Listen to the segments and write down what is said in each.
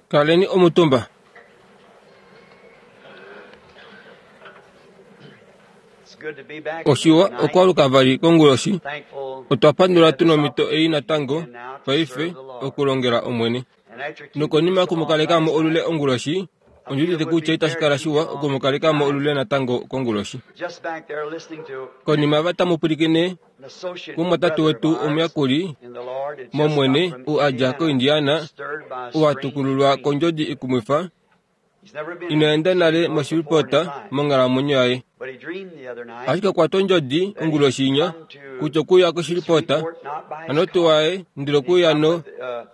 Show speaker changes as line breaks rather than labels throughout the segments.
Kaleni omutumba. Oshiwa okwaluka vali konguloshi. Otwa pandula tu nomhito ei natango paife okulongela Omwene. Nokonima yoku mu kaleka mo olule onguloshi, ondi udite kutya itashi kala shiwa oku mu kaleka mo olule natango konguloshi. Konima va tamu pwilikine kumwatate wetu omuyakuli mOmwene ou a dja koIndiana, ou a tukululwa kondjodi ikumwifa, ina enda nale moshilipota monghalamwenyo yaye. Ashike okwa twa ondjodi onguloshi inya kutya okuya koshilipota, hano tuu waye ndele okuya no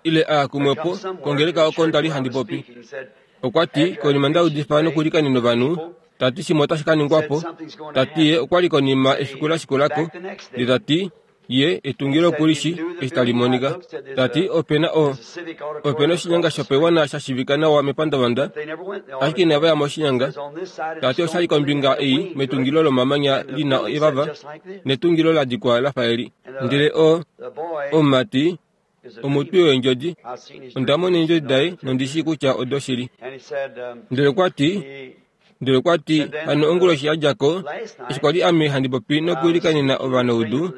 ile a ya kumwepo kongeleka oko nda li handi popi. Okwa ti, konima nda udifa nokulikanena ovanhu, ta ti shimwe otashi ka ningwa po. Ta ti ye okwa li konima efiku la shikula ko, ndele ta ti ye etungilo oku li shi eshi tali monika. Ta ti ope na o, ope na oshinyanga shopaiwana sha shivika nawa mepandavanda, ashike inava ya moshinyanga. Ta ti osha li kombinga ei metungilo lomamanya li na evava, netungilo la dikwa la fa eli. Ndele o, omumati omutwi weendjodi. Onda mona eendjodi daye nondi shii kutya odoshili. Ndele okwa ti, ndele okwa ti, hano onguloshi ya dja ko, eshi kwa li ame handi popi nokuilikanena ovanaudu,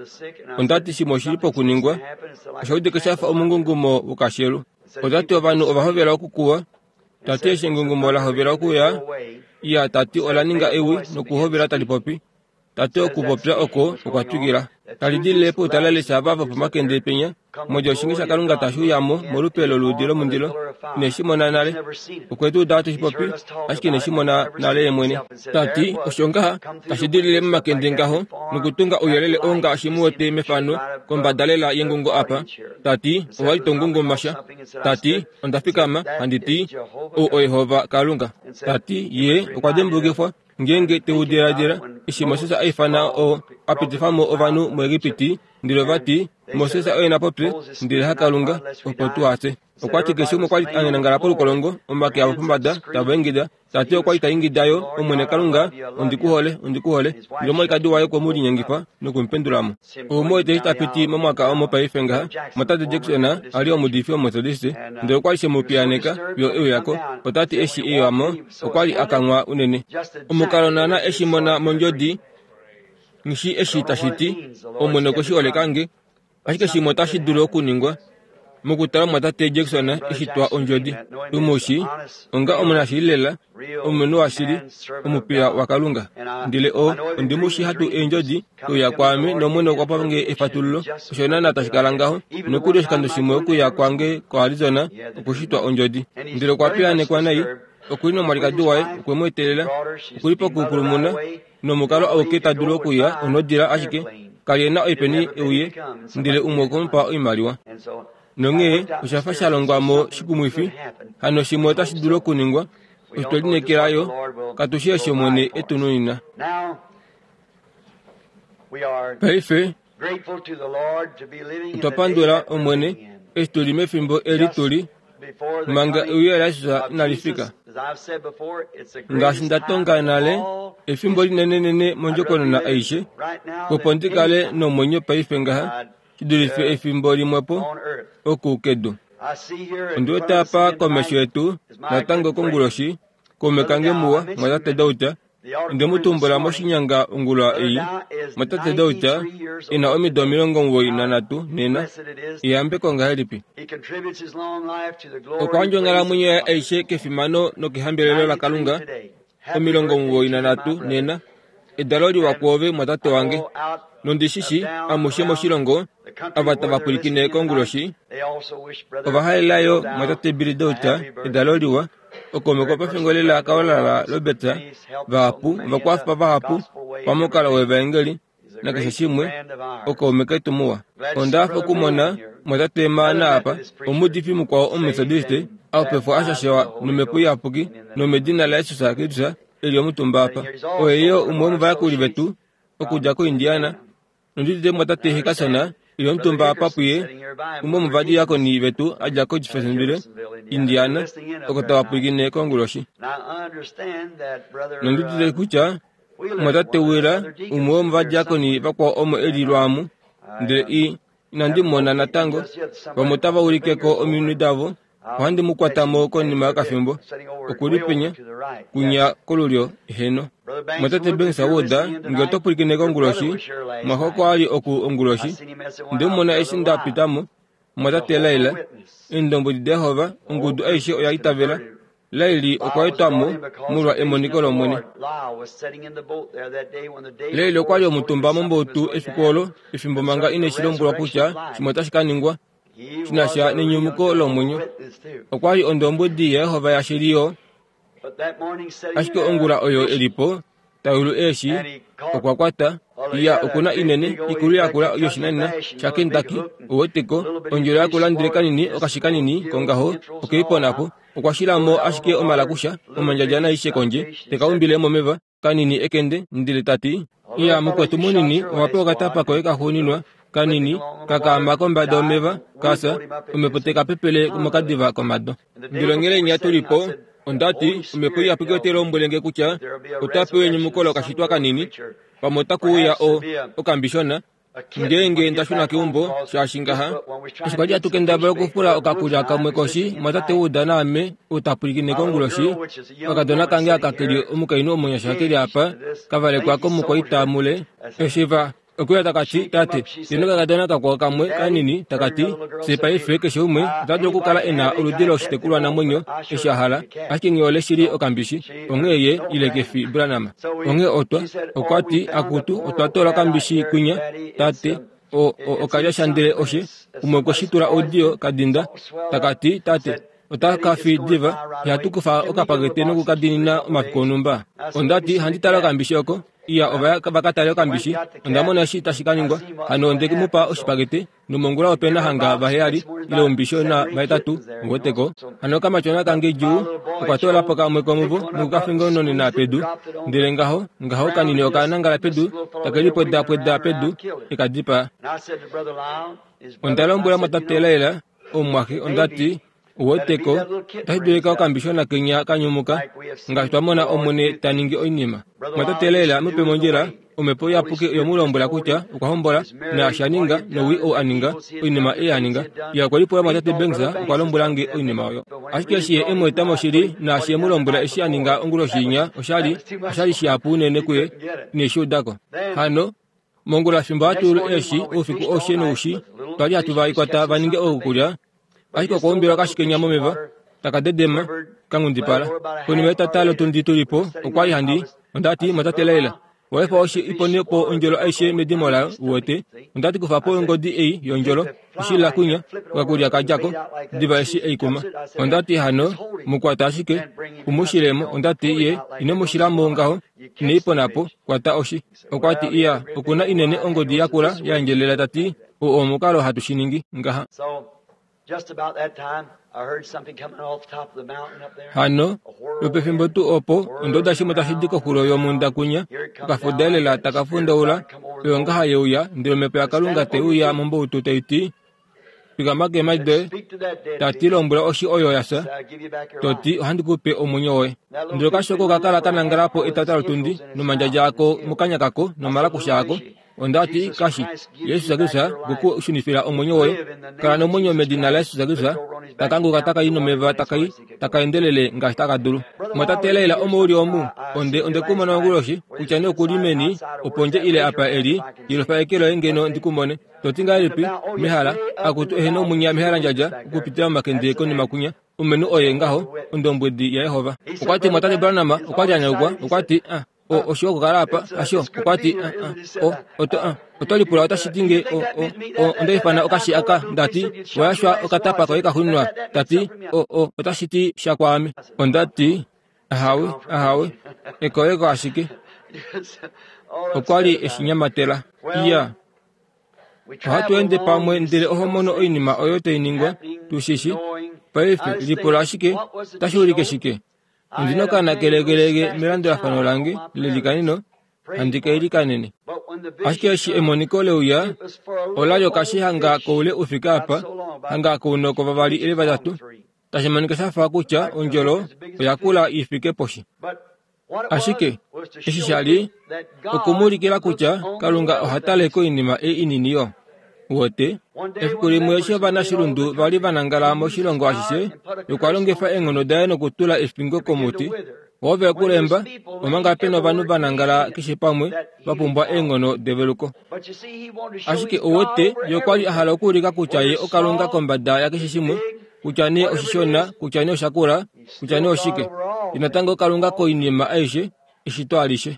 onda ti shimwe oshi li pokuningwa. Osha udika sha fa omungungumo wokashelu. Ota ti ovanhu ova hovela okukuwa. Ta ti eshi engungumo la hovela okuya, iya, ta ti ola ninga ewi nokuhovela tali popi. Ta ti okupopya oko okwa twikila. Tali dilile poutalale ava vopomakende penya, modja oshinge shaKalunga tashi uya mo molupe loluudi lomundilo. Ine shi mona nale. Okwe tu uda hatu shi popi, ashike ine shi mona nale ye mwene. Ta ti, Osho ngaha tashi dilile momakende ngaho, nokutunga ouyelele oo ngaashi mu wete mefano kombada lela yengungo apa. Ta ti, Owa li to ngunguma sha. Ta ti, Onda fikama, handi ti, Ou oYehova Kalunga. Ta ti, Ye okwa dimbulukifwa. Ngeenge te u diladila, eshi Moses a ifana oo a pitifa mo ovanhu muEgipiti, ndele ova ti, Moses oye na popye, ndele haKalunga, opo tu hafye. Okwa ti keshe umwe okwa li a nangala polukolongo, omake avo pombada, tava ingida. Ta ti okwa li ta ingida yo, Omwene Kalunga, ondi ku hole, ondi ku hole. Ndele omwalikadi waye okwe mu linyengifa noku mu pendula mo. Ou mu wete eshi ta piti momwaka omo paife ngaha, Mwatate Jackson a li omuudifi Omumetodiste, ndele okwa li she mu piyaaneka fiyo e uya ko. Ota ti eshi e uya mo, okwa li a kanghwa unene. Omukalo naana eshi mona mondjodi, nghi shii eshi tashi ti, Omwene okwe shi holeka nge. Ashike shimwe otashi dulu okuningwa, mokutala omumwatate Jackson eshi twa ondjodi. Tu mu shii onga omunashili lela, omulumenhu washili, omupiya waKalunga. Ndele o, ondi mu shii hatu eendjodi, e uya kwaame nOmwene okwa pa nge efatululo. Osho naana tashi kala ngaho. Nokuli oshikando shimwe okuya kwange koArizona okushitwa ondjodi. Ndele okwa piyaanekwa nai. Oku li nomwalikadi waye, okwe mu etelela. Oku li pokupulumuna, nomukalo auke ta dulu okuya onodila ashike ka li e na oipeni e uye, ndele umwe okwe mu pa oimaliwa. Nonghee osha fa sha longwa mo shikumwifi, hano shimwe otashi dulu okuningwa, osho twe lineekela yo, katu shii eshi Omwene e tu nunina. Paife, otwa pandula Omwene eshi tu li mefimbo eli tu li, manga euyo laJesus inali fika. Ngaashi nda tonga nale, efimbo linenenene mondjokonona aishe, opo ndi kale nomwenyo paife ngaha, shi dulife efimbo limwepo oku kedu. Ondi wete apa komesho yetu natango konguloshi, kaume kange muwa, mwatate Dauta, Onde mu tumbula moshinyanga ongula ei, mwatate Dauta, e na omido 93 nena. Eyambeko ngahelipi! Okwa yandja onghalamwenyo yaye aishe kefimano nokehambelelo laKalunga, 93 nena. Edalo liwa kwoove, mwatate wange. Nondi shi shi, amushe moshilongo, ava tava pwilikine konguloshi, ova halela yo mwatate Billy Dauta edalo liwa. Okaume kopefimbo lela kaolala Robert vahapu ovakwafa vahapu pamukalo wevaengeli nakeshe shimwe okaume ketu muwa. Onda hafa okumona mwatate Maana apa, omuudifi mukwao Omumetodiste, a pefwa a shashewa nomhepo iyapuki nomedina laJesus Kristus e li omutumba apa. Oye yo umwe womovayakuli vetu okudja koIndiana. Nondi udite mumwatate Hickerson e li omutumba apa puye, umwe womovadiakoni vetu a dja koJeffersonville, Indiana, oko tava pwilikine konguloshi. Nondi udite kutya mumwatate Wheeler, umwe womovadiakoni vakwao omo e li lwaamu, ndele i, inandi mu mona natango. Vamwe otava ulike ko ominwe davo. Ohandi mu kwata mo konima yokafimbo. Oku li penya, kunya kolulyo, heeno. Mwatate Banks Wood, nge oto pwilikine konguloshi, mwaxo okwa ali oku onguloshi. Nde mu mona eshi nda pita mo. Mwatate Lyle, Eendombwedi daJehova, ongudu aishe oya itavela. Laili okwa etwa mo molwa emoniko lOmwene. Laili okwa li omutumba mombautu efiku olo, efimbo manga ine shi lombwelwa kutya shimwe otashi ka ningwa shi na sha nenyumuko lomwenyo. Okwa li ondombwedi yaJehova yashili yo. Ashike ongula oyo e li po, ta yulu eeshi, okwa kwata, iya oku na inene, ikulu yakula yoshinanena shaKentucky, uweteko, ondjelo yakula ndele kanini okashi kanini kongaho, oke i pona po. Okwa shila mo ashike omalakusha, omandjadja naaishe kondje, te ka umbile momeva, kanini ekende, ndele ta ti, Iya, mukwetu munini, owa pewa okatapa koye kaxuuninwa, kanini, ka kaama kombada yomeva, ka fya, omhepo te ka pepele mokadiva komado. Ndele onghele inya tu li po, onda ti, Omhepo Iyapuki otai lombwele nge kutya ota pewa enyumuko lokashitwa kanini, pamwe otaku uya o, okambishona, ngeenge nda shuna keumbo, shaashi ngaha, eshi kwali hatu kendabala okufula okakulya kamwe koshi, mwatate Wood naame, ou ta pwilikine konguloshi, okakadona kange aka ke li omukainhu omunyasha ke li apa, ka valekwa komukwaita mule, eshi va Okwe taka ti, Tate, ye nokakadona kakwao kamwe kanini, taka ti, Fye paife keshe umwe ota dulu okukala e na oludi loshitekulwanamwenyo eshi a hala, ashike ngee ole shili okambishi, onghee ye ile ke fi Branham. Onghee otwa, okwa ti, Akutu, otwa toola okambishi kwinya, tate, o, o, okalya sha ndele oshe, umwe okwe shi tula oudiyo ka dinda, taka ti, Tate, ota ka fi diva, ihatu kufa okapakete noku ka diinina omafiku onhumba. Onda ti, Handi tale okambishi oko. Iya, ova ya va ka tale okambishi. Onda mona eshi tashi ka ningwa. Hano onde mu pa oshipakete, nomongula ope na hanga vaheyali, ile oumbishona vahetatu, uweteko. Hano okamatyona kange djuu, okwa toola po kamwe komuvo noku ka fengononena pedu. Ndele ngaho, ngaho kanini oka nangala pedu, take lipwedapweda pedu, e ka dipaa. Onda lombwela mwatate Lyle, omumwaxe, onda ti, Uweteko, otashi dulika okambishona kenya ka nyumuka, ngaashi twa mona Omwene ta ningi oinima. Mwatate Lela mupe mondjila, Omhepo Iyapuki oye mu lombwela kutya okwa hombola, naashi a ninga, nowii ou a ninga, oinima ei a ninga. Ye okwe lipula Mwatate Banks okwa lombwela nge oinima oyo. Ashike eshi ye e mu eta moshili, naashi e mu lombwela eshi a ninga onguloshi inya, osha li, osha li shihapu unene kuye, ine shi uda ko. Hano, mongula fimbo hatu yulu eeshi oufiku aushe noushi, twa li hatu va kwata va ninge oukulya, Ashike okwa umbilwa kashikenya momeva, taka dedema, ka nghundipala. Konima yetata lotundi tu li po, okwa li handi, onda ti, Mwatate Laila, owa efa oshi i pone po ondjolo aishe medimo layo, uwete. Onda ti, Kufa po ongodi ei yondjolo, oshila kwinya, okakulya ka dja ko, diva eshi e i kuma. Onda ti, Hano, mu kwata ashike, u mu shile mo. Onda ti, Ye ino mu shila mo ngaho, ine i pona po, kwata oshi. Okwa ti, Iya, oku na inene ongodi yakula ya endjelela, ta ti, Oo omukalo hatu shi ningi ngaha. Hano, lwopefimbo tuu opo, onda uda shimwe tashi di koxulo yomhunda kwinya, okafuda elela taka fundaula, oyo ngaha ye uya, ndele Omhepo yaKalunga te uya mombautu tai ti, Fikama keemhadi doye, ta ti lombwela oshi oyo ya fya, to ti ohandi ku pe omwenyo woye. Ndele okashoko oka kala ka nangala po etata lotundi, nomandjadja ako mokanya kako nomalakusha ako. Onda ti, Kashi, Jesus Kristus oku ku shunifila omwenyo woye. Kala nomwenyo medina laJesus Kristus. Taka nguka taka i nomeva taka i, taka endelele ngaashi taka dulu. Mwatate Leila omo u li omu? Onde, onde ku mona onguloshi, kutya nee oku li meni, opondje ile apa e li, yelufa eke loye ngeno ndi ku mone. To ti ngahelipi, mehala, akutu ehena omwinya mehalandjadja okupitila momakende konima kwinya, omumenhu oye ngaho, ondombwedi yaJehova. Okwa ti, Mwatate Branham okwa li a nyanyukwa, okwa ti, Ah, o, oshiwa okukala apa, hasho? Okwa ti, Ah, ah, o, oto, ah, oto lipula otashi ti nge o, o, o, onda ifana okashi aka, nda ti, wa yashwa okatapa koye kaxuuninwa, ta ti, o, o, otashi ti sha kwaame. Onda ti, Ahawe, ahawe, ekoleko ashike. Okwa li e shi nyamatela. Iya. Ohatu ende pamwe ndele oho mono oinima oyo tai ningwa, tu shi shi. Paife, lipula ashike, otashi ulike shike? Ondi na okaana kelegelege melandulafano lange lelikaneno, handi ka ilikanene. Ashike eshi emoniko le uya, ola li okashi hanga koule u fike apa, hanga kounoko vavali ile vatatu, tashi monika sha fa kutya ondjolo oya kula i fike poshi. Ashike, eshi sha li, okumuulikila kutya Kalunga oha tale koinima ei inini yo. Uwete? Efiku limwe eshi ovanashilundu va li va nangala moshilongo ashishe, okwa longifa eenghono daye nokutula efingo komuti. Ove ku lemba, omanga pe novanhu va nangala keshe pamwe va pumbwa eenghono develuko. Ashike uwete, ye okwa li a hala okuulika kutya ye oKalunga kombada yakeshe shimwe, kutya nee oshishona, kutya nee oshakula, kutya nee oshike. Ye natango oKalunga koinima aishe, eshito alishe.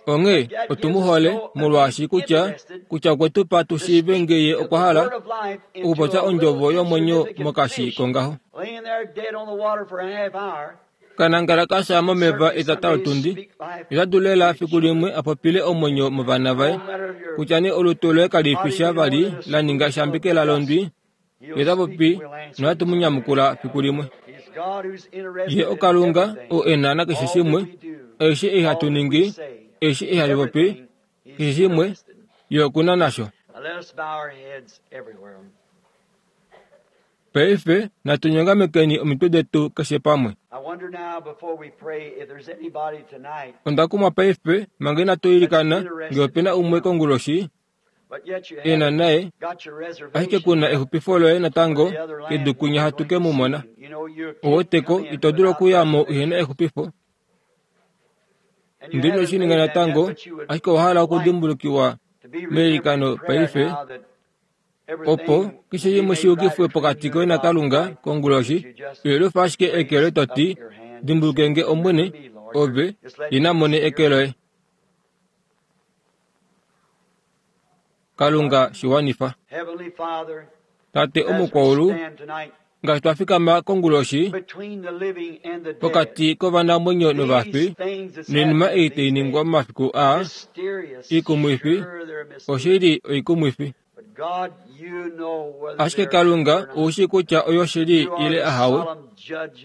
Onghee otu mu hole molwaashi kutya kutya okwe tu pa tu shiive nge ye okwa hala okupopya ondjovo yomwenyo mokashi kongaho. Kanangala ka sha momeva etata lotundi, ota dulu lela fiku limwe a popile omwenyo movana vaye, kutya nee olutu loye kali fi sha vali la ninga eshambekela londwi, Ye ta popi nohatu mu nyamukula fiku limwe. Ye oKalunga oo e na nakeshe shimwe, aishe ei hatu ningi, aishe ei hatu popi, keshe shimwe, Ye oku na nasho. Paife natu nyongamekeni omitwe detu keshe pamwe. Onda kumwa paife manga inatu ilikana nge ope na umwe konguloshi e na naye, ashike ku na exupifo loye natango kedu kwinya hatu ke mu mona. Oweteko, ito dulu okuya mo uhe na exupifo. Ndele ino shi ninga natango, ashike owa hala okudimbulukiwa meilikano paife, opo keshe shimwe shi yukifwe pokati koye naKalunga konguloshi, ihelufa ashike eke loye to ti, Dimbuluke nge Omwene, ove, ye na mone eke loye. Kalunga shi wanifa. Tate omukwaulu, ngaashi twa fikama konguloshi pokati kovanamwenyo novafi, noinima ei tai ningwa momafiku aa ikumwifi, oshili oikumwifi. Ashike Kalunga ou shii kutya oyoshili ile ahawe,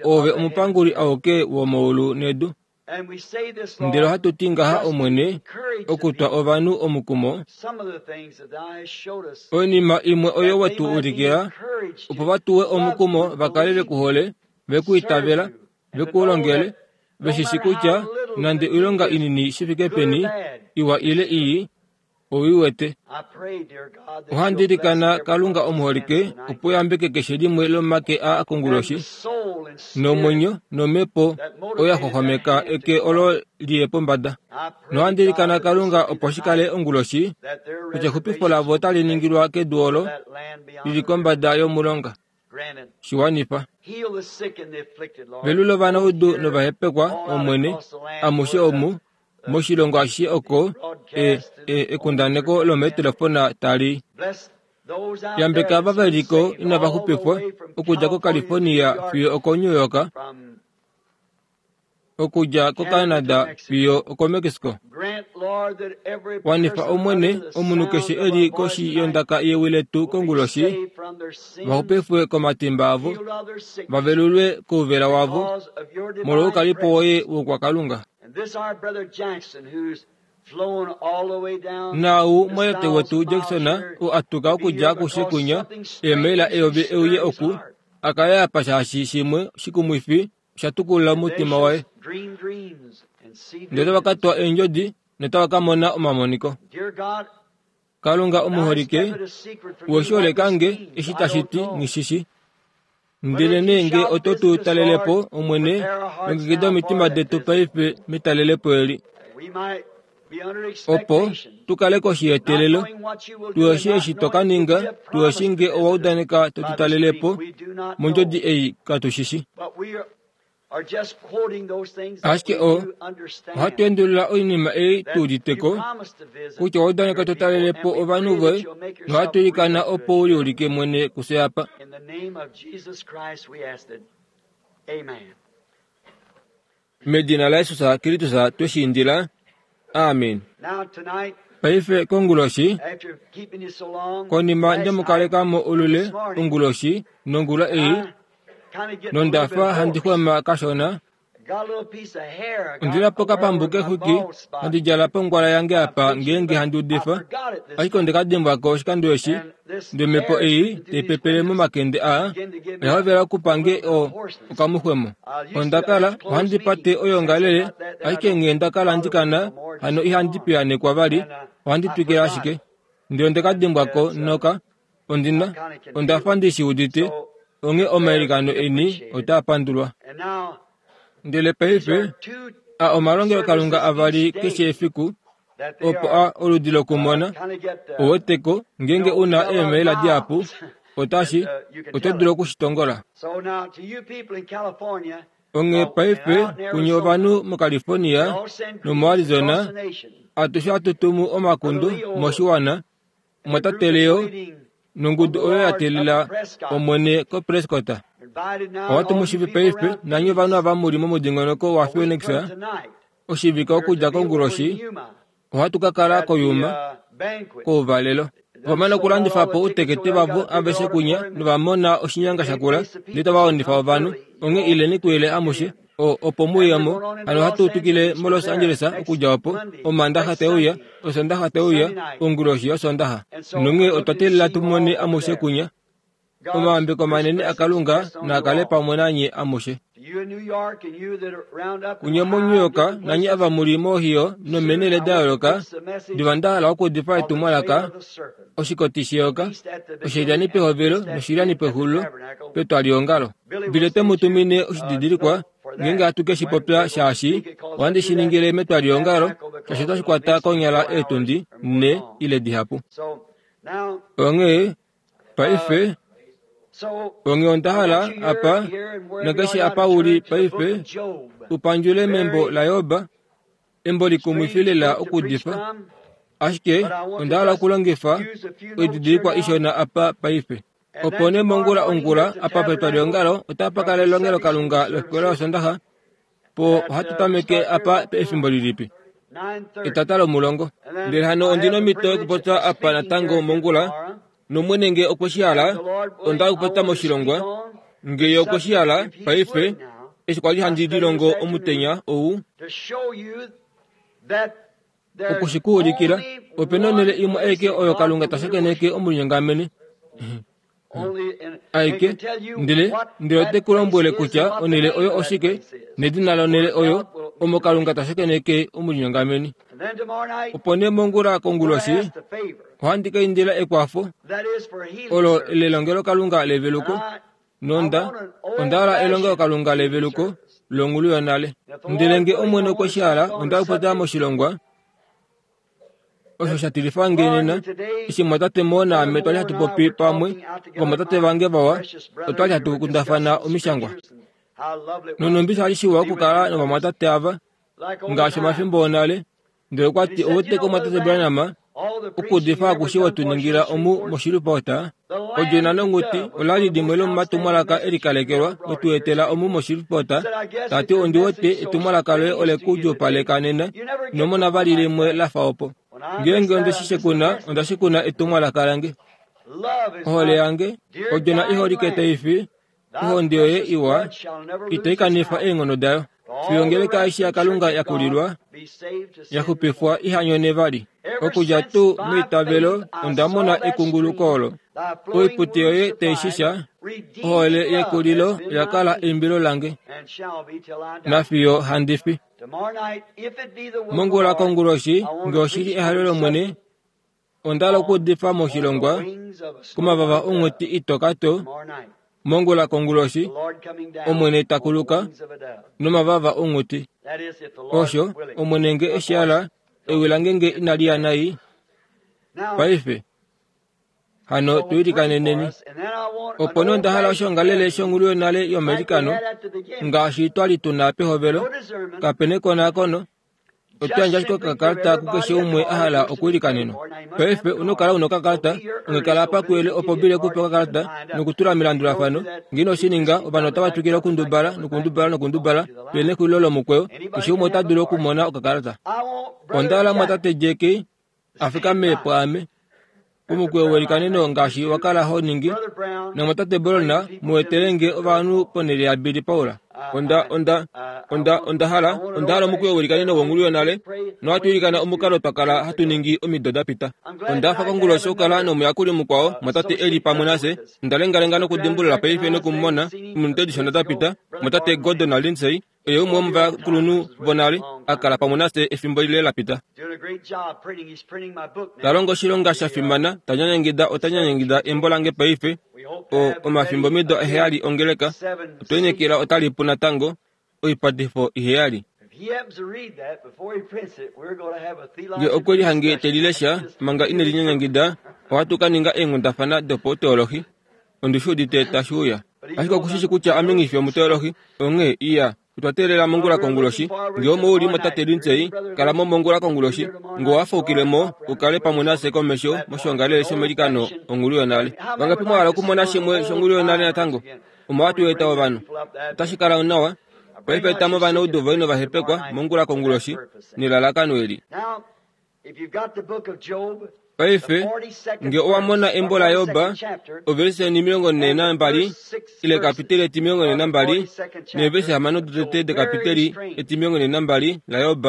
oove omupanguli auke womaulu nedu. Ndele ohatu ti ngaha, Omwene, okutwa ovanhu omukumo, oinima imwe oyo we tu ulikila, opo va tuwe omukumo va kale ve ku hole, ve ku itavela, ve ku longele, ve shi shi kutya nande oilonga inini shi fike peni, iwa ile ii, Ou i wete. Ohandi ilikana Kalunga omuholike opo yambeke keshe limwe lomake a konguloshi nomwenyo nomhepo oyo ya xwaxwameka eke olo li ye pombada. Nohandi ilikana Kalunga opo shi kale onguloshi kutya exupifo lavo otali ningilwa kedu olo li li kombada yomulonga. Shi wanifa. Velula ovanaudu novahepekwa, Omwene, amushe omu moshilongo ashishe oko e, e, ekundaneko lomeetelefona tali yambeka ava ve li ko inava xupifwa okudja koCalifornia fiyo okoNew York, okudja koCanada fiyo okoMexico. Wanifa Omwene, omunhu keshe e li koshi yondaka yewi letu konguloshi, va xupifwe komatimba avo, va velulwe kouvela wavo, molwoukalipo woye woukwakalunga. Naau mwatate wetu Jackson oo a tuka okudja akushe kwinya eemaila eyovi e uye oku, a kale apa shaashi shimwe shikumwifi osha tukulula omutima waye. Ndele otava ka twa eendjodi notava ka mona omamoniko. Kalunga omuholike, we shi holeka nge eshi tashi ti nghi shi shi. Ndelenee nge oto tu talele po, Omwene, longekida omitima detu paife metalelepo eli, opo tu kale koshi yeteelelo, tu eshi eshi to ka ninga, tu eshi nge owa udaneka to tu talele po mondjodi ei katu shi shi. Ashike o, ohatu endulula oinima ei tu udite ko, kutya owa udaneka to talele po ovanhu voye, nohatu ilikana opo u liulike mwene kufye apa. Medina laJesus Kristus twe shi indila. Amen. Paife konguloshi, konima nde mu kaleka mo olule onguloshi nongula ei, nonda fa handi xwema kashona, Ondi na po okapambu kexwiki handi djala pongwala yange apa ngeenge handi udifa, ashike onde ka dimbwa ko oshikando eshi. Ndele omhepo ei tai pepele momakende aa oya hovela okupa nge o, okamuxwemo. Onda kala ohandi pate oyoongalele, ashike nghee nda kala ndi kana, hano ihandi piyaanekwa vali, ohandi twikile ashike. Ndele onde ka dimbwa ko noka ondi na, onda fa ndi shi udite, onghee omailikano eni otaa pandulwa. Ndele paife, a omalongelokalunga avali keshe efiku, opo a oludi lokumona, ouweteko, ngeenge u na eemaila dihapu, otashi, oto dulu oku shi tongola. Onghee paife, kunye ovanhu moCalifornia nomoArizona, atushe ohatu tumu omakundo moshiwana, Omwatate Leo nongudu oyo ya teelela Omwene koPrescott. Ohatu mu shivi paife nanye ovanhu ava mu li momudingonoko waPhoenix oshivike okudja konguloshi. Ohatu ka kala koYuma kouvalelo. Ova mana okulandifa po outekete vavo aveshe kunya nova mona oshinyanga shakula ndele tava wanifa ovanhu. Onghee ileni kuyele amushe. O, opo mu ye mo. Hano ohatu tukile moLos Angeles okudja opo, Omaandaxa te uya, Osondaxa te uya, onguloshi yOsondaxa. Nonghee otwa teelela tu mone amushe kunya. Omayambeko manene aKalunga naa kale pamwe nanye amushe. Kunye moNew York nanye ava mu li moOhio nomeenhele da yooloka, diva nda hala okuudifa etumwalaka, oshikoti sheyoka, oshilyani pehovelo noshilyani pexulilo, petwaliongalo. Billy te mu tumine oshididilikwa ngeenge hatu ke shi popya shaashi ohandi shi ningile metwaliongalo shaashi otashi kwata konyala eetundi nhe ile dihapu. Onghee paife onghee onda hala apa nakeshe apa u li paife u pandjule membo laJob embo likumwifi lela okuudifa ashike onda hala okulongifa oididilikwa ishona apa paife. Opo nee mongula ongula, apa petwaliongalo otapa kala elongelokalunga lofikola yOsondaxa. Po ohatu tameke apa efimbo lilipi? Etata lomulongo. Ndele hano ondi nomhito yokupopya apa natango mongula, nOmwene nge okwe shi hala, onda hala okupopya moshilongwa, nge Ye okwe shi hala, paife, eshi kwa li handi lilongo omutenya ou, Oku shi ku ulikila, ope na onhele imwe aike oyo Kalunga ta shakeneke omulinyongamene aike, ndele ndele ote ku lombwele kutya onhele oyo oshike nedina lonhele oyo omo Kalunga ta shakeneke omulinyongameni. Opo nee mongula konguloshi ohandi ka indila ekwafo olo lelongelokalunga leveluko Nonda, onda hala elongelokalunga leveluko longulu yonale. Ndele nge Omwene okwe shi hala, onda okupopya moshilongwa osho sha tilifa nge nena, eshi mwatate Moore naame twali hatu popi pamwe, ovamwatate vange vawa, otwali hatu kundafana omishangwa. Nonhumbi sha li shiwa okukala novamwatate ava, ngaashi omafimbo onale, Ndele okwa ti, Ou wete ko Mwatate Branham, okuudifa akushe we tu ningila omu moShreveport, Odjona nonghuti ola li limwe lomomatumwalaka e likalekelwa we tu etela omu moShreveport. Ta ti, Ondi wete etumwalaka loye ole ku djuupaleka nena, ino mona vali limwe la fa opo. Ngeenge onde shi shekuna, onda shekuna etumwalaka lange. Ohole yange, odjona i holike tai fi, Ohonde yoye iwa itai kanifa eenghono dayo fiyo ongeleka aishe yaKalunga ya kulilwa, ya xupifwa iha nyone vali. Okudja tuu meitavelo onda mona ekunguluko olo. Oipute yoye tai shisha, ohole yekulilo oya kala eimbilo lange nafiyo handi fi. Mongula konguloshi, nge oshi li ehalo lOmwene, Onda hala okuudifa moshilongwa komavava onghuti itoka to mongula konguloshi, Omwene ta kuluka nomavava onghuti. Osho, Omwene nge e shi hala, ewi lange nge inali ya nai. Paife, hano tu ilikaneneni. Opo nee onda hala oshiongalele shongulu yonale yomailikano, ngaashi twa li tu na pehovelo, kape nekonakono, Oto yandje ashike okakalata kukeshe umwe a hala okwiilikanenwa. Paife una okukala una okakalata, onghee kala apa kuyele opo Billy e ku pe okakalata nokutula melandulafano. Ngee ino shi ninga, ovanhu otava twikile okundubala nokundubala nokundubala fiyo nexulilo lomukweyo. Keshe umwe ota dulu okumona okakalata. Onda hala mumwatate Jack a fikame pwaame. Omukweyo welikaneno ngaashi wa kala ho ningi, namwatate Brown mu etele nge ovanhu ponhele yaBilly Paul. Onda, onda, onda, onda hala, onda hala omukweyo welikaneno wongulu yonale, nohatu ilikana omukalo twa kala hatu ningi omido da pita. Onda hafa konguloshi okukala nomuyakuli mukwao, mwatate e li pamwe nafye. Onda lengalenga nokudimbulula paife noku mu mona, ominute dishona da pita, mwatate Gordon naLindsay. Oye umwe womovakulunhu vonale a kala pamwe nafye efimbo lile la pita. Ta longo oshilonga sha fimana, ta nyanyangida ota nyanyangida embo lange paife, o, omafimbomido aheyali ongeleka, otwe lineekela otali pu natango, oipatifo iheyali. Nge okwe lihange te li lesha manga ine li nyanyangida, ohatu ka ninga eenghundafana dopauteolohi. Ondi shi udite tashi uya. Ashike oku shi shi kutya ame nghi fi omuteolohi, onghee iya. Otwa teelela mongula konguloshi. Nge omo u li mo Tate Lindsay, kala mo mongula konguloshi. Nge owa faukile mo, u kale pamwe nafye komesho moshiongalele shomeilikano onghulu yonale. Vangapi mwa hala okumona shimwe shonghulu yonale natango? Omo hatu eta ovanhu. Otashi kala nawa. Paife eta mo ovanaudu voye novahepekwa mongula konguloshi nelalakano eli. Paife, nge owa mona embo laJob, ovelise 42, ile ekapiteli 42, neevelise hamano dotete dekapiteli 42 laJob,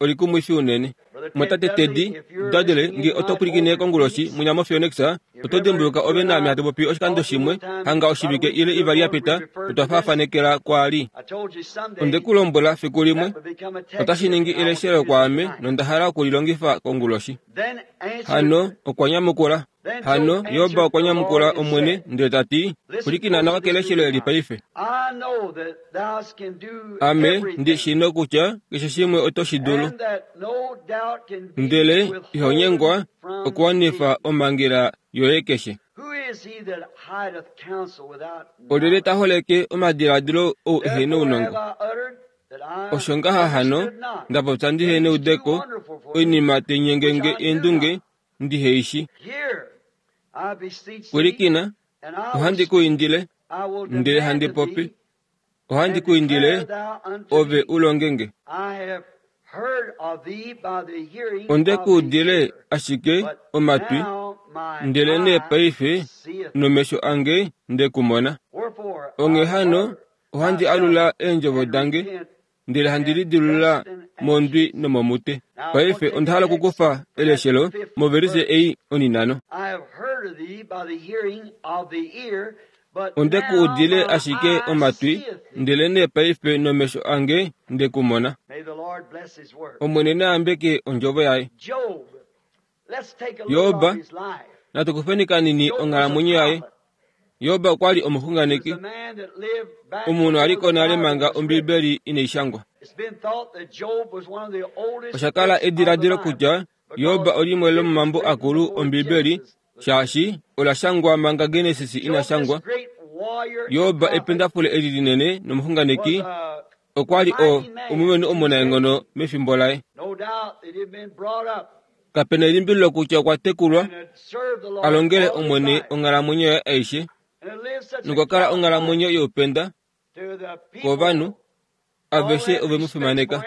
olikumwifi unene. Mwatate Teddy Dudley, nge oto pwilikine konguloshi mwinya moPhoenix, oto dimbuluka ove naame hatu popi oshikando shimwe, hanga oshivike ile ivali ya pita, otwa faafanekela kwaali. Onde ku lombwela fiku limwe, otashi ningi eleshelo kwaame nonda hala oku li longifa konguloshi. Hano okwa nyamukula. Hano Job okwa nyamukula Omwene ndele ta ti, Pwilikina nawa keleshelo eli paife. Ame ndi shii nokutya keshe shimwe oto shi dulu, ndele iho nyengwa okuwanifa omhangela yoye keshe. Olyelye ta holeke omadiladilo ou ehe nounongo? Osho ngaha hano nda popya ndihe neudeko, oinima tai nyenge nge eendunge ndihe i shi. Pwilikina, ohandi ku indile, ndele handi popi. Ohandi ku indile, ove u longe nge. Onde ku udile ashike omatwi, ndelenee paife nomesho ange nde ku mona. Onghee hano ohandi alula eendjovo dange ndele handi lidilulula mondwi nomomute. Paife onda hala okukufa eleshelo movelise ei oninano. Onde ku udile ashike omatwi, ndelenee paife nomesho ange nde ku mona. Omwene na yambeke ondjovo yaye. Job, natu kufeni kanini onghalamwenyo yaye. Job okwa li omuxunganeki, omunhu a li ko nale manga Ombibeli inai shangwa. Osha kala ediladilo kutya Job olimwe lomomambo akulu Ombibeli shaashi ola shangwa manga Genesis ina shangwa. Job ependafule eli linene nomuxunganeki okwa li o omulumenhu omunaenghono mefimbo laye. Kape na elimbililo kutya okwa tekulwa a longele Omwene onghalamwenyo yaye aishe nokwa kala onghalamwenyo youpenda kovanhu aveshe ove mu fimaneka.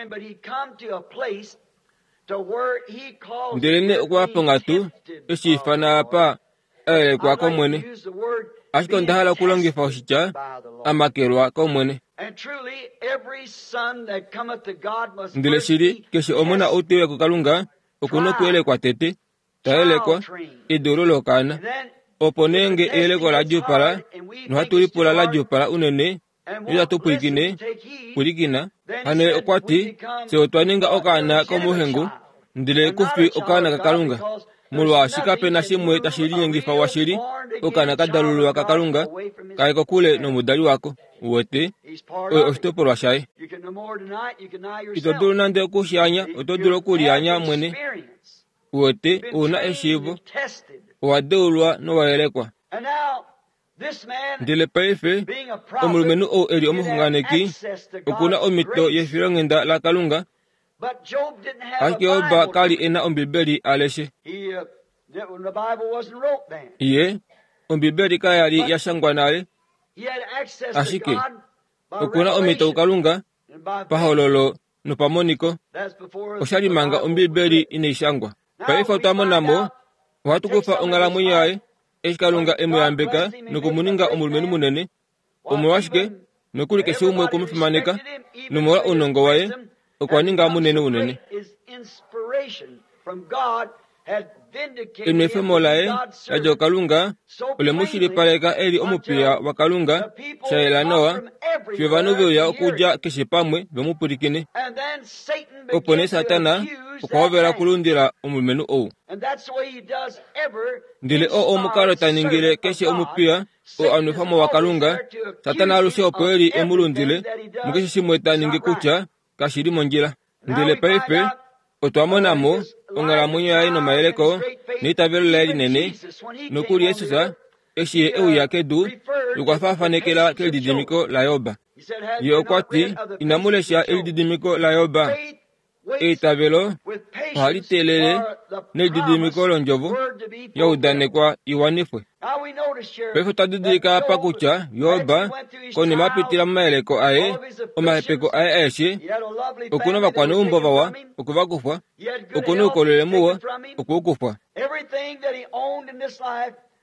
Ndelenee okwa ya ponghatu eshi ifana apa a yelekwa kOmwene. Ashike onda hala okulongifa oshitya a makelwa kOmwene. Ndele shili, keshe omona ou te uya kuKalunga oku nokuyelekwa tete, ta yelekwa, edeulo lokaana. Opo nee nge eyeleko la djuupala, nohatu lipula la djuupala unene, noitatu pwilikine, pwilikina. Hano ye okwa ti, Fye otwa ninga okaana komuhengu, ndele ku fi okaana kaKalunga. Molwaashi kape na shimwe tashi linyengifa washili okaana ka dalululwa kaKalunga kaye kokule nomudali wako. Uwete, oye oshitopolwa shaye. Ito dulu nande oku shi anya, oto dulu oku lianya mwene. Uwete, ou na eshiivo, owa deulwa nowa yelekwa. Ndele paife, omulumenhu ou e li omuxunganeki oku na omhito yefilonghenda laKalunga, ashike Job ka li e na Ombibeli a leshe. Ye, Ombibeli kaya li ya shangwa nale, ashike oku na omhito kuKalunga pahololo nopamoniko osha li manga Ombibeli inai shangwa. Paife otwa mona mo, ohatu kufa onghalamwenyo yaye, eshi Kalunga e mu yambeka noku mu ninga omulumenhu munene. Omolwashike, nokuli keshe umwe okwe mu fimaneka, nomolwa ounongo waye, okwa ninga munene unene. Enwefemo laye la dja kuKalunga ole mu shilipaleka e li omupiya waKalunga sha yela nawa, fiyo ovanhu ve uya okudja keshe pamwe ve mu pwilikine. Opo nee Satana okwa hovela okulundila omulumenhu ou. Ndele oo omukalo ta ningile keshe omupiya oo a nwefwa mo waKalunga, Satana alushe opo e li e mu lundile mukeshe shimwe ta ningi kutya kashi li mondjila. Ndele paife otwa mona mo onghalamwenyo yaye nomayeleko neitavelo laye linene, nokuli Jesus eshi ye e uya kedu okwa faafanekela kelididimiko laJob. Ye okwa ti, Inamu lesha elididimiko laJob? Eitavelo ohali teelele nelididimiko londjovo ya udanekwa i wanifwe. Paife otwa didilika apa kutya Job konima a pitila momayeleko aye, omahepeko aye aeshe, oku na ovakwaneumbo vawa okwe va kufwa, oku na oukolele muwa okwe u kufwa.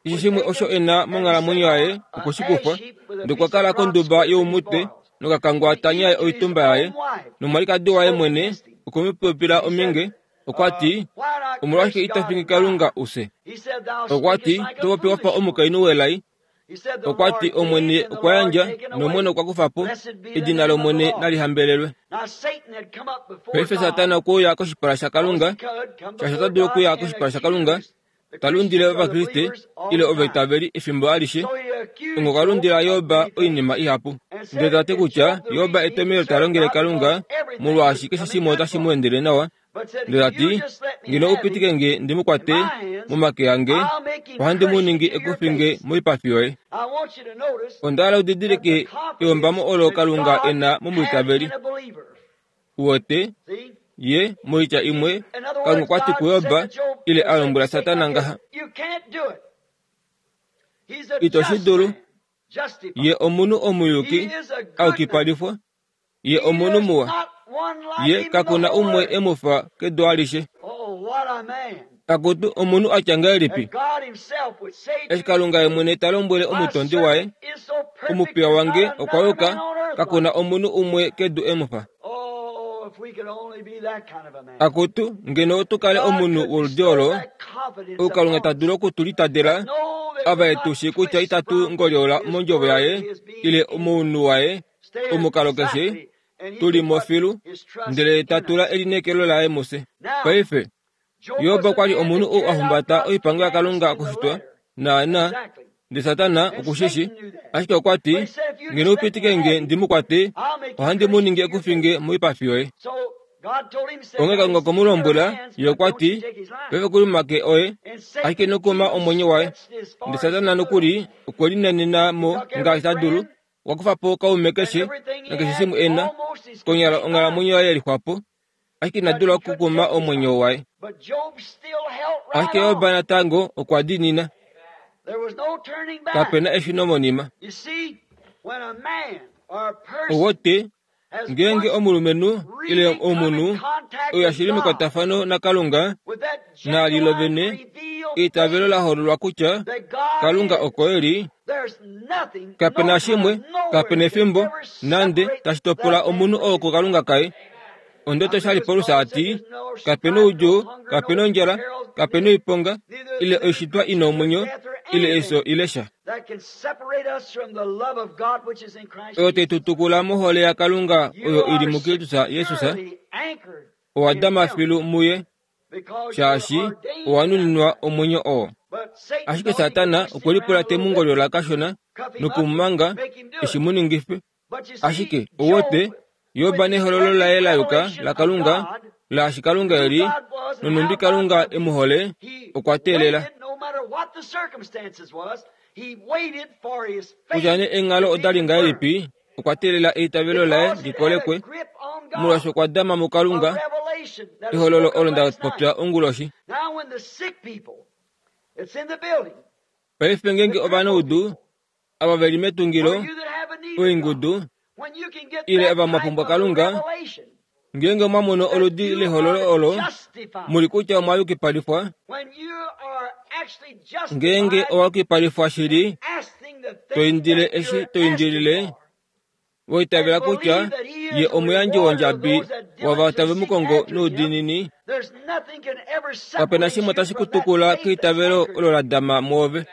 Keshe shimwe osho e na monghalamwenyo yaye okwe shi kufwa, nokwa kala konduba youmutwe nokakangwa ta nyae oitumba yaye, nomwalikadi waye mwene okwe mu popila ominge Okwa ti, Omolwashike ito fingi Kalunga u fye? Okwa ti, To popi wa fa omukainhu welai. Okwa ti, Omwene okwa yandja, nOmwene okwa kufa po. Edina lOmwene nali hambelelwe. Paife Satana okwe uya koshipala shaKalunga, shaashi ota dulu okuya koshipala shaKalunga ta lundile Ovakriste ile ovaitaveli efimbo alishe. Ongo okwa lundila Job oinima ihapu, ndele ta ti kutya Job etomhelo ta longele Kalunga molwaashi keshe shimwe otashi mu endele nawa, ndele ta ti, Ngeno u pitike nge ndi mu kwate momake ange, ohandi mu ningi ekufinge moipafi yoye. Onda hala u didilike eombamo olo Kalunga e na momwiitaveli. Uwete? Ye, moitya imwe, Kalunga okwa ti kuJob, ile a lombwela Satana ngaha, Ito shi dulu. Ye omunhu omuyuki, a yukipalifwa. Ye omunhu muwa. Ye kaku na umwe e mu fa kedu alishe. Akutu, omunhu a tya ngahelipi! Eshi Kalunga ye mwene ta lombwele omutondi waye, Omupiya wange okwa yuka, kaku na omunhu umwe kedu e mu fa. Akutu, ngeno otu kale omunhu woludi olo, ou Kalunga ta dulu oku tu litadela, ava e tu shii kutya itatu ngolyola mondjovo yaye ile mounhu waye, omukalo keshe, tu li mo filu, ndele ta tula elineekelo laye mufye. Paife, Job okwa li omunhu ou a humbata oipango yaKalunga okushitwa naana, ndele Satana oku shi shi. Ashike okwa ti, Ngeno u pitike nge ndi mu kwate, ohandi mu ningi ekufinge moipafi yoye. Onghee Kalunga okwe mu lombwela, ye okwa ti, Paife ku li momake oye, ashike ino kuma omwenyo waye. Ndele Satana nokuli okwe linanena mo ngaashi ta dulu, okwa kufa po kaume keshe nakeshe shimwe e na, konyala onghalamwenyo yaye ye lixwa po, ashike ina dula okukuma omwenyo waye. Ashike Job natango okwa diinina. Kape na eshuno monima. Owote, ngeenge omulumenhu ile omunhu oyo shili mekwatafano naKalunga, naali lo vene eitavelo la hololwa kutya Kalunga oko e li, kape na shimwe, kape na efimbo nande tashi topola omunhu oo kuKalunga kaye. Ondoto sha li Paulus a ti, kape na oudjuu, kape na ondjala, kape na oiponga, ile oishitwa i na omwenyo, ile efyo ile sha. Oyo tai tu tukula mohole yaKalunga oyo i li muKristus Jesus, owa dama filu muye shaashi owa nuninwa omwenyo oo. Ashike Satana okwe lipula te mu ngolyola kashona noku mu manga eshi mu ningife. Ashike ou wete, Job nehololo laye la yuka laKalunga, laashi Kalunga e li, nonhumbi Kalunga e mu hole, okwa teelela. Kutya nee eenghalo oda li ngahelipi, okwa teelela eitavelo laye li kolekwe, molwaashi okwa dama muKalunga, ehololo olo nda popya onguloshi. Paife ngeenge ovanaudu ava ve li metungilo, oingudu, ile ava mwa pumbwa Kalunga, ngeenge mwa mono oludi lehololo olo mu li kutya omwa yukipalifwa, ngeenge owa yukipalifwa shili, to indile eshi to indilile. Wa itavela kutya Ye omuyandji wondjabi wava tave mu kongo noudiinini? Kape na shimwe tashi ku tukula keitavelo olo la dama mwoove.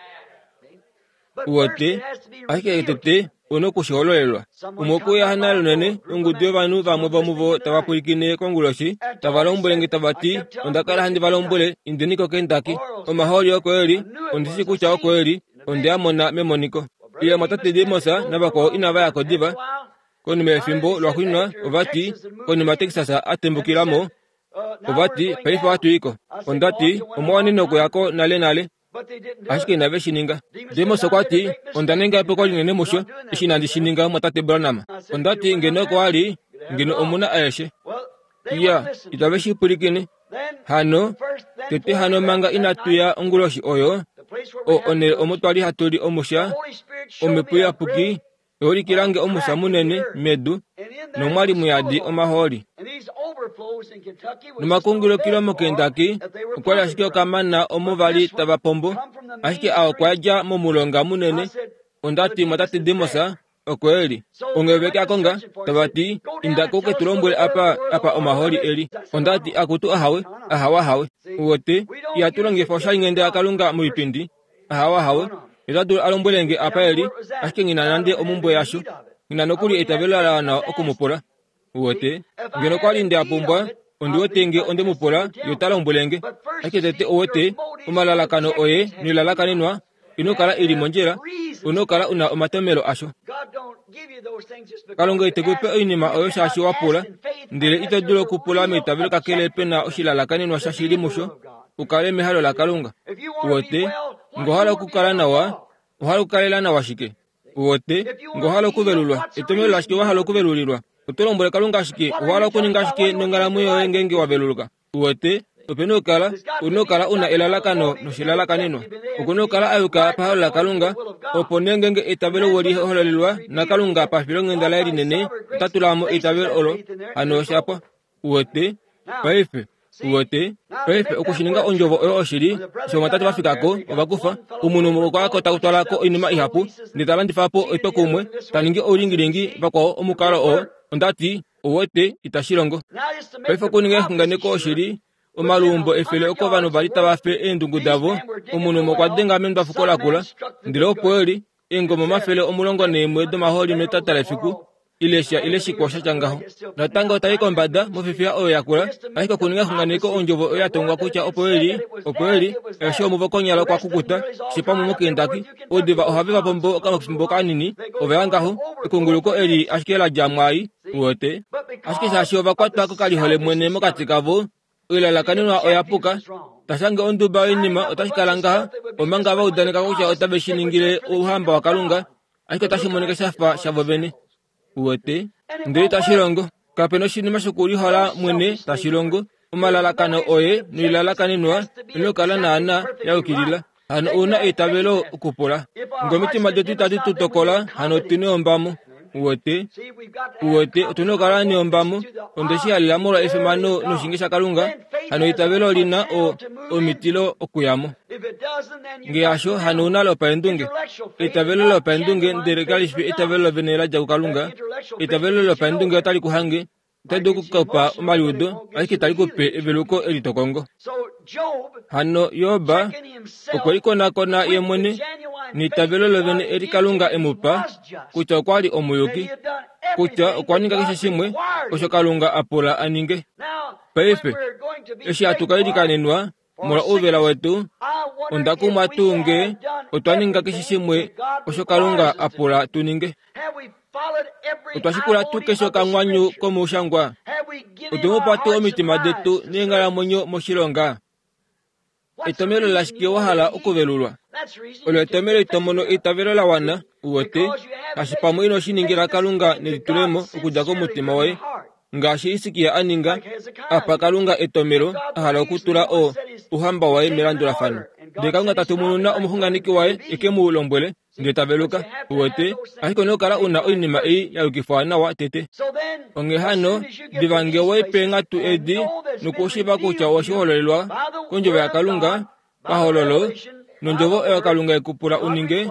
Uwete, ashike tete u noku shi hololelwa. Umwe okwe uya nale unene, ongudu yovanhu vamwe vomuvo tava pwilikine konguloshi, tava lombwele nge tava ti, Onda kala handi va lombwele, indeni koKentucky. Omahooli oko e li, ondi shii kutya oko e li, onde a mona memoniko. Ile omwatate Demos navakwao inava ya ko diva. Konima yefimbo lwaxuuninwa ova ti, konima Texas a tembukila mo, ova ti, Paife ohatu i ko. Onda ti, Omwa wanene okuya ko nalenale. Ashike inave shi ninga. Demos okwa ti, Onda ninga epuko linene musho, eshi inandi shi ninga, mwatate Branham. Onda ti, Ngeno oko wa li, ngeno omu na aeshe. Iya, itave shi pwilikine. Hano, tete hano manga inatu ya onguloshi oyo, o onhele omo twa li hatu li omusha, Omhepo Iyapuki oya ulikila nge omusha munene medu, nomwa li muyadi omahooli. Nomakungulukilo moKentucky okwa li ashike okamana omo va li tava pombo, ashike a okwa dja momulonga munene. Onda ti, Mwatate Demos, oko e li. Onghee ve ke a konga, tava ti, Inda ko ke tu lombwele apa, apa omahooli e li. Onda ti, Akutu ahawe, ahawe, ahawe. Uwete, ihatu longifa oshalinghenda yaKalunga moipindi. Ahawe, ahawe. Ota dulu a lombwele nge apa e li, ashike nghi na nande omumbwe yasho. Nghi na nokuli eitavelo la wana oku mu pula. Uwete, ngeno okwa li nde a pumbwa, ondi wete nge onde mu pula, ye ota lombwele nge. Ashike tete uwete, omalalakano oye noilalakanenwa ino kala i li mondjila, u na okukala u na omatomelo asho. Kalunga ite ku pe oinima oyo shaashi wa pula, ndele ito dulu okupula meitavelo kakele pe na oshilalakanenwa shashili musho, u kale mehalo laKalunga. Uwete, nge owa hala okukala nawa, owa hala okukalela nawa shike? Uwete, nge owa hala okuvelulwa, etomelo lashike wa hala okuvelulilwa? Oto lombwele Kalunga shike? Owa hala okuninga shike nonghalamwenyo yoye ngeenge wa veluluka? Uwete, ope na okukala, u na okukala u na elalakano noshilalakanenwa. Oku na okukala a yuka pahalo laKalunga, opo nee ngeenge eitavelo we li hololelwa naKalunga pafilonghenda laye linene, ota tula mo eitavelo olo, hano osha pwa. Uwete? Paife, uwete? Paife, oku shi ninga ondjovo oyo oshili, eshi ovamwatate va fika ko, ova kufa, omunhu umwe okwa ya ko ta twala ko oinima ihapu, ndele ta landifa po etwokumwe, ta ningi oulingilingi, vakwao omukalo oo, onda ti, Uwete, itashi longo. Paife okuninga exunganeko oshili, omaluumbo efele oko ovanhu va li tava fe eendungu davo, omunhu umwe okwa denga mendwafuko lakula, ndele opo e li, eengoma 11 domahooli metata lefiku, ile sha ile shikwao sha tya ngaho. Natango ta i kombada mofifiya oyo yakula, ashike okuninga exunganeko ondjovo oyo ya tongwa kutya opo e li, opo e li, eshi omuvo konyala okwa kukuta, keshe pamwe moKentucky, Oudiva ohave va pombo okafimbo kanini, ova ya ngaho, ekunguluko eli ashike la dja mwaai, uwete. Ashike shaashi ova kwatwa kokalihole mwene mokati kavo, oilalakanenwa oya puka. Ta shange onduba yoinima otashi kala ngaha, omanga va udaneka kutya otave shi ningile Ouhamba waKalunga, ashike otashi monika sha fa shavo vene. Uwete? Ndele itashi longo. Kape na oshinima shokulihola mwene tashi longo. Omalalakano oye noilalakanenwa ino kala naana ya yukilila. Hano ou na eitavelo okupula. Nge omitima detu itadi tu tokola, hano otu neombamo. Uwete? Uwete, otu na okukala neombamo. Onde shi halela molwa efimano noshinge shaKalunga. Hano eitavelo oli na o, omitilo okuya mo. Nge hasho, hano ou na lopaendunge. Eitavelo lopaendunge, ndele kali fi eitavelo lovene la dja kuKalunga. Eitavelo lopaendunge otali ku hange, otali dulu oku ku pa omaliudo, ashike itali ku pe eveluko eli to kongo. Hano Job okwe likonakona ye mwene neitavelo lovene eli Kalunga e mu pa, kutya okwa li omuyuki, kutya okwa ninga keshe shimwe osho Kalunga a pula a ninge. Paife, eshi hatu ka ilikanenwa, Molwa ouvela wetu, onda kumwa tuu nge otwa ninga keshe shimwe osho Kalunga a pula tu ninge. Otwa shikula tuu keshe okanghwanyu komushangwa? Otwe mu pa tuu omitima detu neenghalamwenyo moshilonga? Etomhelo lashike wa hala okuvelulwa? Olo etomhelo ito mono eitavelo la wana, u wete, kashi pamwe ino shi ningila Kalunga nelitulemo okudja komutima woye. Ngaashi Hisikia a ninga, a pa Kalunga etomelo a hala okutula o Ouhamba waye melandulafano. Ndele Kalunga ta tumununa omuxunganeki waye e ke mu lombwele, ndele ta veluka. Uwete? Ashike ouna okukala u na oinima ei ya yukifwa nawa tete. Onghee hano, diva nge wa i peenghatu edi nokushiiva kutya owe shi hololelwa kOndjovo yaKalunga, pahololo, nOndjovo oyo Kalunga e ku pula u ninge,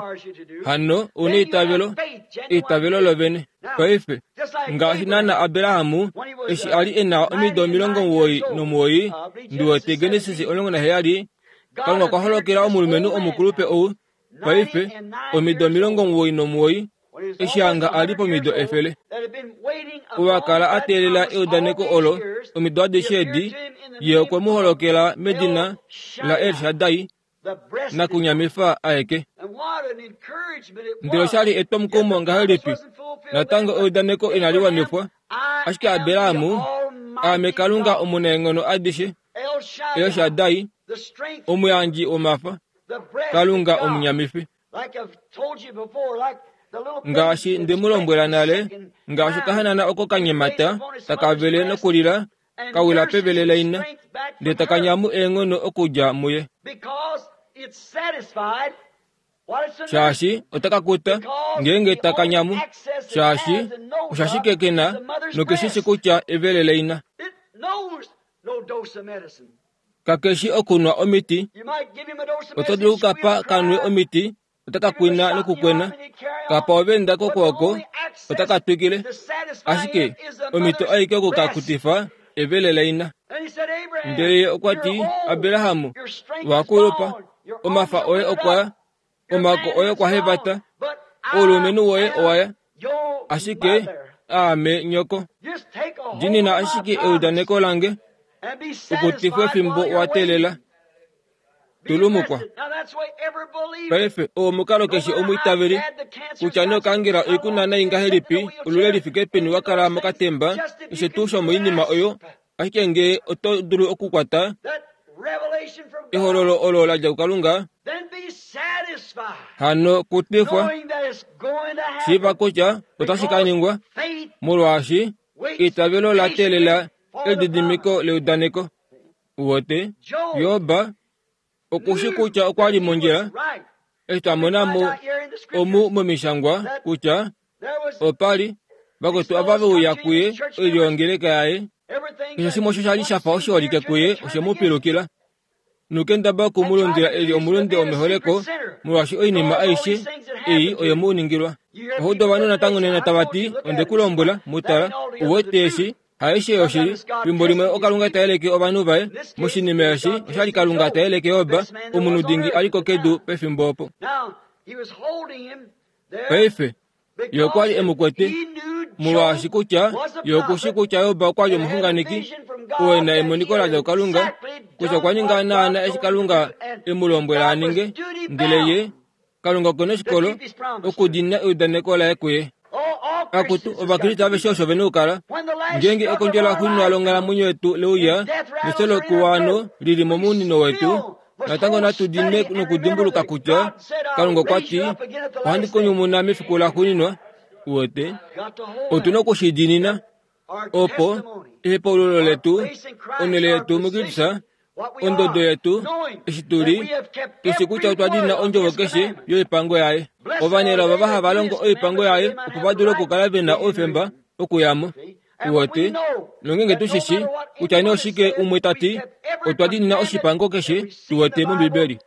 hano ou na eitavelo. Eitavelo lovene. Paife, ngaashi naana Abraham eshi a li e na omido 99, ndi wete Genesis 17, Kalunga okwa holokela omulumenhu omukulupe ou, paife, omido 99, eshi hanga a li pomido 100. Ou a kala a teelela eudaneko olo omido adishe edi, ye okwe mu holokela medina laEl Shaddai, nakunyamifa aeke. Ndele osha li etwomukumo ngahelipi! Natango eudaneko inali wanifwa, ashike Abraham, aame Kalunga omunaenghono adishe, El Shaddai, omuyandji womafa, Kalunga omunyamifi. Ngaashi nde mu lombwela nale, ngaashi okahanana oko ka nyemata, taka vele nokulila, ka wila pevele laina, ndele taka nyamu eenghono okudja muye. Shaashi otaka kuta, ngeenge taka nyamu, shaashi oshashike ke na nokeshi shi kutya evele laina. Kakeshi okunwa omiti. Oto dulu okukapa kanwe omiti, otaka kwina nokukwena. Kapa ovenda kokwooko, otaka twikile. Ashike omhito aike oku ka kutifa evele laina. Ndele ye okwa ti, Abraham, wa kulupa, omafa oye okwa ya, omako oye okwa hevata, oulumenhu woye owa ya, ashike aame nyoko. Diinina ashike eudaneko lange, ukutifwe fimbo wa teelela. Tulumukwa. Paife, oo omukalo keshe omwiitaveli, kutya nee okangela oikunwa nai ngahelipi, olule li fike peni wa kala mokatemba, keshe tuu shomoinima oyo, ashike ngee oto dulu okukwata ehololo olo la dja kuKalunga, hano kutifwa, shiiva kutya otashi ka ningwa, molwaashi eitavelo la teelela elididimiko leudaneko. Uwete, Job oku shi kutya okwa li mondjila eshi twa mona mo omu momishangwa kutya opa li vakwetu ava ve uya kuye oilyo yongeleka yaye. Keshe shimwe osho sha li sha fa oshiholike kuye oshe mu pilukila. Nokendaba oku mu lundila e li omulunde womeholeko, molwaashi oinima aishe ei oye mu ningilwa. Oho udu ovanhu natango nena tava ti, Onde ku lombwela, mu tala, u wete eshi Haishe yoshili, fimbo limwe oKalunga ta yeleke ovanhu vaye. Moshinima eshi, osha li Kalunga ta yeleke Job, omunhu dingi a li ko kedu pefimbo opo. Paife, ye okwa li e mu kwete, molwaashi kutya ye oku shi kutya Job okwa li omuxunganeki, oo e na emoniko la dja kuKalunga, kutya okwa ninga naana eshi Kalunga e mu lombwela a ninge, ndele ye, Kalunga oku na oshikolo okudiinina eudaneko laye kuye. Akutu, Ovakriste aveshe osho ve na okukala. Ngeenge ekondjo laxuuninwa longhalamwenyo yetu le uya, nefyo lokuwano li li momunino wetu, natango natu diinine nokudimbuluka kutya Kalunga okwa ti, Ohandi ku nyumuna mefiku laxuuninwa. Uwete? Otu na oku shi diinina. Opo ehepaululo letu, onhele yetu muKristus, ondodo yetu, eshi tu li, tu shi kutya otwa diinina ondjovo keshe yoipango yaye. Ovanelao ovava hava longo oipango yaye opo va dule okukala ve na oufemba okuya mo. Uwete? Nongeenge tu shi shii kutya nee oshike umwe ta ti, otwa diinina oshipango keshe tu wete mOmbibeli.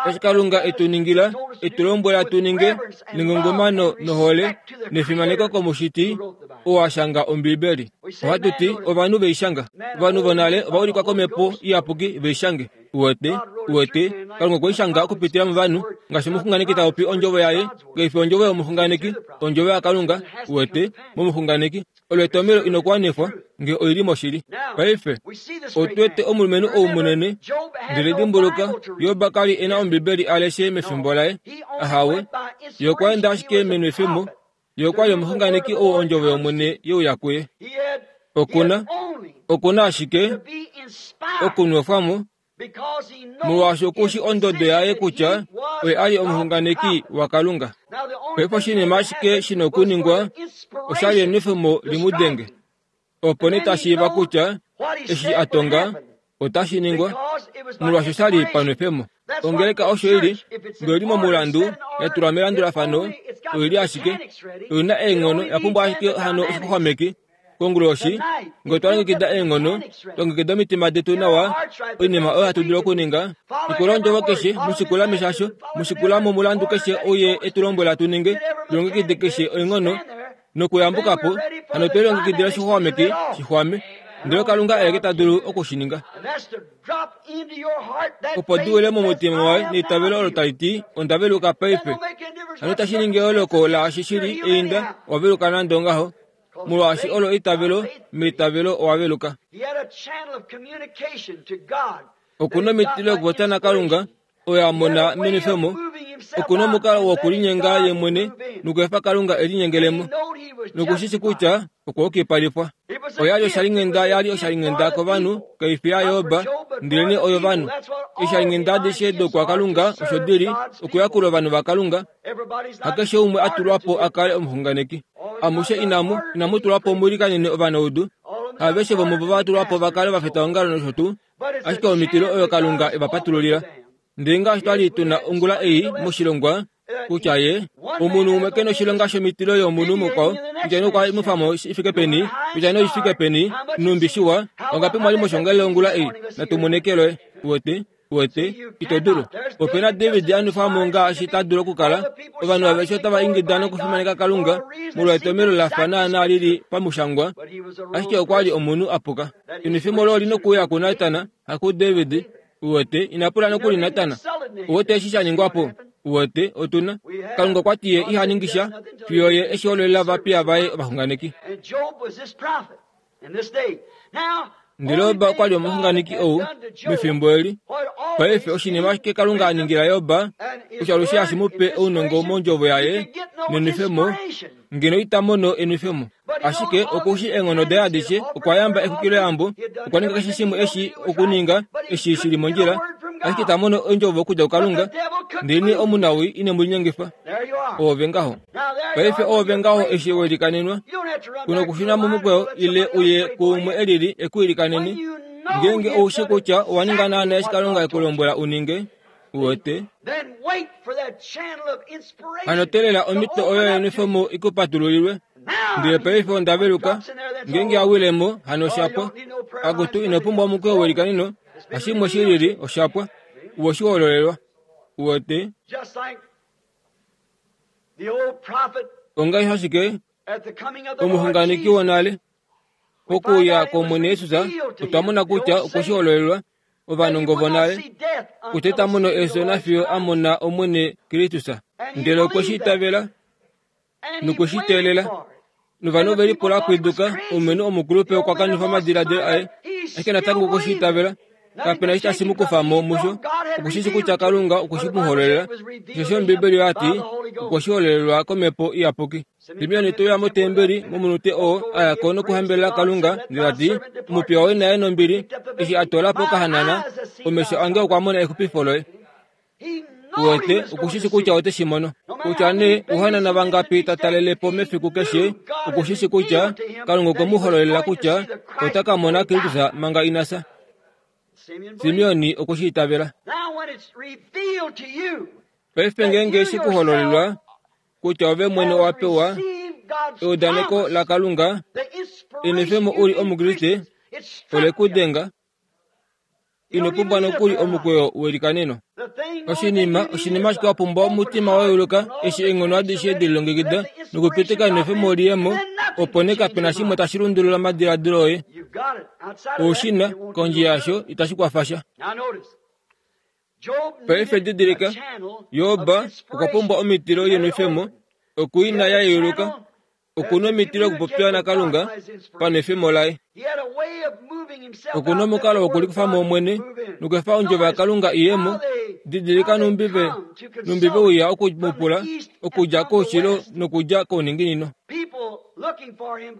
Eshi Kalunga e tu ningila, e tu lombwela tu ninge nengungumano nohole nefimaneko kOmushiti oo a shanga Ombibeli. Ohatu ti ovanhu ve i shanga. Ovanhu vonale ova ulikwa komhepo iyapuki ve i shange. Uwete? Uwete? Kalunga okwe i shanga okupitila movanhu, ngaashi omuxunganeki ta popi ondjovo yaye, kai fi ondjovo yomuxunganeki, ondjovo yaKalunga, uwete, momuxunganeki. Olo etomhelo ino kuwanifwa nge oi li moshili. Paife, otu wete omulumenhu ou munene, ndele dimbuluka, Job ka li e na Ombibeli a leshe mefimbo laye. Ahawe. Ye okwa enda ashike menwefemo Ye okwa li omuxunganeki ou ondjovo yOmwene ye uya kuye. Oku na, oku na ashike okunwefwa mo, molwaashi oku shi ondodo yaye kutya oye a li omuxunganeki waKalunga. Paife oshinima ashike shi na okuningwa osha li enwefemo li mu denge. Opo nee ta shiiva kutya eshi a tonga otashi ningwa, molwaashi osha li panwefemo. Ongeleka osho i li, nge oi li momulandu, ya tulwa melandulafano, oi li ashike, oi na eenghono, ya pumbwa ashike hano oshixwaxwameki. Konguloshi, ngee otwa longekida eenghono, twa longekida omitima detu nawa, oinima oyo hatu dulu okuninga, shikula ondjovo keshe, mu shikula meshasho, mu shikula momulandu keshe ou Ye e tu lombwela tu ninge, tu longekide keshe oinghono nokuyambuka po, hano otwe lilongekidila oshixwameki shi xwame. Ndele Kalunga aeke ta dulu oku shi ninga. Opo di wile momutima waye neitavelo olo tali ti, Onda veluka paife. Hano itashi ningi eyooloko laashi shi li einda, owa veluka nande ongaho. Molwaashi olo eitavelo, meitavelo owa veluka. Oku na omitilo yokupopya naKalunga, oyo a mona menwefemo. Oku na omukalo wokulinyenga ye mwene nokuefa Kalunga e linyengelemo, noku shi shi kutya okwa yukipalifwa. Oya li oshalinghenda ya li oshalinghenda kovanhu, kai fi yaJob, ndelenee oyovanhu. Eeshalinghenda adishe dokwaKalunga osho di li, okuyakula ovanhu vaKalunga. Hakeshe umwe a tulwa po a kale omuxunganeki. Amushe inamu, inamu tulwa po mu likanene ovanaudu. Aveshe vomuvo va tulwa po va kale ovafitaongalo nosho tuu. Ashike omitilo oyo Kalunga e va patululila. Ndele ngaashi twa li tu na ongula ei moshilongwa, kutya ye omunhu umwe ke noshilonga shomitilo yomunhu mukwao, kutya nee okwa nwefa mo shi fike peni, kutya nee oshi fike peni, nhumbi shiwa, ongapi mwa li moshongalele ongula ei, natu mone keloye. Uwete? Uwete? Ito dulu. Ope na David a nwefa mo ngaashi ta dulu okukala. Ovanhu aveshe otava ingida nokufimaneka Kalunga molwetomhelo la fa naanaa li li pamushangwa, ashike okwa li omunhu a puka. Enwefemo olo oli nokuuya kuNatan, hakuDavid. Uwete, ina pula nokuli Natan. Uwete eshi sha ningwa po? Uwete, otu na. Kalunga okwa ti ye iha ningi sha, fiyo ye e shi hololela ovapiya vaye ovaxunganeki. Ndele Job okwa li omuxunganeki ou mefimbo eli. Paife oshinima ashike Kalunga a ningila Job, osho alushe hashi mu pe ounongo mondjovo yaye nenwefemo, ngeno ita mono enwefemo. Ashike oku shii eenghono daye adishe, okwa yamba exwikiloyambo, okwa ninga keshe shimwe eshi okuninga eshi shi li mondjila, ashike ita mono ondjovo okudja kuKalunga. Ndelenee omunawii ine mu linyengifa. Oove ngaho. Paife oove ngaho eshi we likanenwa. Ku nokushuna momukweyo ile uye kuumwe e lili e ku ilikanene. Ngeenge ou shii kutya owa ninga naanaa eshi Kalunga e ku lombwela u ninge, uwete. Hano teelela omhito oyo yenwefemo i ku patululilwe. Ndele paife onda veluka. Ngeenge ya wile mo, hano osha pwa. Akutu, ino pumbwa omukweyo welikaneno, hashimwe shi lili, osha pwa. Uwe shi hololelwa. Uwete? Ongaashi ashike omuxunganeki wonale, pokuuya kwOmwene Jesus, otwa mona kutya okwe shi hololelwa ovanongo vonale kutya ita mono efyo nafiyo a mona Omwene Kristus. Ndele okwe shi itavela nokwe shi teelela. Novanhu ove lipula pwiduka, omulumenhu omukulupe okwa kanifa omadiladilo aye, ashike natango okwe shi itavela. Kape na eshi tashi mu kufa mo musho. Oku shi shi kutya Kalunga okwe shi mu hololela. Osheshi Ombiibeli oya ti, okwe shi hololelwa kOmhepo Iyapuki. Simeon te uya motembeli momunute oo a ya ko nokuhambelela Kalunga ndele ta ti, Omupiya woye na ye nombili, eshi a toola po okahanana, omesho ange okwa mona exupifo loye. Uwete, oku shi shi kutya ote shi mono. Kutya nee ouhanana vangapi ta talele po mefiku keshe, oku shi shi kutya Kalunga okwe mu hololela kutya ota ka mona Kristus manga ina fya. Simeon okwe shi itavela. Paife ngeenge she ku hololelwa kutya ove mwene owa pewa eudaneko laKalunga, enwefemo u li Omukriste, ole ku denga. Ino pumbwa nokuli omukweyo welikaneno. Oshinima, oshinima ashike wa pumbwa omutima wa yeuluka eshi eenghono adishe de lilongekida nokupitika enwefemo li ye mo, opo nee kape na shimwe tashi lundulula omadiladilo oye. Ou shi na, kondje yasho itashi kwafa sha. Paife didilika, Job okwa pumbwa omitilo yenwefemo, oku i na ya yeuluka. Oku na omitilo okupopiwa naKalunga panwefemo laye. Oku na omukalo wokulikufa mo mwene nokuefa ondjovo yaKalunga i ye mo. Didilika nhumbi ve nhumbi ve uya oku mu pula okudja koushilo nokudja kouninginino.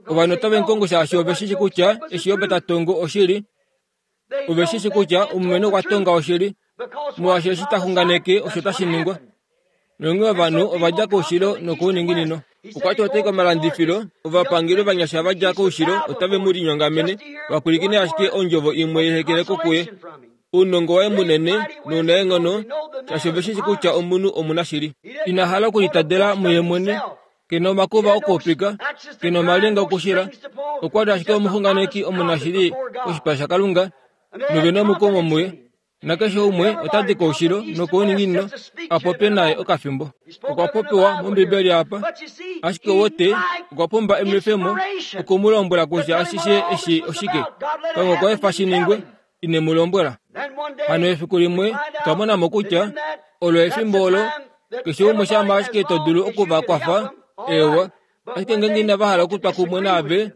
Ovanhu otave mu kongo shaashi ove shi shi kutya eshi Job ta tongo oshili. Ove shi shi kutya omulumenhu okwa tonga oshili, molwaashi eshi ta xunganeke osho tashi ningwa. Nonghee ovanhu ova dja koushilo nokouninginino. Okwa ti otai komalandifilo, ovapangeli ovanyasha va dja koushilo otave mu linyongamene, va pwilikine ashike ondjovo imwe yehekeleko kuye. Ounongo waye munene nounaenghono, shaashi ove shi shi kutya omunhu omunashili. Ina hala okulitadela muye mwene. Ke na omakuva okuupika, ke na omalinga okushila. Okwa li ashike omuxunganeki omunashili koshipala shaKalunga, nove na omukumo muye. Nakeshe umwe ota di koushilo nokouninginino a popye naye okafimbo. Okwa popiwa mOmbibeli apa. Ashike wote okwa pumba enwefemo oku mu lombwela kutya ashishe eshi oshike. Kalunga okwa efa shi ningwe, ine mu lombwela. Hano efiku limwe otwa mona mo kutya olo efimbo olo keshe umwe shama ashike to dulu oku va kwafa, eewa, ashike ngeenge inava hala okutwa kumwe naave,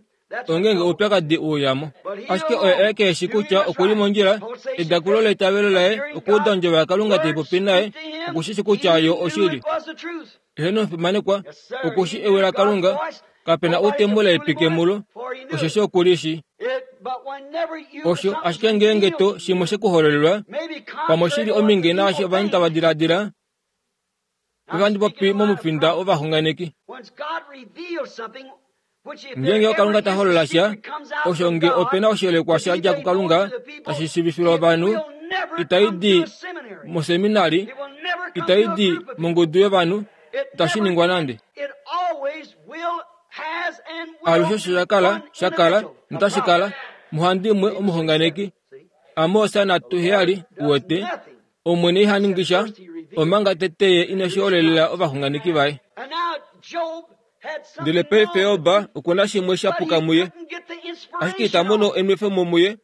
ongeenge oupyakadi u uya mo. Ashike oye aeke e shi kutya oku li mondjila, edakulo leitavelo laye okuuda ondjovo yaKalunga tai popi naye, oku shi shi kutya yo oshili. Eheno omufimanekwa, oku shi ewi laKalunga, kape na ou te mu laipike mulo, osheshi oku li shi. Osho ashike ngeenge to shimwe she ku hololelwa, pamwe shi li ominge naashi ovanhu tava diladila, Ohandi popi momufinda wovaxunganeki. Ngeenge Kalunga ta holola sha, osho nge ope na oshiyelekwa sha dja kuKalunga tashi shiivifilwa ovanhu, itai di moseminari, itai di mongudu yovanhu, itashi ningwa nande. Alushe osho sha kala, sha kala, notashi kala, muhandimwe omuxunganeki. Amos 7 uwete, Omwene iha ningi sha, omanga tete ye ine shi holelela ovaxunganeki vaye. Ndele paife Job oku na shimwe sha puka muye, ashike ita mono enwefemo muye,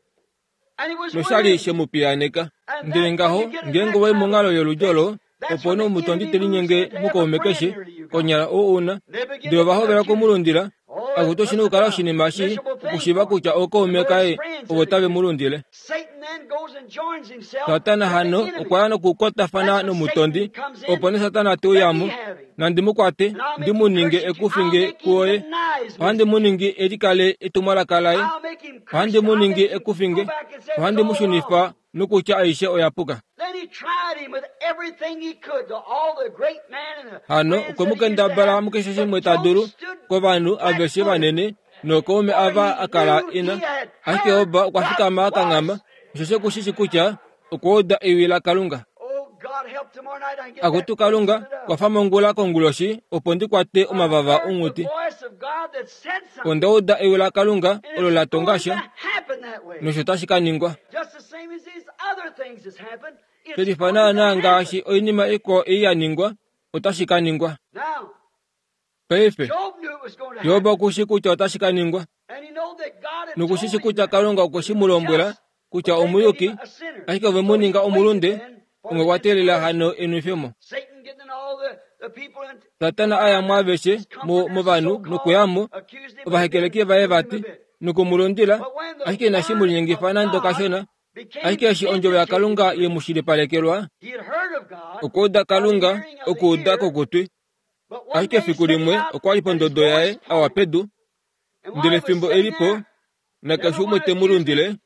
nosha li she mu piyaaneka. Ndele ngaho, ngeenge owa i monghalo yoludi olo, opo nee omutondi te linyenge mukaume keshe, konyala ou u na. Ndele ova hovela oku mu lundila, Akutu oshi na okukala oshinima shii okushiiva kutya ookaume kaye ovo tave mu lundile. Satana hano okwa ya nokukwatafana nomutondi, opo nee Satana te uya mo, Nandi mu kwate, ndi mu ninge ekufinge kuoye. Ohandi mu ningi e likale etumwalaka laye. Ohandi mu ningi ekufinge. Ohandi mu shunifa nokutya aishe oya puka. Hano okwe mu kendabala mukeshe shimwe ta dulu kovanhu aveshe vanene nookaume ava a kala e na. Ashike Job okwa fikama a kanghama, osheshi oku shi shi kutya okwa uda ewi laKalunga. Akutu Kalunga, kwafa mongula konguloshi opo ndi kwate omavava onghuti. Onda uda ewi laKalunga olo la tonga sha, nosho tashi ka ningwa. Shelifa naanaa ngaashi oinima ikwao ei ya ningwa, otashi ka ningwa. Paife, Job oku shi kutya otashi ka ningwa, noku shi shi kutya Kalunga okwe shi mu lombwela kutya omuyuki, ashike ove mu ninga omulunde, onge kwa teelela hano enwefemo. Satana a ya muaveshe movanhu nokuya mo, ovahekeleki vaye vati, noku mu lundila, ashike inashi mu linyengifa nande okashona, Ashike eshi ondjovo yaKalunga ye mu shilipalekelwa, okuuda Kalunga, okuuda kokutwi. Ashike efiku limwe okwa li pondodo yaye a wa pedu, ndele fimbo e li po, nakeshe umwe te mu lundile,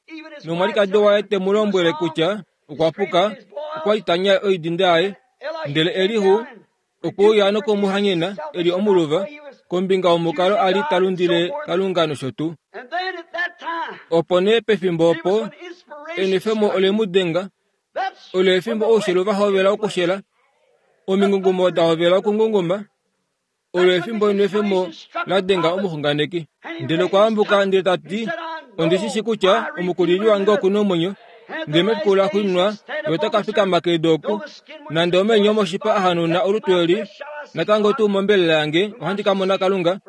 nomwalikadi waye te mu lombwele kutya okwa puka, okwa li ta nyae oidinda yaye. Ndele Elihu okwe uya noku mu hanyena e li omuluva kombinga yomukalo a li ta lundile Kalunga nosho tuu. Opo nee pefimbo opo enwefemo ole mu denga, olo efimbo oushelu va hovela okushela, omingungumo da hovela okungunguma, olo efimbo enwefemo la denga omuxunganeki. Ndele okwa ambuka ndele ta ti, Ondi shi shi kutya omukulili wange oku na omwenyo, ndele mefiku laxuuninwa ye ota ka fikama kedu oku. Nande omenyo omoshipa a hanauna olutu eli, natango tuu mombelela yange ohandi ka mona Kalunga,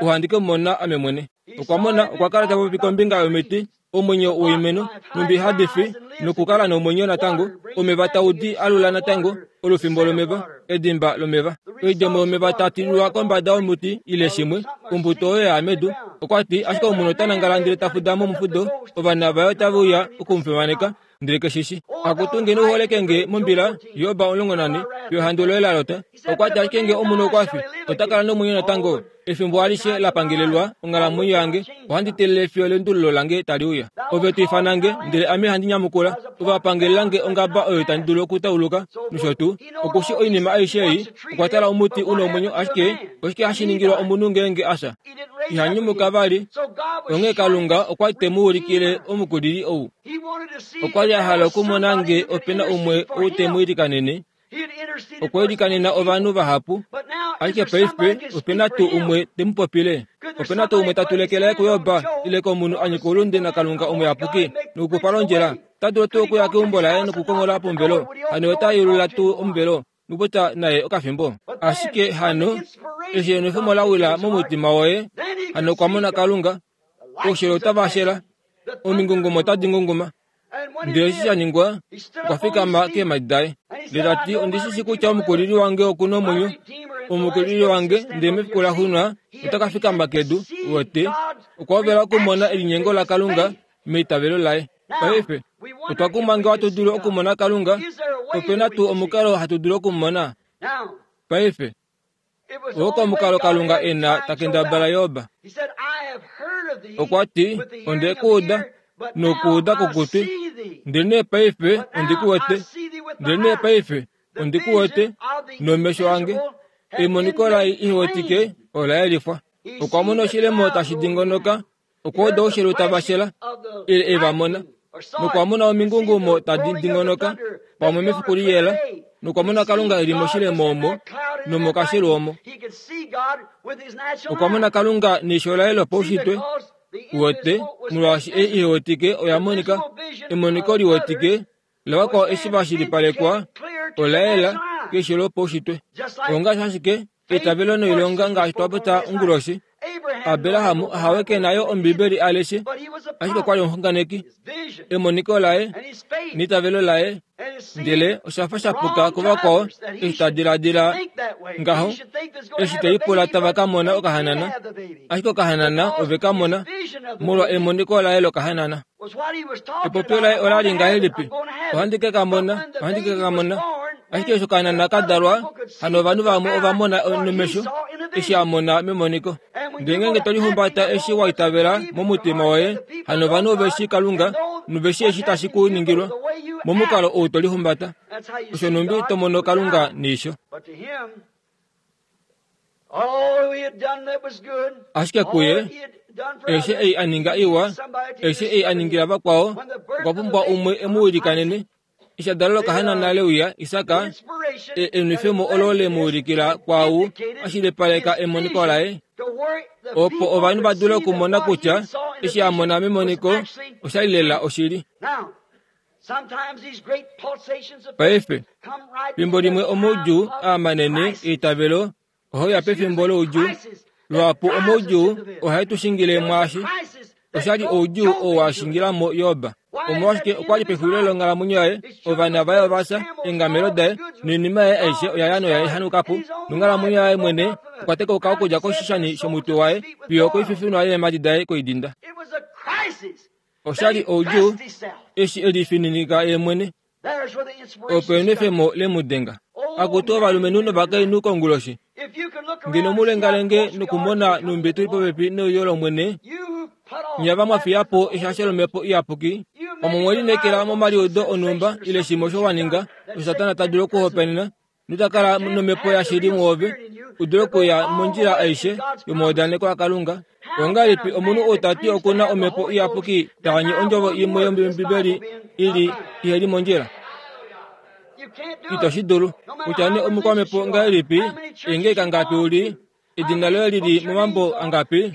ohandi ke mu mona ame mwene. Okwa mona, okwa kala ta popi kombinga yomiti, omwenyo woimeno, nhumbi hadi fi nokukala nomwenyo natango, omeva tau di alula natango, olufimbo lomeva, edimba lomeva, oidjemo yomeva ta tililwa kombada yomuti ile shimwe, ombuto oyo ya ya medu. Okwa ti, ashike omunhu ota nangala ndele ta fuda momufudo, ovana vaye otave uya oku mu fimaneka, ndele ke shi shi. Akutu ngeno u holeke nge mombila, Job 14, pehandu loye la lota. Okwa ti ashike nge omunhu okwa fi, ota kala nomwenyo natango. Efimbo alishe la pangelelwa onghalamwenyo yange, ohandi teelele fiyo elendululo lange tali uya. Ove to ifana nge, ndele ame handi nyamukula. Ove wa pangelela nge ongaba oyo itandi dulu okutauluka, nosho tuu. Oku shi oinima aishe ei, okwa tala omuti u na omwenyo, ashike oshike hashi ningilwa omunhu ngeenge a fya? Iha nyumuka vali. Onghee Kalunga okwa li te mu ulikile omukulili ou. Okwa li a hala okumona nge ope na umwe ou te mu ilikanene. Okwa ilikanena ovanhu vahapu, ashike paife ope na tuu umwe te mu popile? Ope na tuu umwe ta tulekele kuJob ile komunhu a nyika oulunde naKalunga omuyapuki nokukufa londjila? Ota dulu tuu okuya keumbo laye nokukonghola pomuvelo? Hano ota yeulula tuu omuvelo nokupopya naye okafimbo? Ashike hano, eshi enwefemo la wila momutima woye, hano okwa mona Kalunga, oushelo otava shela, omingungumo otadi ngunguma. Ndele eshi sha ningwa, okwa fikama keemhadi daye, ndele ta ti, Ondi shi shii kutya omukulili wange oku na omwenyo, omukulili wange, ndele mefiku laxuuninwa ota ka fikama kedu. Uwete, okwa hovela okumona elinyengo laKalunga meitavelo laye. Paife, otwa kumwa nge ohatu dulu okumona Kalunga. Ope na tuu omukalo hatu dulu oku mu mona? Paife, oo komukalo Kalunga e na ta kendabala Job. Okwa ti, Onde ku uda, nokuuda kokutwi, ndelenee paife ondi ku wete, ndelenee paife ondi ku wete nomesho ange. Emoniko laye i wetike ola yelifwa. Okwa mona oshilemo tashi dingonoka, okwa uda oushelu tava shela, ile e va mona, nokwa mona omingungumo tadi dingonoka pamwe mefiku liyela, nokwa mona Kalunga e li moshilemo omo nomokashelu omo. Okwa mona Kalunga neisho laye lopaushitwe, uwete, molwaashi ei i wetike oya monika, emoniko li wetike lavakwao eshi va shilipalekwa ola yela keisho lopaushitwe. Ongaashi ashike eitavelo noilonga ngaashi twa popya onguloshi. Abraham hawe ke na yo Ombibeli a leshe, ashike okwa li omuxunganeki. Emoniko laye neitavelo laye, ndele osha fa sha puka kuvakwao eshi ta diladila ngaho, eshi te lipula tava ka mona okahanana, ashike okahanana ove ka mona molwa emoniko laye lokahanana. Epopyo laye ola li ngahelipi? Ohandi ke ka mona, ohandi ke ka mona. Ashike eshi okahanana ka dalwa, hano ovanhu vamwe ova mona nomesho eshi a mona memoniko. Ndele ngeenge to lihumbata eshi wa itavela momutima woye, hano ovanhu ove shii Kalunga nove shii eshi tashi ku ningilwa momukalo ou to lihumbata. Osho nhumbi to mono Kalunga neisho. Ashike kuye, aishe ei a ninga iwa, aishe ei a ningila vakwao, okwa pumbwa umwe e mu ilikanene. Eshi a dalelwa okahanana leuya, Isak, e, enwefemo olo le mu ulikila kwaau a shilipaleka emoniko laye, opo ovanhu va dule okumona kutya eshi a mona memoniko osha li lela oshili. Paife, fimbo limwe omaudjuu aa manene eitavelo ohae uya pefimbo loudjuu. Luhapu omaudjuu ohae tu shingile mwaashi. Osha li oudjuu oo wa shingila mo Job. Omolwashike okwa li pexulilo longhalamwenyo yaye, ovana vaye ova fya, eengamelo daye noinima yaye aishe oya ya noya hanuka po, nonghalamwenyo yaye mwene okwa tekauka okudja koshishani shomutwe waye fiyo okoififinwa yeemhadi daye koidinda. Osha li oudjuu eshi e lifininika ye mwene. Opo enwefemo le mu denga. Akutu ovalumenhu novakainhu konguloshi, ngeno mu lengalenge nokumona nhumbi tu li popepi neuyo lOmwene, nye va mwa fiya po eshasho lOmhepo Iyapuki, omo mwe lineekela momaliudo onhumba ile shimwe osho wa ninga, osho Satana ta dulu okuhopaenena, nota kala nomhepo yashili mwoove u dule okuya mondjila aishe yomaudaneko aKalunga. Ongahelipi omunhu ou ta ti oku na omhepo iyapuki ta anye ondjovo imwe yOmbibeli i li ihe li mondjila? Ito shi dulu. Kutya nee omukwamhepo ngahelipi, eengeleka ngapi u li, Edina loye li li momambo angapi?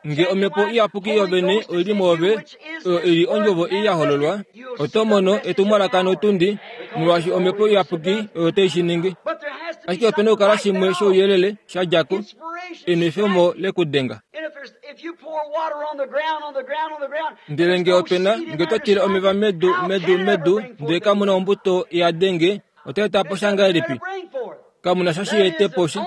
Nge omhepo iyapuki yovene oi li mwoove, oyo i li ondjovo ei ya hololwa, oto mono etumwalaka notundi, molwaashi omhepo iyapuki oyo tai shi ningi. Ashike ope na okukala shimwe shouyelele sha dja ko, enwefemo le ku denga. Ndele nge ope na, nge oto tile omeva medu, medu, medu, ndele kamu na ombuto ya denge, otai eta po sha ngahelipi? Kamu na sha shi ete po shi.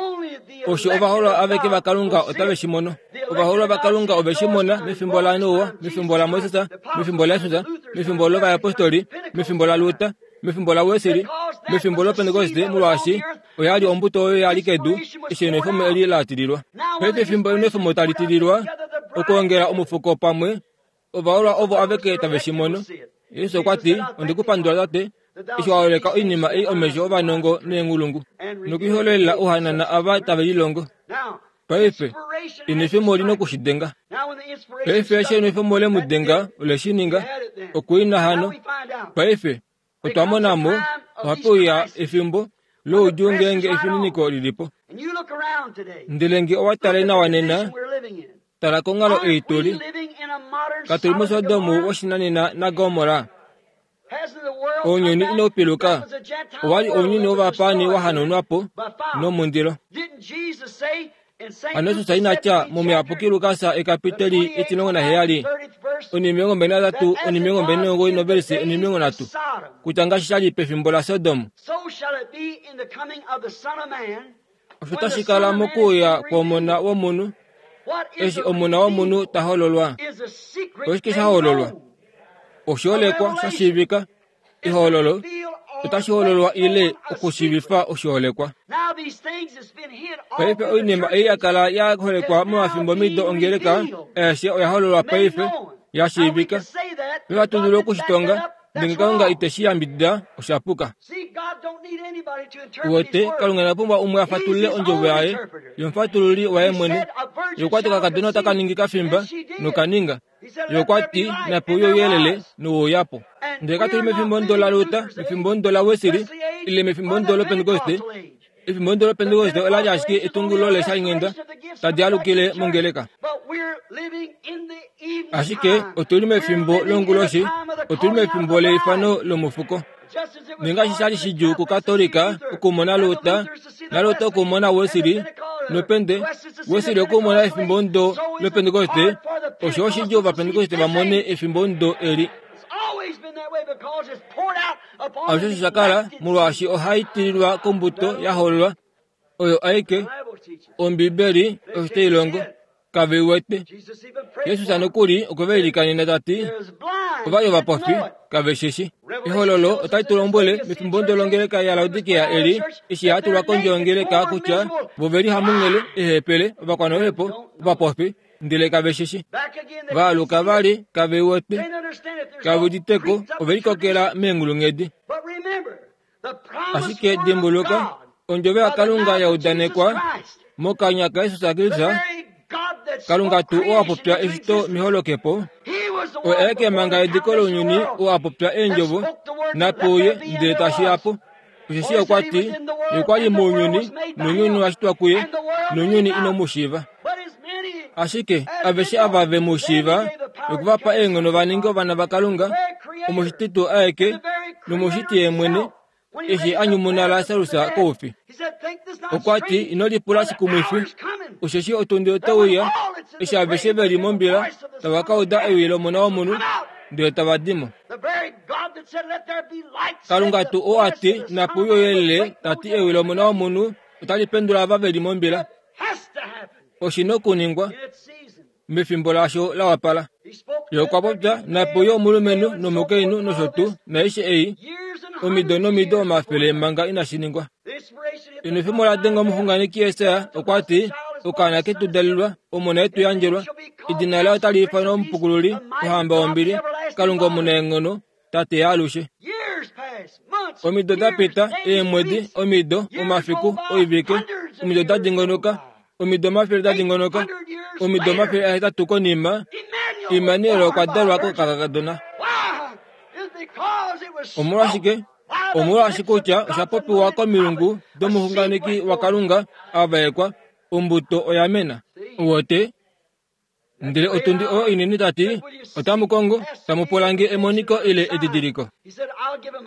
Osho ovaholwa aveke vaKalunga otave shi mono. Ovaholwa vaKalunga ove shi mona mefimbo laNoa, mefimbo laMoses, mefimbo laJesus, mefimbo lovayapostoli, mefimbo laLuther, mefimbo laWesley, mefimbo lOpentekoste, molwaashi oya li ombuto oyo ya li kedu eshi enwefemo eli la tililwa. Paife efimbo enwefemo tali tililwa, okwoongela omufuko pamwe, Ovaholwa ovo aveke tave shi mono. Jesus okwa ti, Onde ku pandula Tate, eshi wa holeka oinima ei omesho ovanongo neenghulungu, nokuihololela ouhanana ava tave lilongo. Paife, enwefemo oli noku shi denga. Paife eshi enwefemo le mu denga, ole shi ninga. Okuina hano. Paife, otwa mona mo, ohape uya efimbo. Loudjuu ngeenge efininiko li li po. Ndele nge owa tale nawa nena, tala konghalo ei tu li. Katu li muSodom woshinanena naGomorra. Ounyuni inau piluka. Owa li ounyuni wovapaani wa hanaunwa po nomundilo. Hano Jesus ina tya mOmuyapuki Lukas ekapiteli 17 23 29 novelise 30 kutya ngaashi sha li pefimbo laSodom, osho tashi kala mokuuya kwOmona wOmunhu, eshi Omona wOmunhu ta hololwa. Oshike sha hololwa? Oshiholekwa sha shiivika. Ehololo otashi hololwa ile okushiivifa oshiholekwa. Paife oinima ei ya kala ya holekwa momafimbomido ongeleka aeshe oya hololwa paife, ya shiivika. Nohatu dulu oku shi tonga, ndele Kalunga ite shi yambidida, osha puka. Uwete, Kalunga ina pumbwa umwe a fatulule ondjovo yaye, ye omufatululi waye mwene. Ye okwa ti okakadona otaka ningi kafimba, noka ninga. Ye okwa ti, Nape uye ouyelele, nowe uya po. Ndele katu li mefimbo ndo laLuther, mefimbo ndo laWesley, ile mefimbo ndo lOpentekoste. Efimbo ndo lOpentekoste ola li ashike etungululo leeshalinghenda tadi alukile mongeleka. Ashike otu li mefimbo longuloshi, otu li mefimbo leifano lomufuko. Nengaashi sha li shidjuu kuKatolika okumona Luther, naLuther okumona Wesley, nOpente, Wesley okumona efimbo ndo lOpentekoste, osho oshidjuu Ovapentekoste va mone efimbo ndo eli. Alushe osho sha kala, molwaashi ohai tililwa kombuto ya hoololwa, oyo aike, Ombibeli osho tai longo. Kave i wete. Jesus nokuli okwe va ilikanena ta ti, Ova li ovapofi, kave shi shi. Ehololo otali tu lombwele mefimbo ndo longeleka yaLaodikea eli, eshi ya tulwa kondje yongeleka kutya vo ve li hamunghele, eehepele, ovakwanaluhepo, ovapofi, ndele kave shi shi. Va aluka vali, kave i wete, kave udite ko, ove likokela meenghulunghedi. Ashike dimbuluka, ondjovo yaKalunga ya udanekwa mokanya kaJesus Kristus, Kalunga tuu oo a popya eshito meholokepo, oye aeke manga ediko lounyuni oo a popya eendjovo, nape uye ndele tashi ya po. Osheshi okwa ti, Ye okwa li mounyuni, nounyuni owa shitwa kuye, nounyuni ino mu shiiva. Ashike aveshe ava ve mu shiiva, okwe va pa eenghono va ninge ovana vaKalunga, omushiti tuu aeke, nomushiti ye mwene, eshi a nyumuna Lasarus koufi. Okwa ti, Ino lipula shikumwifi, osheshi otundi ote uya, eshi aveshe ve li mombila tava ka uda ewi lOmona wOmunhu, ndele tava di mo. Kalunga tuu oo a ti, Nape uye ouyelele, ta ti ewi lOmona wOmunhu otali pendula ava ve li mombila. Oshi nokuningwa mefimbo lasho la wapala. Ye okwa popya, Nape uye omulumenhu nomukainhu nosho tuu, naaishe ei, omido nomido omafele manga inashi ningwa. Enwefemo la denga omuxunganeki Jesaja okwa ti, Okaana ke tu dalelwa, omona e tu yandjelwa, edina laye otali ifanwa Omupukululi, Ohamba yombili, Kalunga omunaenghono, Tate yaalushe. Omido da pita, eemwedi, omido, omafiku, oivike, omido da dingonoka, omido omafele da dingonoka, omido 800 konima, Immanuel okwa dalwa kokakadona. Omolwashike? Omolwaashi kutya osha popiwa komilungu domuxunganeki waKalunga a vaekwa, ombuto oya mena. Uwete? Ndele otundi oyo inene ta ti, Otamu kongo, tamu pula nge emoniko ile edidiliko.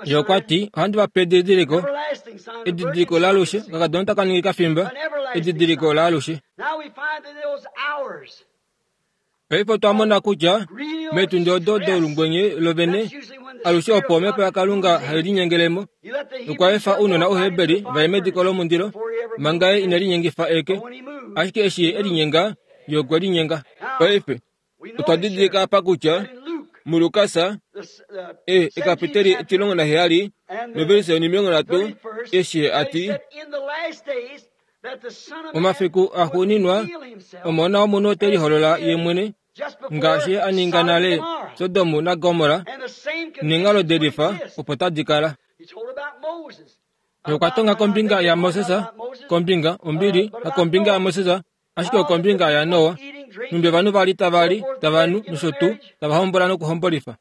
Ye okwa ti, Ohandi va pe edidiliko, edidiliko laalushe, okakadona taka ningi kafimba, edidiliko laalushe. Paife otwa mona kutya meetundi odo doulungwenye lovene, alushe opo Omhepo yaKalunga hai linyengele mo, nokwa efa ounona Ouheberi va ye mediko lomundilo, manga Ye ine linyengifa eke. Ashike eshi Ye e linyenga, Ye okwe linyenga. Paife, otwa didilika apa kutya muLukas, e, ekapiteli 17, novelise 30, eshi Ye a ti, Momafiku axuuninwa, Omona wOmunhu ote liholola Ye mwene, ngaashi a ninga nale Sodom naGomorra, neenghalo de lifa opo tadi kala. Ye okwa tonga kombinga yaMoses, kombinga, ombili, hakombinga yaMoses, ashike okombinga yaNoa, nhumbi ovanhu va li tava li, tava nu, nosho tuu, tava hombola nokuhombolifa.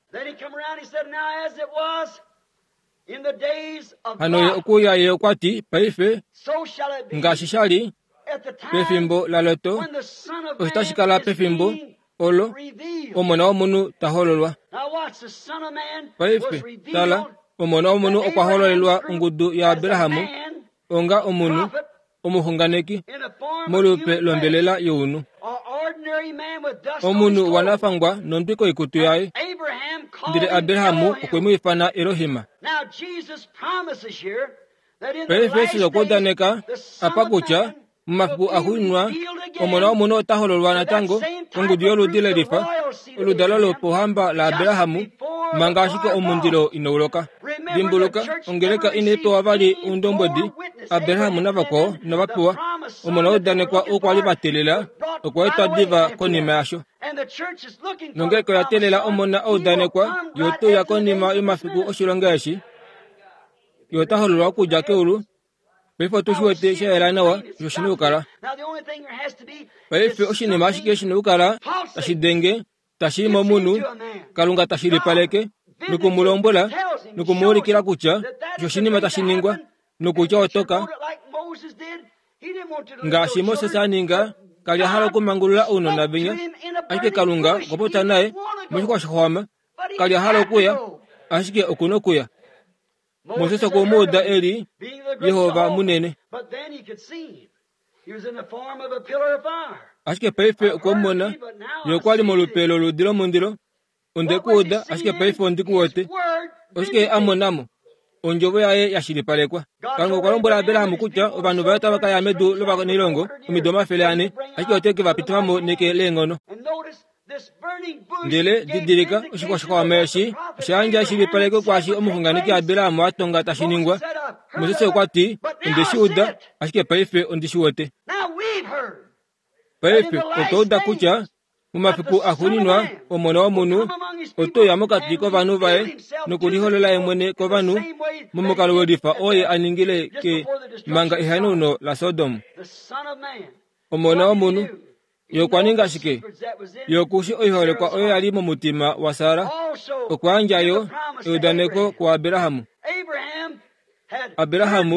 Hano ye okuuya ye okwa ti, Paife, ngaashi sha li pefimbo laLot, osho tashi kala pefimbo olo Omona wOmunhu ta hololwa. Paife, tala, Omona wOmunhu okwa hololelwa ongudu yaAbraham onga omunhu, omuxunganeki, molupe lombelela younhu. Omunhu wanafangwa nondwi koikutu yaye. Ndele Abraham okwe mu ifana Elohim. Paife Jesus okwa udaneka apa kutya momafiku axuuninwa Omona wOmunhu ota hololwa natango kongudu yoludi lelifa, oludalo lopohamba laAbraham, manga ashike omundilo inau loka. Dimbuluka, ongeleka inai pewa vali oundombwedi, Abraham navakwao inava pewa. Omona waudanekwa oo kwa li va teelela okwa etwa diva konima yasho. Nongeleka oya teelela omona audanekwa, ye ote uya konima yomafiku oshilonga eshi. Ye ota hololwa okudja keulu. Paife otu shi wete sha yela nawa osho shi na okukala. Paife oshinima ashike shi na okukala tashi denge tashi i momunhu, Kalunga ta shilipaleke noku mu lombwela noku mu ulikila kutya osho oshinima tashi ningwa nokutya otoka. Ngaashi Moses a ninga, ka li a hala okumangulula ounona venya, ashike Kalunga okwa popya naye moshixwa shixwama. Ka li a hala okuya, ashike oku na okuya. Moses okwe mu uda e li Jehova munene. Ashike paife okwe mu mona, ye okwa li molupe loludi lomundilo. Onde ku uda, ashike paife ondi ku wete. Oshike ye a mona mo? Ondjovo yaye ya shilipalekwa. Kalunga okwa lombwela Abraham kutya ovanhu vaye otava ka ya medu lovanailongo omido 400, ashike ote ke va pitifa mo neke leenghono. Ndele didilika, oshixwaxwama eshi osha yandja eshilipaleko kwaashi omuxunganeki Abraham a tonga tashi ningwa. Moses okwa ti, Onde shi uda, ashike paife ondi shi wete. Paife otwa uda kutya momafiku axuuninwa Omona wOmunhu ote uya mokati kovanhu vaye nokuliholola ye mwene kovanhu momukalo we lifa oo ye a ningile ke manga ehanauno laSodom. Omona wOmunhu Ye okwa ninga shike? Ye oku shi oiholekwa oyo ya li momutima waSara. Okwa yandja yo eudaneko kuAbraham. Abraham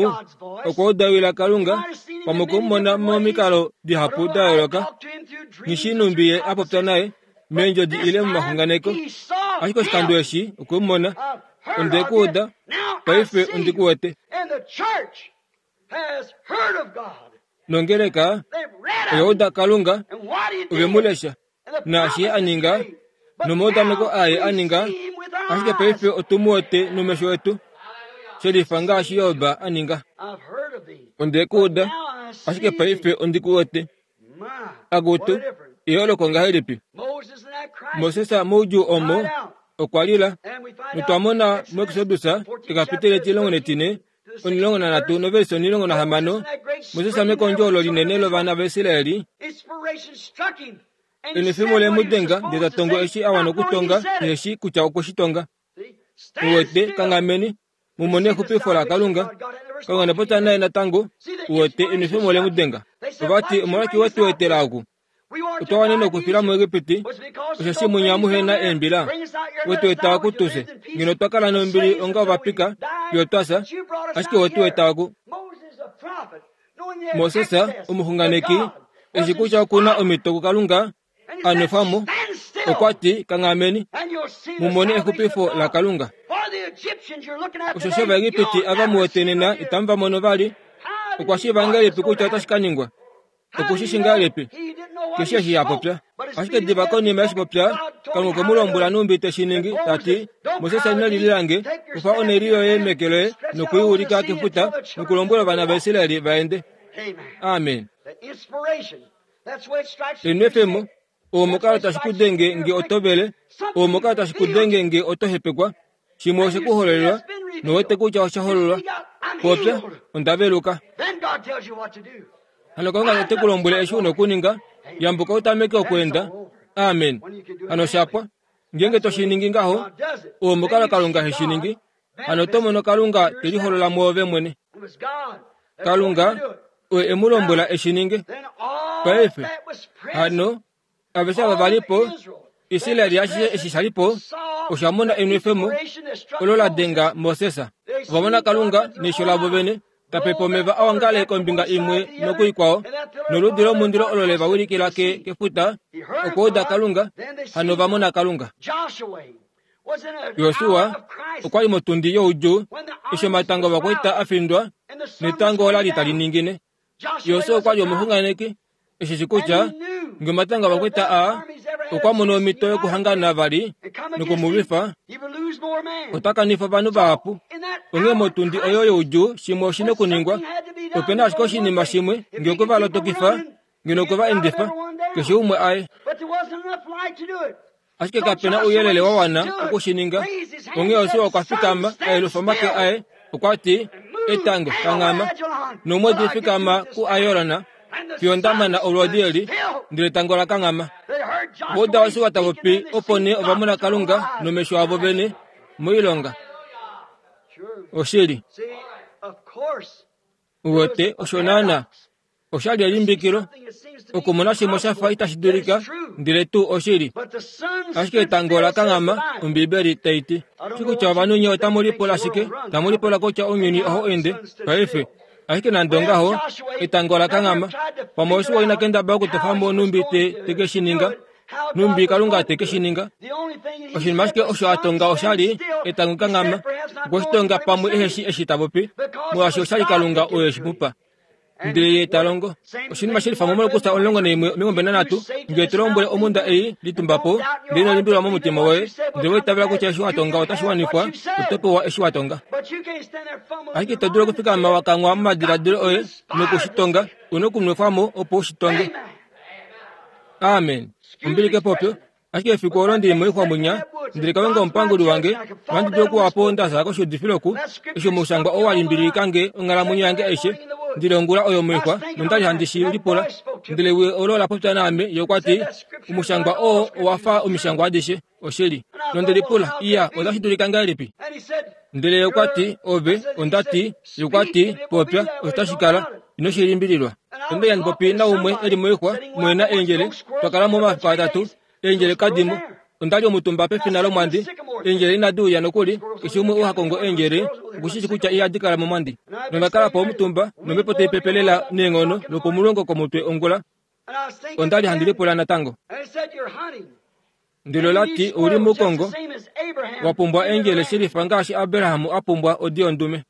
okwa udawila Kalunga pamwe okwe mu mona momikalo dihapu da yooloka, nghi numbi ye a popya naye meendjodi ile momaxunganeko. Ashike oshikando eshi okwe mu mona. Onde ku uda, paife ondi ku wete. Nongeleka oya uda Kalunga, ove mu lesha, naashi ye a ninga, nomaudaneko aye a ninga, ashike paife otu mu wete nomesho etu, shelifa ngaashi Job a ninga. Onde ku uda, ashike paife ondi ku wete. Akutu, eyooloko ngahelipi! Moses moudjuu omo okwa lila, notwa mona muExodus ekapiteli 14 13 noverse 16, Moses mekondjo olo linene lovana vaIsraeli, enwefemo le mu denga ndele ta tongo eshi a wana okutonga neshi kutya okwe shi tonga. Mu wete, kanghameni, mu mone exupifo laKalunga. Kalunga ne popya naye natango, u wete, enwefemo le mu denga. Ova ti, Omolwashike we tu etela oku? Otwa wanene okufila muEgipiti, osheshi munya muhe na eembila. We tu eta oku tu fye. Ngeno otwa kala nombili onga ovapika, fiyo twa fya, ashike we tu eta oku. Moses, omuxunganeki, eshi kutya oku na omhito kuKalunga a nwefwa mo, okwa ti, Kanghameni, mu mone exupifo laKalunga. Osheshi Ovaegipiti ava mu wete nena itamu va mono vali. Okwa shiiva ngahelipi kutya otashi ka ningwa? Oku shi shi ngahelipi? Keshe eshi a popya. Ashike diva konima eshi popya, Kalunga okwe mu lombwela nhumbi te shi ningi, ta ti, Moses ino lilila nge, kufa onheli yoye meke loye noku i ulika kefuta nokulombwela ovana vaIsrael va ende. Amen. Enwefemo, omukalo tashi ku denge nge oto vele, omukalo tashi ku denge nge oto hepekwa, shimwe oshe ku hololelwa nowete kutya osha hololwa. Popya, onda veluka. Hano Kalunga ote ku lombwele eshi u na okuninga, yambuka u tameke okweenda. Amen. Hano sha pwa. Ngeenge to shi ningi ngaho, omukalo Kalunga he shi ningi, hano oto mono Kalunga te liholola mwoove mwene. Kalunga oye e mu lombwela e shi ninge. Paife, hano, aveshe ava va li po, Israel ashishe eshi sha li po, osha mona enwefemo olo la denga Moses. Ova mona Kalunga neisho lavo vene, ta pepa omeva a ongale kombinga imwe nokuikwao, noludi lomundilo olo le va wilikila ke, kefuta, okuuda Kalunga, hano ova mona Kalunga. Josua okwa li motundi youdjuu eshi omatango ovakwaita a findwa netango ola li tali ningine. Josua okwa li omuxunganeki e shi shi kutya nge omatanga ovakwaita aa okwa mono omhito yokuhangana vali noku mu lwifa, ota kanifa ovanhu vahapu. Onghee motundi oyo youdjuu shimwe oshi na okuningwa. Ope na ashike oshinima shimwe nge okwe va lotokifa, ngeno okwe va endifa, keshe umwe aye. Ashike kape na ouyelele wa wana oku shi ninga. Onghee Josua okwa fikama, a yelufa omake aye, okwa ti, Etango, kanghama, nomwedi fikama kuAyorona, fiyo nda mana olwoodi eli, ndele etango la kanghama. Ova uda Josua ta popi, opo nee ova mona Kalunga nomesho avo vene moilonga. Oshili. Uwete, osho naanaa. Osha li elimbikilo okumona shimwe sha fa itashi dulika, ndele tuu oshili. Ashike etango ola kanghama, Ombibeli tai ti. Shi kutya ovanhu nye otamu lipula shike, tamu lipula kutya ounyuni ohau ende paife. Ashike nande ongaho, etango ola kanghama. Pamwe Josua ina kendabala okutofa mo nhumbi te, te ke shi ninga, nhumbi Kalunga te ke shi ninga. Oshinima ashike osho a tonga osha li etango kanghama. Okwe shi tonga pamwe ehe shi eshi ta popi, molwaashi osha li Kalunga oye shi mu pa. Ndele ye ta longo oshinima shelifa momalukutha 11 23 ngele to lombwele omhunda ei, litumba po, ndele ino limbililwa momutima woye, ndele wa itavela kutya eshi wa tonga otashi wanifwa, oto pewa eshi wa tonga. Ashike ito dulu okufikama wa kangwa momadiladilo oye noku shi tonga, u na okunwefwa mo opo u shi tonge. Amen. Ombili kepopyo. Ashike efiku olo ndi li moixwa mwinya, ndele Kalunga omupanguli wange, ohandi dulu okuwa po nda fya koshiudifilo oku, eshi omushangwa oo wa limbililika nge onghalamwenyo yange aishe. Ndele ongula oyo moixwa, nonda li handi shi lipula. Ndele ewi olo ola popya naame, ye okwa ti, Omushangwa oo owa fa omishangwa adishe. Oshili. Nonde lipula, Iya, otashi dulika ngahelipi? Ndele ye okwa ti, Ove, onda ti, ye okwa ti, popya, osho tashi kala. Ino shi limbililwa. Onda li handi popi naumwe e li moixwa, omo e na eendjele. Twa kala mo omafiku atatu. Eendjele kadi mo. Onda li omutumba pefina lomwandi. Eendjele inadi uya nokuli. Keshe umwe oo ha kongo eendjele oku shi shii kutya ihadi kala momwandi. Nonda kala po omutumba, nomhepo tai pepe lela neenghono lwopomulongo komutwe ongula. Onda li handi lipula natango. Ndele ola ti, Ou li mukongo, wa pumbwa eendjele shilifa ngaashi Abraham a pumbwa odi yondume.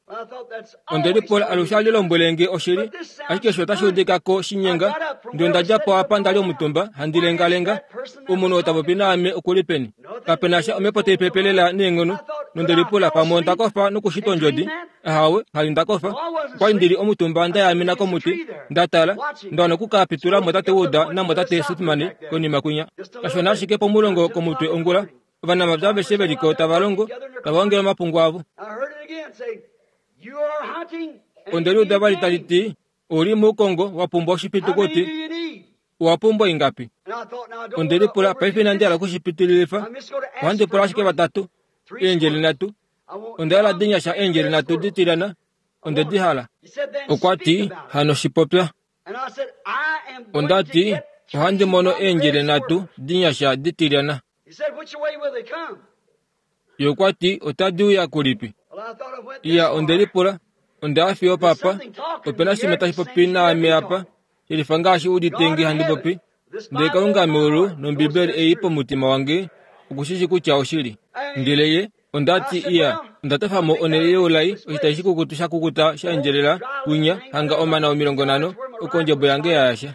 Onde lipula alushe a li lombwele nge oshili, ashike osho otashi udika ko shinyenga. Ndele onda dja po apa nda li omutumba, handi lengalenga. Omunhu oo ta popi naame oku li peni? Kape na sha omhepo tai pepe lela neenghono. Nonde lipula pamwe onda kofa nokushitwa ondjodi. Ahawe, hali nda kofa. Okwa li ndi li omutumba nda yaamena komuti, nda tala, nda wana oku ka pitula mo tate Wood namotate Sothmann konima kwinya. Kashona ashike pomulongo komutwe ongula, ovanamapya aveshe ve li ko tava longo, tava ongele omapungu avo. Onde li uda vali tali ti, Ou li muukongo, wa pumbwa oshipitukuti. Owa pumbwa ingapi? Onde lipula, paife inandi hala oku shi pitililifa. Ohandi pula ashike vatatu, eendjele nhatu. Onda hala dinyasha eendjele nhatu ditilyana. Onde di hala. Okwa ti, Hano shi popya. Onda ti, Ohandi mono eendjele nhatu dinyasha ditilyana. Ye okwa ti, Otadi uya kulipi? Iya, onde lipula. Onda ya fiyo papa. Ope na shimwe tashi popi naame apa, shelifa ngaashi u udite nge handi popi. Ndele Kalunga meulu nOmbibeli ei pomutima wange oku shi shi kutya oshili. Ndele ye, onda ti, Iya, onda tofa mo onhele youlai, oshitayi shikukutu sha kukuta sha endjelela kwinya, hanga omana 50, oko ondjebo yange ya yasha.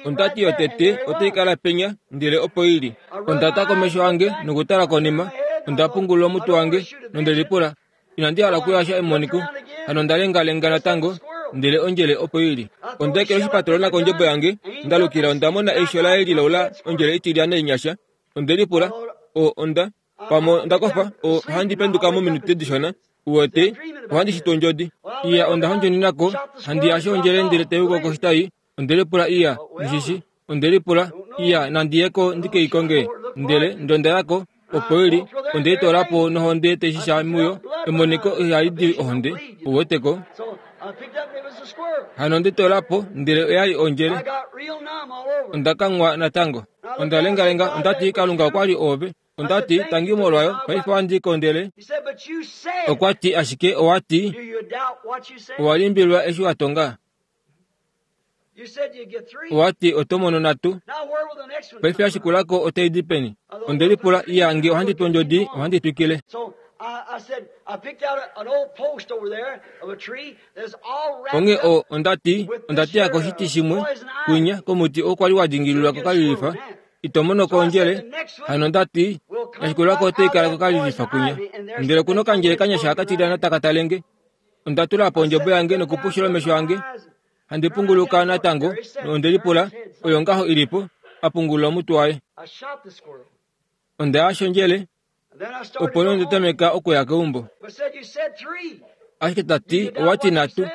Onda ti yotete otai kala penya, ndele opo i li. Onda ta komesho ange nokutala konima, onda pungulula omutwe wange, nonde lipula, Inandi hala okuyasha emoniko. Hano onda lengalenga natango, ndele ondjele opo i li. Onda ekela oshipatolona kondjebo yange, nda lukila onda mona eisho laye lilaula ondjele itilyana inyasha. Onde lipula, O, onda, pamwe onda kofa, o, ohandi penduka mominute dishona. Uwete, ohandi shitwa ondjodi. Iya, onda hondjunina ko, handi yashe ondjele ndele tai uko koshitayi. Onde lipula, Iya, nghi shi. Onde lipula, Iya, nandi ye ko ndi ke i konge. Ndele, ndele onda ya ko, opo i li, onde i toola po nohonde tai shisha muyo. Emoniko ihali di ohonde, ou wete ko. Hano onde i toola po, ndele oya li ondjele. Onda kanghwa natango. Onda lengalenga, onda ti, Kalunga okwa li oove. Onda ti, Tangi molwayo, paife ohandi kondele. Okwa ti, Ashike owa ti, owa limbililwa eshi wa tonga. Owa ti oto mono natu. Paife ya shikula ko otai di peni? Onde lipula, Iya, nge ohandi tu ondjodi, ohandi twikile. Onghee o, onda ti, onda teya koshiti shimwe, kwinya, komuti oo kwali wa dingililwa kokalilifa. Ito mono ko ondjele. Hano onda ti, Ya shikula ko otai kala kokalilifa kwinya. Ndele oku na okandjele kanyasha haka tilyana taka tale nge. Onda tula po ondjebo yange nokupushula omesho ange. Handi punguluka natango, nonde lipula, Oyo ngaho i li po? A pungulula omutwe waye. Onda ya shondjele, opo nee onda tameka okuya keumbo. Ashike ta ti, Owa ti nhatu.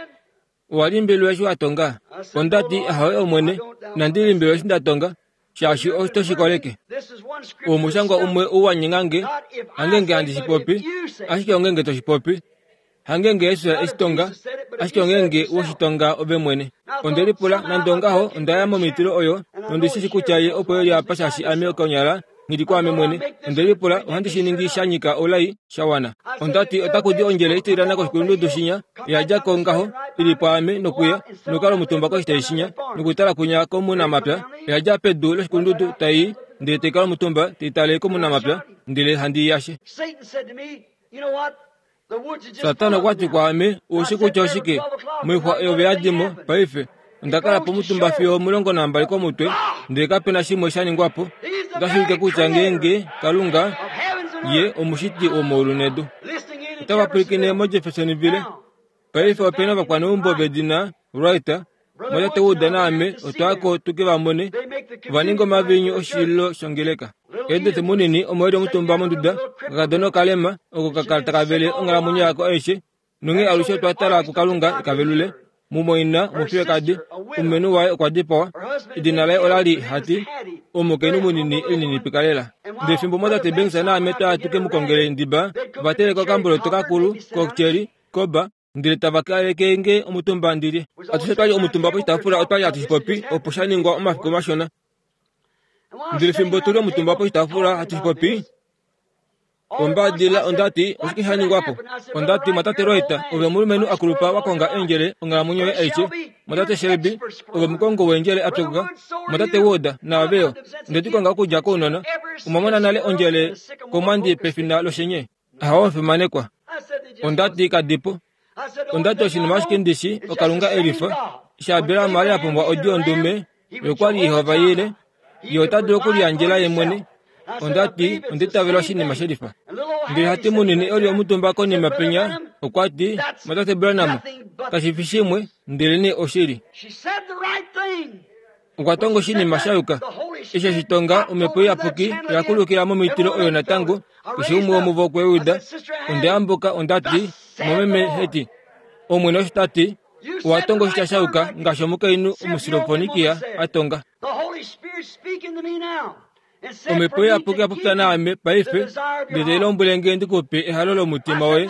Owa limbililwa eshi wa tonga? Onda ti, Ahowe Omwene, inandi limbililwa eshi nda tonga, shaashi oto shi koleke. Omushangwa umwe ou wa nyenga nge, hangenge handi shi popi, ashike ongenge to shi popi. Hangenge Jesus e shi tonga, ashike ongenge we shi tonga ove mwene. Onde lipula, nande ongaho, onda ya momitilo oyo, nondi shi shi kutya ye opo e li apa shaashi ame konyala nghi li kwaame mwene. Onde lipula, ohandi shi ningi sha nyika oulai sha wana. Onda ti, Otaku di ondjele itililana koshikulundudu shinya, ya dja ko ngaho, i li pwaame nokuya, nokukala omutumba koshitayi shinya, nokutala kwinya komunamapya. Oya dja pedu loshikulundudu tai i, ndele tai kala omutumba, tai tale komunamapya, ndele handi i yashe. Satana okwa ti kwaame, Oushi kutya oshike? Moixwa oyo ve yadi mo paife. Onda kala pomutumba fiyo 12 komutwe, ndele kape na shimwe sha ningwa po. Otashi ulike kutya ngeenge Kalunga ye omushiti womaulu nedu. Otava pwilikine moJeffersonville. Paife ope na ovakwaneumbo vedina Wright, Mwatate Wood naame otwa ya ko tu ke va mone. Ova ninga omaviinyu oshililo shongeleka. Edith munini omo e li omutumba monduda, okakadona okalema, oko ka kala taka vele onghalamwenyo yako aishe, nonghee alushe otwa tala kuKalunga e ka velule. Mumwaina womufiyekadi, omulumenhu waye okwa dipawa. Edina laye ola li Hattie, omukainhu munini e lininipika lela. Ndele fimbo mwatate Banks naame twa ya tu ke mu kongele ndiba, ova teleka okamboloto kakulu kocheri koba, ndele tava kaleke nge omutumba ndi lye. Atushe twa li omutumba poshitaafula otwa li hatu shi popi opo sha ningwa omafiku mashona. Ndele fimbo tu li omutumba poshitaafula hatu shi popi, ombaadilila onda ti, Oshike sha ningwa po? Onda ti, Mwatate Wright, ove omulumenhu a kulupa wa konga eendjele onghalamwenyo yoye aishe. Mwatate Shelby, ove omukongo weendjele a pyokoka. Mwatate Wood, naave yo. Onde di konga okudja kounona. Omwa mona nale ondjele komwandi pefina loshenye? Ahawe omufimanekwa. Onda ti kadipo. Onda ti oshinima ashike ndi shi oKalunga e lifa. Eshi Abraham a li a pumbwa odi yondume, ye okwa li Jehova Yire, ye ota dulu okuliyandjela ye mwene. Onda ti onda itavela oshinima she lifa. Ndele hati munini e li omutumba konima penya, okwa ti, Mwatate Branham, kashi fi shimwe, ndelenee oshili. Okwa tonga oshinima sha yuka. Eshi eshi tonga, Omhepo Iyapuki oya kulukila momitilo oyo natango, keshe umwe womuvo okwe uda. Onda yambuka, onda ti, Mumeme Hattie, Omwene osho ta ti, owa tonga oshitya sha yuka ngaashi omukainhu Omusilofonikia a tonga. Omhepo Iyapuki ya popya naame paife, ndele tai lombwele nge ndi ku pe ehalo lomutima woye.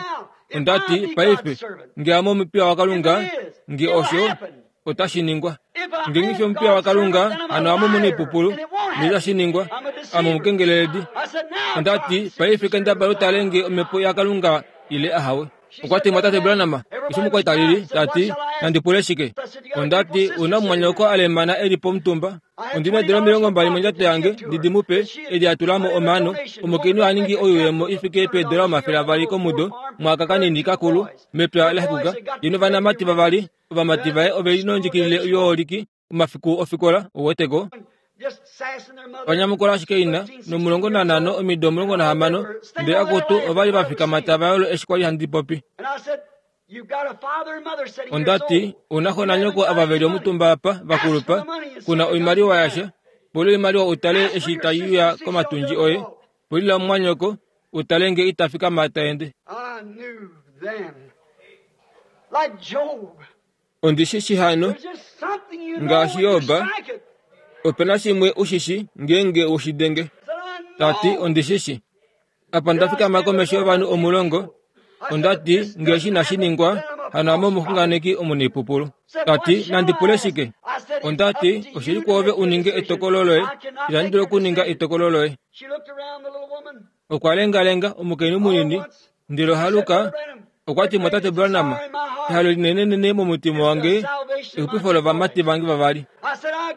Onda ti, Paife, nge ame omupiya waKalunga, nge osho, otashi ningwa. Ngeenge fi omupiya waKalunga, hano ame omunaipupulu, noitashi ningwa. Ame omukengeleledi. Onda ti, Paife kendabala u tale nge omhepo yaKalunga ile ahawe. Okwa ti, Mwatate Branham, eshi omukwaita lili, ta ti, nandi pule shike? Onda ti, Una omumwanyoko a lemana e li pomutumba. Ondi na eedula 20 mondjato yange, ndi di mu pe, edi a tula mo omaano. Omukainhu a ningi oyuuyemo i fike peedola 200 komudo, mwaka kanini kakulu, mepya la xekuka, ye novanamati vavali. Ovamati vaye ove li nondjikilile yooliki omafiku ofikola, ou wete ko. Va nyamukula ashike ina, nomulongo nanhano, omido 16, ndele akutu ova li va fikama tava yolo eshi kwa li handi popi. Onda ti, Ou na xo nanyoko ava ve li omutumba apa, va kulupa, ku na oimaliwa yasha. Pula oimaliwa u tale eshi tai uya komatundji oye. Pulila omumwanyoko, u tale nge ita fikama ta ende. Ondi shi shi hano, ngaashi Job, ope na shimwe u shi shi ngeenge we shi denge. Ta ti, Ondi shi shi. Apa nda fikama komesho yovanhu omulongo, onda ti, Nge eshi inashi ningwa, hano ame omuxunganeki omunaipupulu. Ta ti, Nandi pule shike? Onda ti, Oshi li kwoove u ninge etokolo loye. Itandi dulu okuninga etokolo loye. Okwa lengalenga omukainhu munini, ndele ohaluka okwa ti mwatate Branham, ehalo linenenene momutima wange exupifo lovamati vange vavali.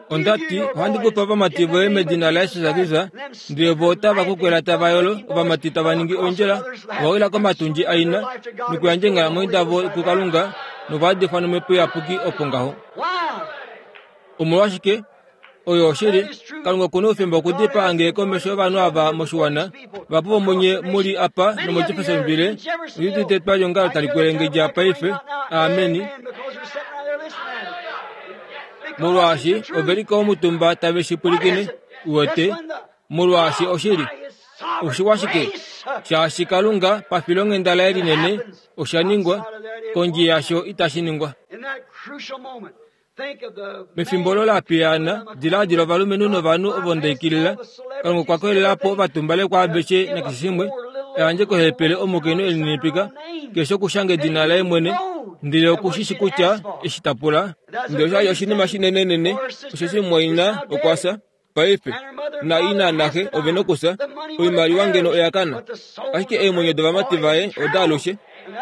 Onda ti, ohandi ku pe ovamati voye medina laJesus Kristus, ndele vo otava kukwela tava yolo, ovamati tava ningi ondjila, ova wila komatundji aina, nokuyandja eenghalamwenyo davo kuKalunga, nova yadifwa nOmhepo Iyapuki opo ngaho. Omolwashike? Oyo oshili, Kalunga oku na oufemba okudipaa nge komesho yovanhu ava moshiwana, vahapu vomunye mu li apa nomoJeffersonville, ondi udite etwaliongalo tali kwelengedja paife. Ameni. Molwaashi ove li komutumba tave shi pwilikine, uwete, molwaashi oshili. Oshiwa shike? Shaashi Kalunga pafilonghenda laye linene osha ningwa, kondje yasho itashi ningwa. Mefimbo olo la piyaana, diladila ovalumenhu novanhu ovo nda ikilila. Kalunga okwa koyelela po ovatumbalekwa aveshe nakeshe shimwe, a yandje kohepele omukainhu e lininipika, keshe okushanga edina laye mwene, ndele oku shi shi kutya eshi ta pula. Ndele osha li oshinima shinenenene, osheshi mumwaina okwa fya. Paife, na ina naxe ove nokusa, oimaliwa ngeno oya kana. Ashike eemwenyo dovamati vaye oda alushe,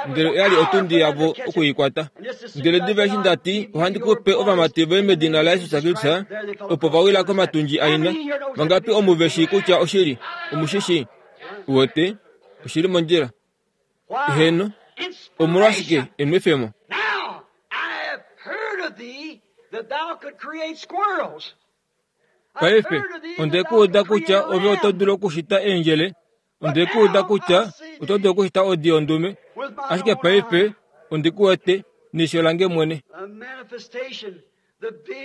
ndele oya li otundi yavo oku i kwata. Ndele diva eshi nda ti, ohandi ku pe ovamati voye medina laJesus Kristus, opo va wila komatundji aina. Vangapi omu ve shii kutya oshili? Omu shi shii? Uwete, oshi li mondjila. Heeno. Omolwashike enwefemo? Paife, onde ku uda kutya ove oto dulu okushita eendjele, onde ku uda kutya oto dulu okushita odi yondume, ashike paife ondi ku wete neisho lange mwene.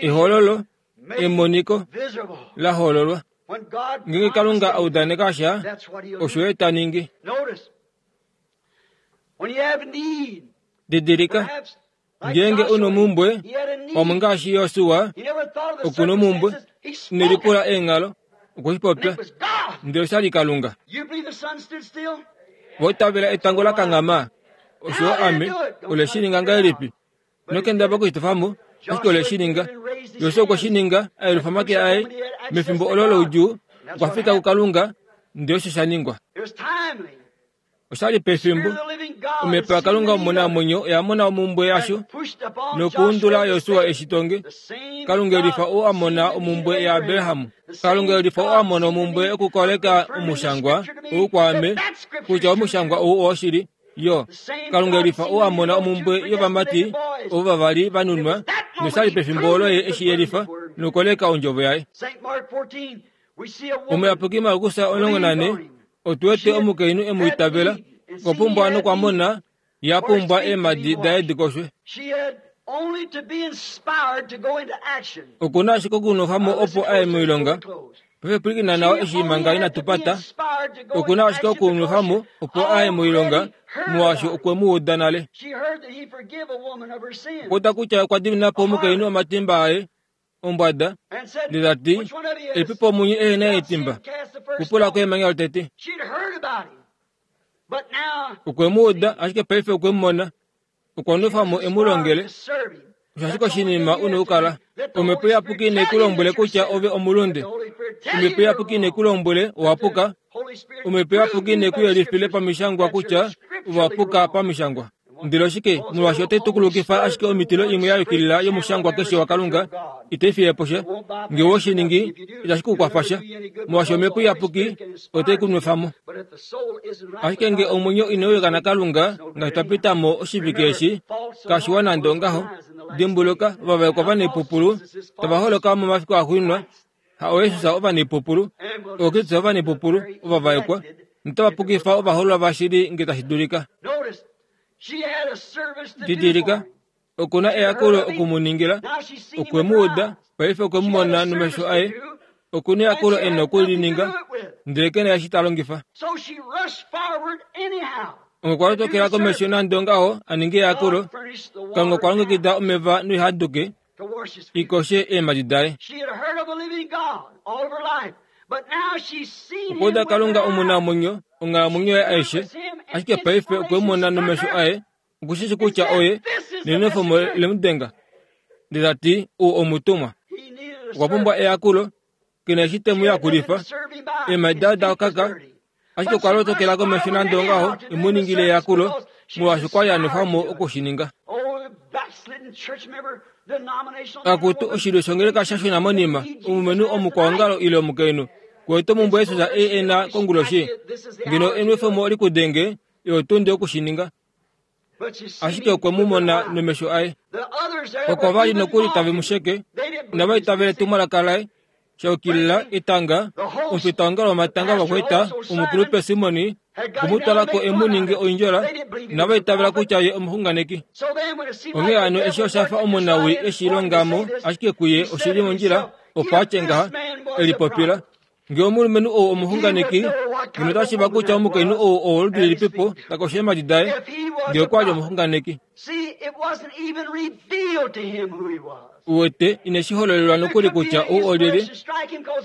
Ehololo, emoniko la hololwa. Ngeenge Kalunga a udaneka sha, osho Ye ta ningi. Didilika, Ngeenge u nomumbwe, pamwe ngaashi Josua oku nomumbwe, ine lipula eenghalo, okwe shi popya, ndele osha li Kalunga. Vo itavela etango la kanghama, osho yo ame, ole shi ninga ngahelipi? Ino kendabala oku shi tofa mo, ashike ole shi ninga. Josua okwe shi ninga, a yelufa omake aye, mefimbo olo loudjuu, okwa fika kuKalunga, ndele osho sha ningwa. Osha li pefimbo omhepo yaKalunga omunamwenyo oya mona omumbwe yasho nokuundula Josua eshi tonge. Kalunga elifa oo a mona omumbwe yaAbraham. Kalunga elifa oo a mona omumbwe yokukoleka omushangwa ou kwaame kutya omushangwa ou owoshili. Yo, Kalunga elifa oo a mona omumbwe yovamati ovo vavali va nunwa, nosha li pefimbo olo ye eshi yelifa nokukoleka ondjovo yaye. Omuyapuki Markus 14 otu wete omukainhu e mu itavela, okwa pumbwa nokwa mona ye a pumbwa eemhadi daye di koshwe. Oku na ashike okunwefa mo opo a ye moilonga. Paife pwilikina nawa eshi manga inatu pata. Oku na ashike okunwefa mo opo a ye moilonga, molwaashi okwe mu uda nale. Okwa uda kutya okwa dimina po omukainhu omatimba aye ombwada ndele ta ti, Epipo munye ehe na etimba, kupula ko emanya lotete. Okwe mu uda, ashike paife okwe mu mona. Okwa nwefa mo e mu longele. Osho ashike oshinima u na okukala. Omhepo Iyapuki inai ku lombwele kutya ove omulunde. Omhepo Iyapuki inai ku lombwele owa puka. Omhepo Iyapuki inai ku yelifile pamishangwa kutya ove wa puka pamishangwa. Ndele oshike, molwaashi otai tukulukifa ashike omitilo imwe ya yukilila yomushangwa keshe waKalunga, itai fiye po sha. Nge owe shi ningi, itashi ku kwafa sha, molwaashi Omhepo Iyapuki otai ku nwefa mo. Ashike nge omwenyo inau yuka naKalunga, ngaashi twa pita mo oshivike eshi, kashiwa nande ongaho. Dimbuluka, ovavaekwa vanaipupulu tava holoka momafiku axuuninwa, ha ooJesus ovanaipupulu, ooKristus ovanaipupulu, ovavaekwa, notava pukifa ovahoololwa vashili nge tashi dulika. Didilika, oku na eyakulo oku mu ningila, okwe mu uda, paife okwe mu mona nomesho aye, oku na eyakulo e na oku li ninga, ndele ke na eshi ta longifa. Okwa lotokela komesho nande ongaho a ninge eyakulo, Kalunga okwa longekida omeva noihaduke, i koshe eemhadi daye. Okwa uda Kalunga omunamwenyo onghalamwenyo yaye aishe, ashike paife okwe mu mona nomesho aye, oku shi shi kutya oye, nenwefomo le mu denga. Ndele ta ti, Ou omutumwa. Okwa pumbwa eyakulo, ke na eshi te mu yakulifa. Eemhadi daye oda kaka. Ashike okwa lotokela komesho nande ongaho e mu ningile eyakulo, molwaashi okwa li a nwefwa mo oku shi ninga. Akutu, oshilyo shongeleka sha shuna monima, omulumenhu omukwaongalo ile omukainhu, kuwete omumbwe Jesus ei e na konguloshi? Ngeno enwefemo oli ku denge, iho tunde oku shi ninga. Ashike okwe mu mona nomesho aye. Oko va li nokuli tave mu sheke, inava itavela etumwalaka laye. Sha yukilila etanga, omufitaongalo womatanga ovakwaita, omukulupe Simoni, okwe mu twala ko e mu ninge oindjola, inava itavela kutya ye omuxunganeki. Onghee hano eshi osha fa omunawii e shi longa mo, ashike kuye oshi li mondjila opo a tye ngaha, e lipopila. Ngee omulumenhu ou omuxunganeki, ngeno otashi shiiva kutya omukainhu ou owoludi lilipipo ta kosho eemhadi daye, ngee okwa li omuxunganeki. Uwete, ine shi hololelwa nokuli kutya ou olyelye.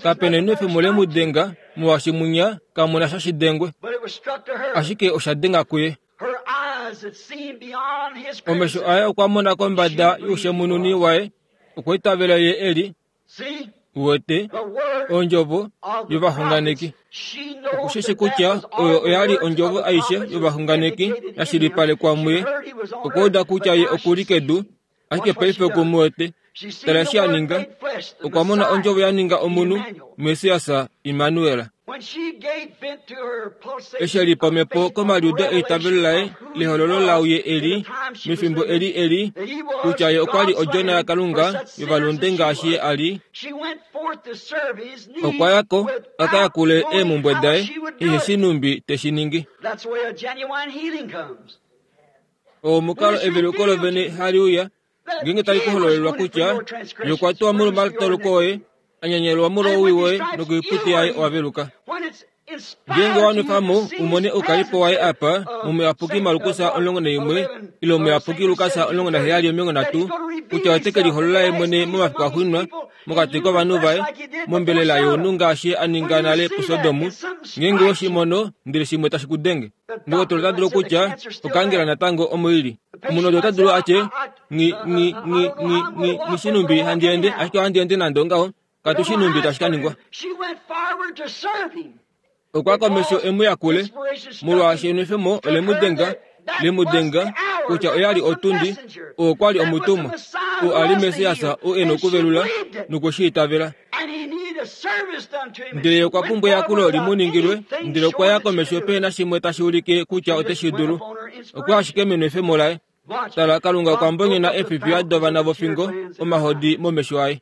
Kape na enwefemo le mu denga, molwaashi munya kamu na sha shi dengwe. Ashike osha denga kuye. Omesho aye okwa mona kombada youshemununi waye, okwa itavela ye e li. Uwete, ondjovo yovaxunganeki. Okushishi kutya oyo oya li ondjovo aishe yovaxunganeki ya shilipalekwa muye. Okwa uda kutya ye oku li kedu, ashike paife oku mu wete. Tala eshi a ninga. Okwa mona ondjovo ya ninga omunhu, Messias, Immanuel. Eshi e lipa omhepo komaliudo eitavelo laye lehololo laau ye e li mefimbo eli e li kutya ye okwa li odjona yaKalunga yovalunde ngaashi ye a li, okwa ya ko a ka yakule eemhumbwe daye ehe shi nhumbi te shi ningi. Oo omukalo eveluko lovene hali uya ngeenge tali ku hololelwa kutya ye okwa tuwa molwomatoloko oye, a nyanyelwa molwowii woye nokoiputi yaye owa veluka. Ngeenge wa nwefa mo u mone oukalipo waye apa mOmuyapuki Markus 11 ile Omuyapuki Lukas 17:30 kutya ote ke liholola ye mwene momafiku axuuninwa mokati kovanhu vaye mombelela younhu ngaashi a ninga nale puSodom, ngeenge we shi mono ndele shimwe tashi ku denge, ndokotola ota dulu okutya okaangela natango omo i li. Omunhu ota dulu a tye, Nghi, nghi, nghi, nghi, nghi, nghi shi numbi handi ende, ashike ohandi ende nande ongaho, katu shi numbi tashi ka ningwa. Okwa komesho e mu yakule, molwaashi enwefemo ole mu denga, le mu denga, kutya oya li otundi, oo kwa li omutumwa, oo a li Messias oo e nokuvelula, nokwe shi itavela. Ndele okwa pumbwa eyakulo li mu ningilwe, ndele okwa ya komesho pehe na shimwe tashi ulike kutya ote shi dulu. Okwa ashike menwefemo laye. Tala, Kalunga okwa mbonyena eefifiya dovana vofingo omahodi momesho aye.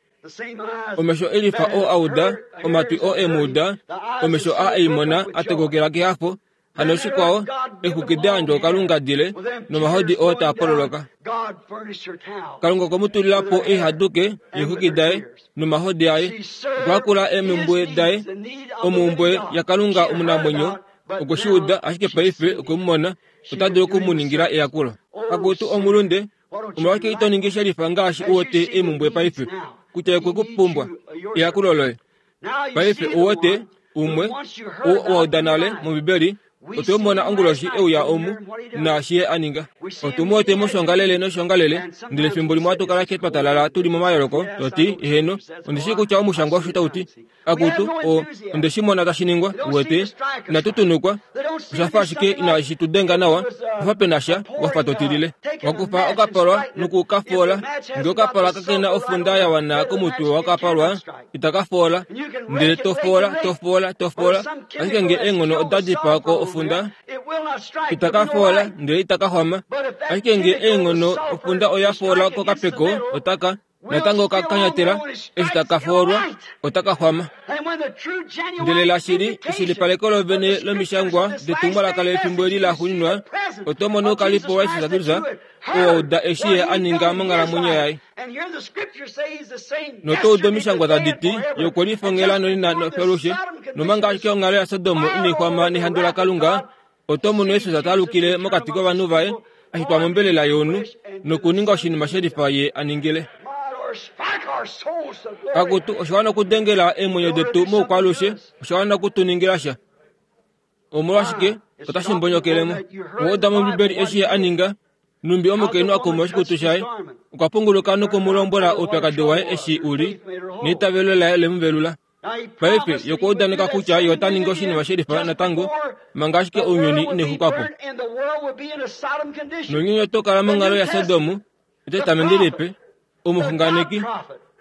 Omesho elifa oo a uda, omatwi oo e mu uda, omesho a ei mona a tokokela kehafo, hano shikwao, exwiki da yandjwa kuKalunga dile, nomahodi oo taa pololoka. Kalunga okwe mu tulila po eihaduke yeexwiki daye nomahodi aye. Okwa yakula eemhumbwe daye, omhumbwe yaKalunga omunamwenyo, okwe shi uda, ashike paife okwe mu mona, ota dulu oku mu ningila eyakulo. Akutu omulunde, omolwashike ito ningi shelifa ngaashi u wete eemhumbwe paife, kutya okwe ku pumbwa, eyakulo loye? Paife u wete, umwe, oo wa uda nale mOmbibeli, otwe mu mona onguloshi e uya omu, naashi ye a ninga. Otu mu wete moshongalele noshongalele, ndele fimbo limwe ohatu kala ashike twa talala tu li momayoloko, to ti, Eheno, ondi shii kutya omushangwa osho tau ti. Akutu, o, onde shi mona tashi ningwa, uwete. Inatu tunukwa. Osha fa ashike inashi tu denga nawa, ofa pe na sha, wa fa to tilile. Wa kufa okapalwa noku ka foola. Ngee okapalwa kake na ofunda ya wana komutwe wakapalwa, itaka foola. Ndele to foola, to foola, to foola, ashike ngee eenghono oda dipaa ko ofunda, itaka foola, ndele itaka xwama. Ashike ngee eenghono ofunda oya foola kokapeko, otaka. Natango ka kanyatela, eshi taka foolwa, otaka xwama. Ndele lashili, eshilipaleko lovene lomishangwa detumwalaka lefimbo eli la xuuninwa, oto mono oukalipo waJesus Kristus, oo wa uda eshi Ye a ninga monghalamwenyo yaye. Noto udu omishangwa tadi ti, Ye okwe lifongela nonena nofyalushe, nomanga ashike onghalo yaSodom inai xwama nehandu laKalunga, Oto mono Jesus ta alukile mokati kovanhu vaye, a shitwa mombelela younhu, nokuninga oshinima she lifa ye a ningile. Akutu, osha wana okudengela eemwenyo detu moukwaalushe, osha wana oku tu ningila sha. Omolwashike, otashi mbonyokele mo. Owa uda mOmbibeli eshi ye a ninga, numbi omukainhu a kuma oshikutu shaye, okwa punguluka noku mu lombwela oupyakadi waye eshi u li, neitavelo laye ole mu velula. Paife ye okwa udaneka kutya ye ota ningi oshinima shelifa natango manga ashike ounyuni inexuka po. Nounyuni oto kala monghalo yaSodom, Etestamenti Lipe, omuxunganeki,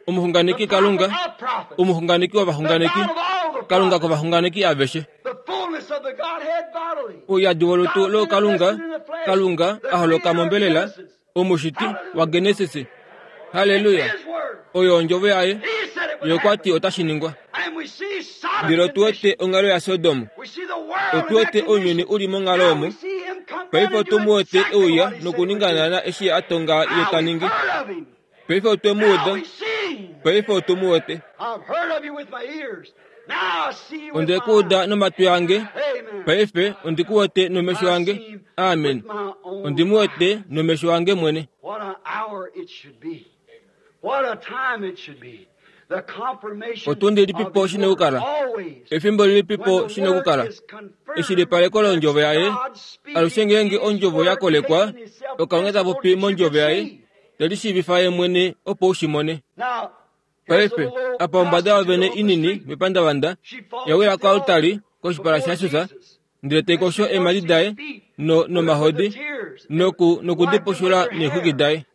omuxunganeki Kalunga, omuxunganeki wovaxunganeki, Kalunga kovaxunganeki aveshe. Ouyadi wolutu lookalunga, Kalunga a holoka mombelela, omushiti waGenesis. Halleluya! Oyo ondjovo yaye. Ye okwa ti otashi ningwa. Ndele otu wete onghalo yaSodom. Otu wete ounyuni u li monghalo omo. Paife otu mu wete e uya nokuninga naana eshi a tonga ye ta ningi. Paife otwe mu uda. Paife otu mu wete. Onde ku uda nomatwi ange. Paife ondi ku wete nomesho ange. Amen. Ondi mu wete nomesho ange mwene. Otundi ilipipo shi na okukala? Efimbo lilipipo shi na okukala? Eshilipaleko londjovo yaye. Alushe ngeenge ondjovo ya kolekwa, oKalunga ta popi mondjovo yaye, te lishiivifa ye mwene opo u shi mone. Paife, apa ombada yovene inini mepandavanda, ya wila koaltari koshipala shaJesus, ndele te kosho eemhadi daye no, nomahodi noku, noku di pushula neexwiki daye.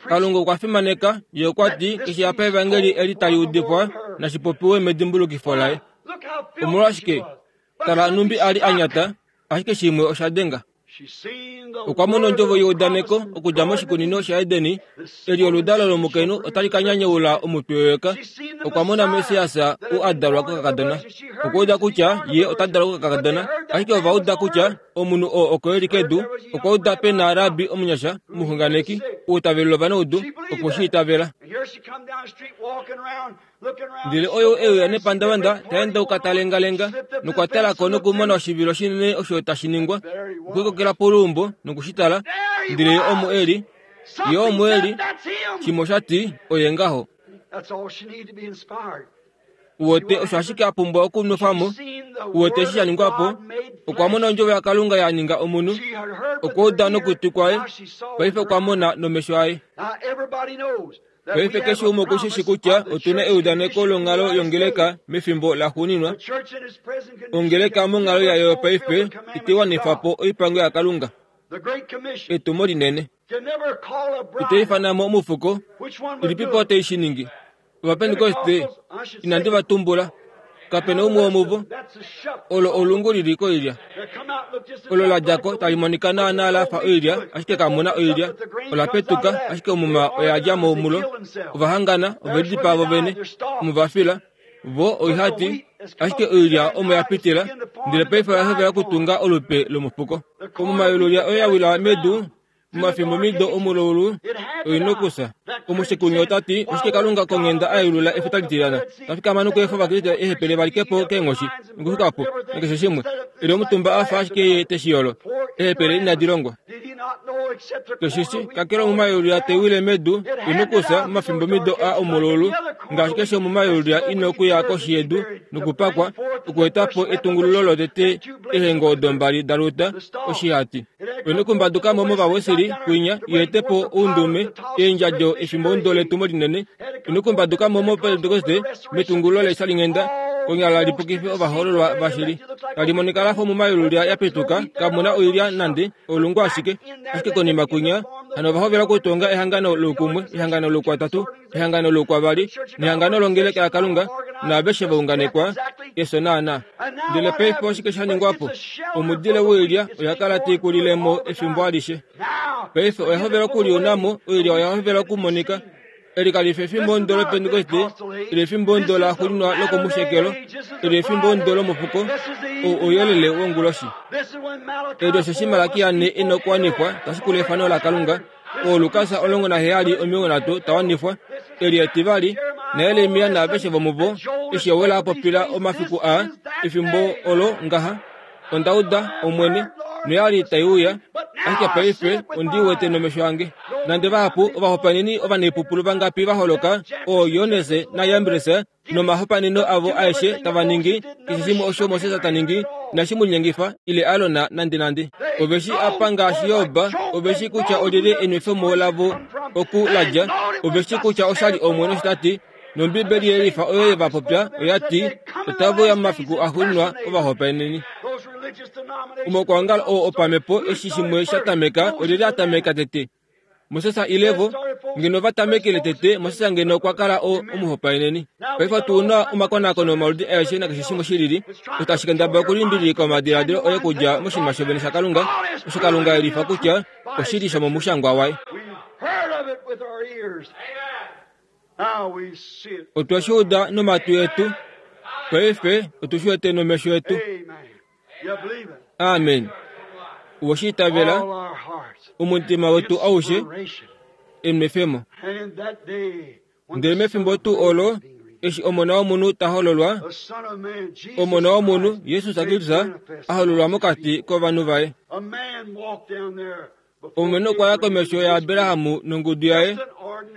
Kalunga okwa fimaneka, ye okwa ti, keshe apa evangeli eli tali udifwa, nashi popiwe medimbulukifo laye. Omolwashike? Tala nhumbi a li a nyata, ashike shimwe osha denga. Okwa mona ondjovo yeudaneko okudja moshikunino shaEdeni, eli oludalo lomukainhu otali ka nyanyaula omutwe weyoka. Okwa mona Messias u a dalwa kokakadona. Okwa uda kutya ye ota dalwa kokakadona, ashike ova uda kutya omunhu oo oko e li kedu. Okwa uda pe na rabbi omunyasha, omuxunganeki, ou ta velula ovanaudu, okwe shi itavela. Ndele oyo e uya nepandavanda ta endauka ta lengalenga nokwa tala ko nokumona oshivilo shinene osho tashi ningwa. Okwe kokela poluumbo noku shi tala, ndele ye omo e li. Ye omo e li. Shimwe osha ti, Oye ngaho. Uwete, osho ashike a pumbwa okunwefa mo. Uwete eshi sha ningwa po? Okwa mona ondjovo yaKalunga ya ninga omunhu. Okwa uda nokutwi kwaye, paife okwa mona nomesho aye. Paife keshe umwe oku shi shi kutya otu na eudaneko longhalo yongeleka mefimbo laxuuninwa. Ongeleka monghalo yayo yopaife itai wanifa po oipango yaKalunga, etumo linene. Ito ifana mo omufuko, ilipipo tai shi ningi? Ovapentekoste, inandi va tumbula. Kape na umwe womuvo. Olo olungu li li koilya. Olo la dja ko tali monika naanaa la fa oilya, ashike kamu na oilya. Ola petuka, ashike omuma oya dja mo mulo. Ova hangana, ove lidipaa vo vene. Omo va fila. Vo oihati, ashike oilya omo ya pitila, ndele paife oya hovela okutunga olupe lomufuko. Omuma yolulya oyo ya wila medu, Momafimbomido omulaulu oi nokusa. Omushekuni ota ti, Oshike Kalunga konghenda a yelula efuta litilyana, ta fikama nokuefa Ovakriste eehepele va like po keenghoshi, nokuxuka po, nakeshe shimwe, e li omutumba a fa ashike ye te shi yolo? Eehepele inadi longwa. Ke shi shi, kakele omuma yolulya tai wile medu, i nokusa momafimbomido aa omulaulu, ngaashi keshe omuma yolulya i nokuya koshi yedu nokupakwa, okueta po etungululo lotete ehengo odo mbali da luta oshihati. Oine okumbaduka mo mOvawesili kwinya i ete po oundume, eendjadjo efimbo letumo linene. Oine okumbaduka mo mOpentekoste metungululo leeshalinghenda, konyala li pukife ovahoololwa vashili. Tali monika la fa omuma yolulya ya petuka, kamu na oilya nande, olungu ashike. Ashike konima kwinya, hano ova hovela okutonga ehangano loukumwe, ehangano loukwatatu, ehangano loukwavali, nehangano longeleka yaKalunga, naaveshe va unganekwa, efyo naanaa. Ndele paife oshike sha ningwa po? Omudile woilya oya kala tai kulile mo efimbo alishe. Paife oya hovela okuliuna mo, oilya oya hovela okumonika. Eli kali fi efimbo ndo lOpentekoste, ile efimbo ndo la xuuninwa lokomushekelo, ile efimbo ndo lomufuko, ou ouyelele wonguloshi. Eli osheshi Malakia ne e na okuwanifwa, ta shikula efano laKalunga, oo Lukas 17 30 ta wanifwa, eli etivali, naJeremia naaveshe vomuvo, eshi Joel a popila omafiku aa, efimbo olo ngaha, Onda uda, Omwene, noya li tai uya, ashike paife ondi wete nomesho ange. Nande vahapu ovahopaeneni ovanaipupulu vangapi va holoka, oo Jones naJambres nomahopaeneno avo aeshe tava ningi, keshe shimwe osho Moses ta ningi, inashi mu linyengifa ile Aron nandenande. Ove shi apa ngaashi Job, ove shi kutya olyelye enwefemo lavo oku la dja, ove shi kutya osha li Omwene osho ta ti. Nombiibeli yelifa oyo ye va popya oya ti, Otave uya momafiku axuuninwa ovahopaeneni. Omaukwaongalo oo opamhepo eshi shimwe sha tameka olyelye a tameka tete? Moses ile vo? Ngeno va tamekele tete, Moses ngeno okwa kala o, omuhopaeneni. Paife otu na omakonakono omaludi aeshe nakeshe shimwe shi lili, osho tashi kendabala okulimbililika omadiladilo oye okudja moshinima shovene shaKalunga, osho Kalunga e lifa kutya oshi li shomomushangwa waye. Otwe shi uda nomatwi etu, paife otu shi wete nomesho etu. Amen. Uwe shi itavela, omutima wetu aushe, enwefemo. Ndele mefimbo tuu olo, eshi Omona wOmunhu ta hololwa, Omona wOmunhu, Jesus Kristus, a hololwa mokati kovanhu vaye. Omulumenhu okwa ya komesho yaAbraham nongudu yaye,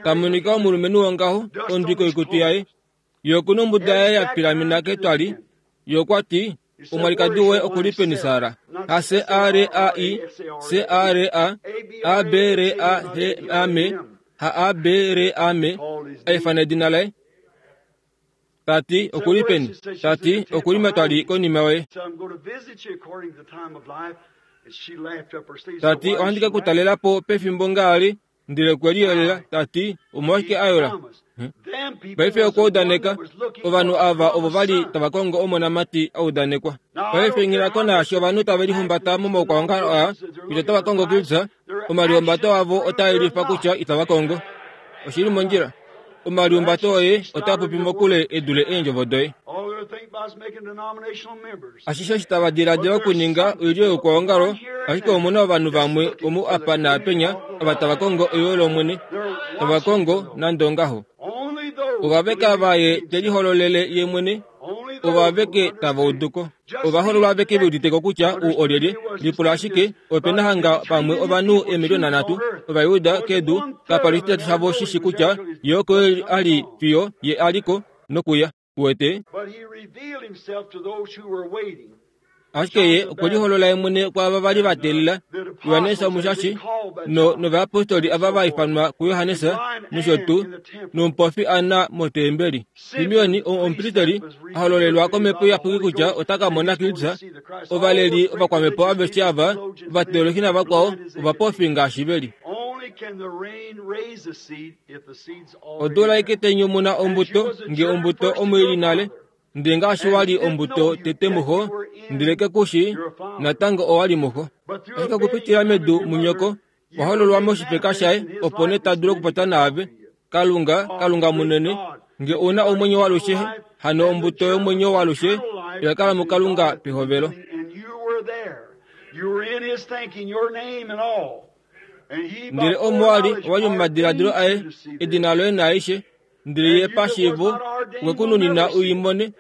ta monika omulumenhu wongaho, ondwi koikutu yaye. Ye oku nombuda yaye ya pilamena ketwali. Ye okwa ti, Omwalikadi woye oku li peni, Sara? Ha C-A-R-A-I, C-A-R-A, A-B-R-A-H-A-M, ha A-B-R-A-M, a ifana edina laye. Ta ti, Oku li peni? Ta ti, Oku li metwali konima yoye. Ta ti, Ohandi ke ku talela po pefimbo ngaali Ndele okwe liyolela, ta ti, Omolwashike a yola? Paife okwa udaneka, ovanhu ava ovo va li tava kongo omonamati a udanekwa. Paife nghi ko naashi ovanhu tave lihumbata momaukwaongalo aa kutya otava kongo Kristus, omalihumbato avo otaa yelifa kutya itava kongo. Oshi li mondjila. Omalihumbato oye otaa popi mokule e dule eendjovo doye. Ashishe eshi tava diladila okuninga oilyo youkwaongalo, ashike omu na ovanhu vamwe omu apa naapenya ava tava kongo eyo lOmwene, tava kongo nande ongaho. Ovaveka vaye te lihololele ye mwene, ovo aveke tava udu ko. Ovahololwa aveke ve udite ko kutya ou olyelye. Lipula ashike, ope na hanga pamwe ovanhu eemiliona nhatu Ovajuda kedu, kapa li oshitatu shavo shi shi kutya ye oko a li fiyo ye a li ko nokuya. Uwete? Ashike ye okwe liholola ye mwene kwaava va li va teelela, Johannes Omushashi no, novayapostoli ava va ifanwa kuJohannes nosho tuu, nomupofi Anna motembeli. Simeon, omupristeli, a hololelwa komhepo iyapuki kutya ota ka mona Kristus, ovaleli ovakwamhepo aveshe ava, ovateolohi navakwao, ovapofi ngaashi ve li. Odula aike tai nyumuna ombuto, nge ombuto omo i li nale, ndele ngaashi wa li ombuto tete muxo, ndele ke ku shii, natango owa li muxo. Ashike okupitila medu munyoko, wa hololwa moshifeka shaye, opo nee ta dulu okupopya naave. Kalunga, Kalunga munene, nge u na omwenyo walushe, hano ombuto yomwenyo walushe oya kala muKalunga pehovelo. Ndele omo wa li, owa li momadiladilo aye, edina loye naaishe, ndele ye pashiivo okwe ku nunina u i mone.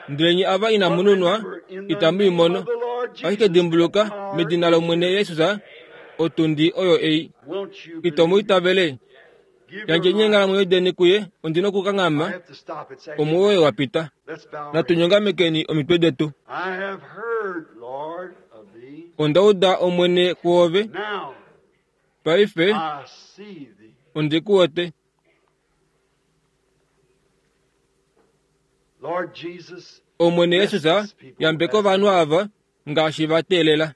Ndele nye ava inamu nunwa, itamu i mono. Ashike dimbuluka, medina lOmwene Jesus, otundi oyo ei. Ito mu itavele? Yandjeni eenghalamwenyo deni kuye, ondi nokukanghama, omuwoye wa pita. Natu nyongamekeni omitwe detu. Onda uda Omwene kuove, paife ondi ku wete. Omwene Jesus, yambeka ovanhu ava ngaashi va teelela.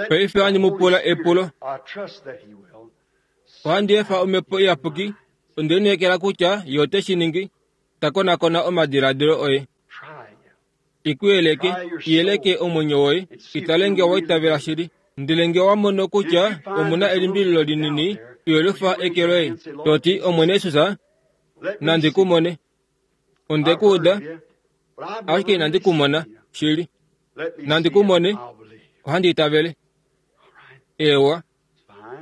Paife ohandi mu pula epulo. Ohandi efa Omhepo Iyapuki, onde lineekela kutya Ye ote shi ningi, ta konakona omadiladilo oye. I ku yeleke, i yeleke omwenyo woye, i tale nge owa itavela shili. Ndele nge owa mono kutya omu na elimbililo linini, yelifa eke loye, to ti, Omwene Jesus, nandi ku mone. Onde ku uda, ashike inandi ku mona shili. Nandi ku mone, ohandi itavele. Eewa.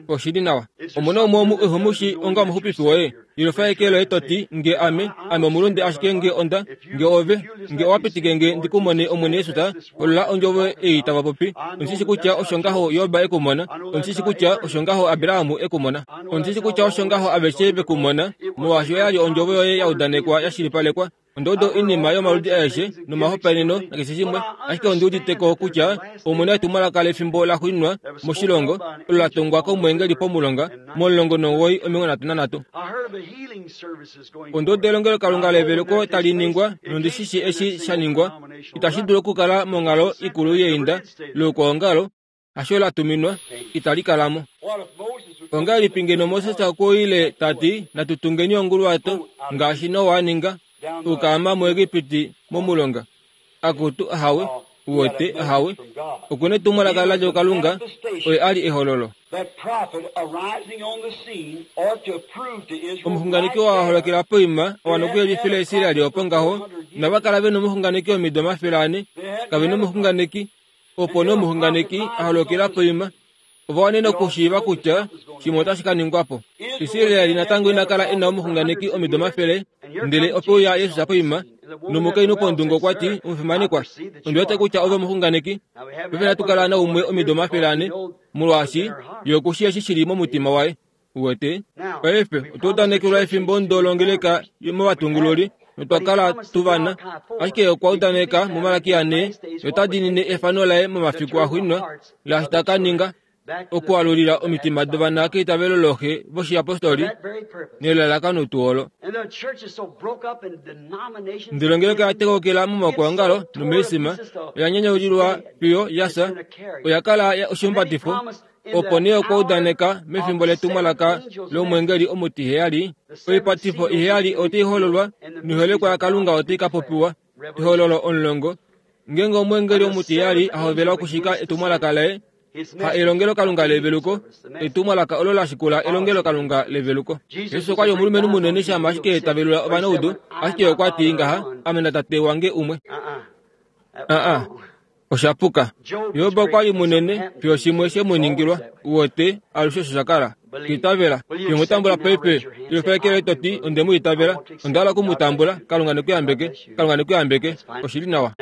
Oshi li nawa. Omu na umwe omu iho mu shi onga omuxupifi woye? Yelufa eke loye to ti, Nge ame, ame omulunde ashike nge onda, nge ove, nge owa pitike nge ndi ku mone Omwene Jesus, holola ondjovo ei tava popi. Ondi shi shi kutya osho ngaho Job e ku mona. Ondi shi shi kutya osho ngaho Abraham e ku mona. Ondi shi shi kutya osho ngaho aveshe ve ku mona, molwaashi oya li ondjovo yoye ya udanekwa ya shilipalekwa. Onda uda oinima yomaludi aeshe nomahopaeneno nakeshe shimwe, ashike ondi udite ko kutya omu na etumwalaka lefimbo laxuuninwa moshilongo, olo la tongwa komweengeli pomulonga mo19 33. Onda uda elongelokalunga leveluko tali ningwa nondi shi shii eshi sha ningwa. Itashi dulu okukala monghalo ikulu yeinda loukwaongalo, hasho la tuminwa, itali kala mo. Ongahelipi ngeno Moses okwa ile ta ti, Natu tungeni onguluwato, ngaashi Noa a ninga, okukaama muEgipiti momulonga? Akutu, ahawe, uwete, ahawe. Oku netumwalaka la dja kuKalunga, oye a li ehololo. Omuxunganeki oo a holokela poima owa nokuyelifila Israel opo ngaho, inava kala ve nomuxunganeki omido 400, kave nomuxunganeki, Opo nee omuxunganeki a holokela poima, ova wanene okushiiva kutya shimwe otashi ka ningwa po. Israel natango ina kala e na omuxunganeki omido omafele, ndele ope uya Jesus poima, nomukainhu pondungu okwa ti, Omufimanekwa, ondi wete kutya ove omuxunganeki. Paife inatu kala naumwe omido 400, molwaashi ye oku shii eshi shi li momutima waye. Uwete? Paife otwa udanekelwa efimbo ndo longeleka movatungululi notwa kala tu vana. Ashike okwa udaneka muMalakia 4, ye ota diinine efano laye momafiku axuuninwa, laashi ta ka ninga, okualulila omitima dovana keitavelo looxe voshiyapostoli nelalakano tuu olo. Ndele ongeleka ya tekokela momaukwaongalo nomoisima, oya nyanyaulilwa fiyo ya fya, oya kala oshihumbatifo Opo nee okwa udaneka mefimbo letumwalaka lomweengeli omutiheyali, oipatifo iheyali otai hololwa noiholekwa yaKalunga otai ka popiwa. Ehololo 10, Ngeenge omweengeli omutiheyali a hovela okushika etumwalaka laye, ha elongelokalunga leveluko, etumwalaka olo la shikula elongelokalunga leveluko. Jesus okwa li omulumenhu munene shama ashike ta velula ovanaudu, ashike okwa ti ngaha, Ame naTate wange umwe. Aa. Osha puka. Job okwa li munene fiyo shimwe she mu ningilwa. Uwete, alushe osho sha kala. Itavela. Fiyo mu tambula paife. Yelufa eke loye to ti, Onde mu itavela. Onda hala oku mu tambula. Kalunga ne ku yambeke. Kalunga ne ku yambeke. Oshi li nawa.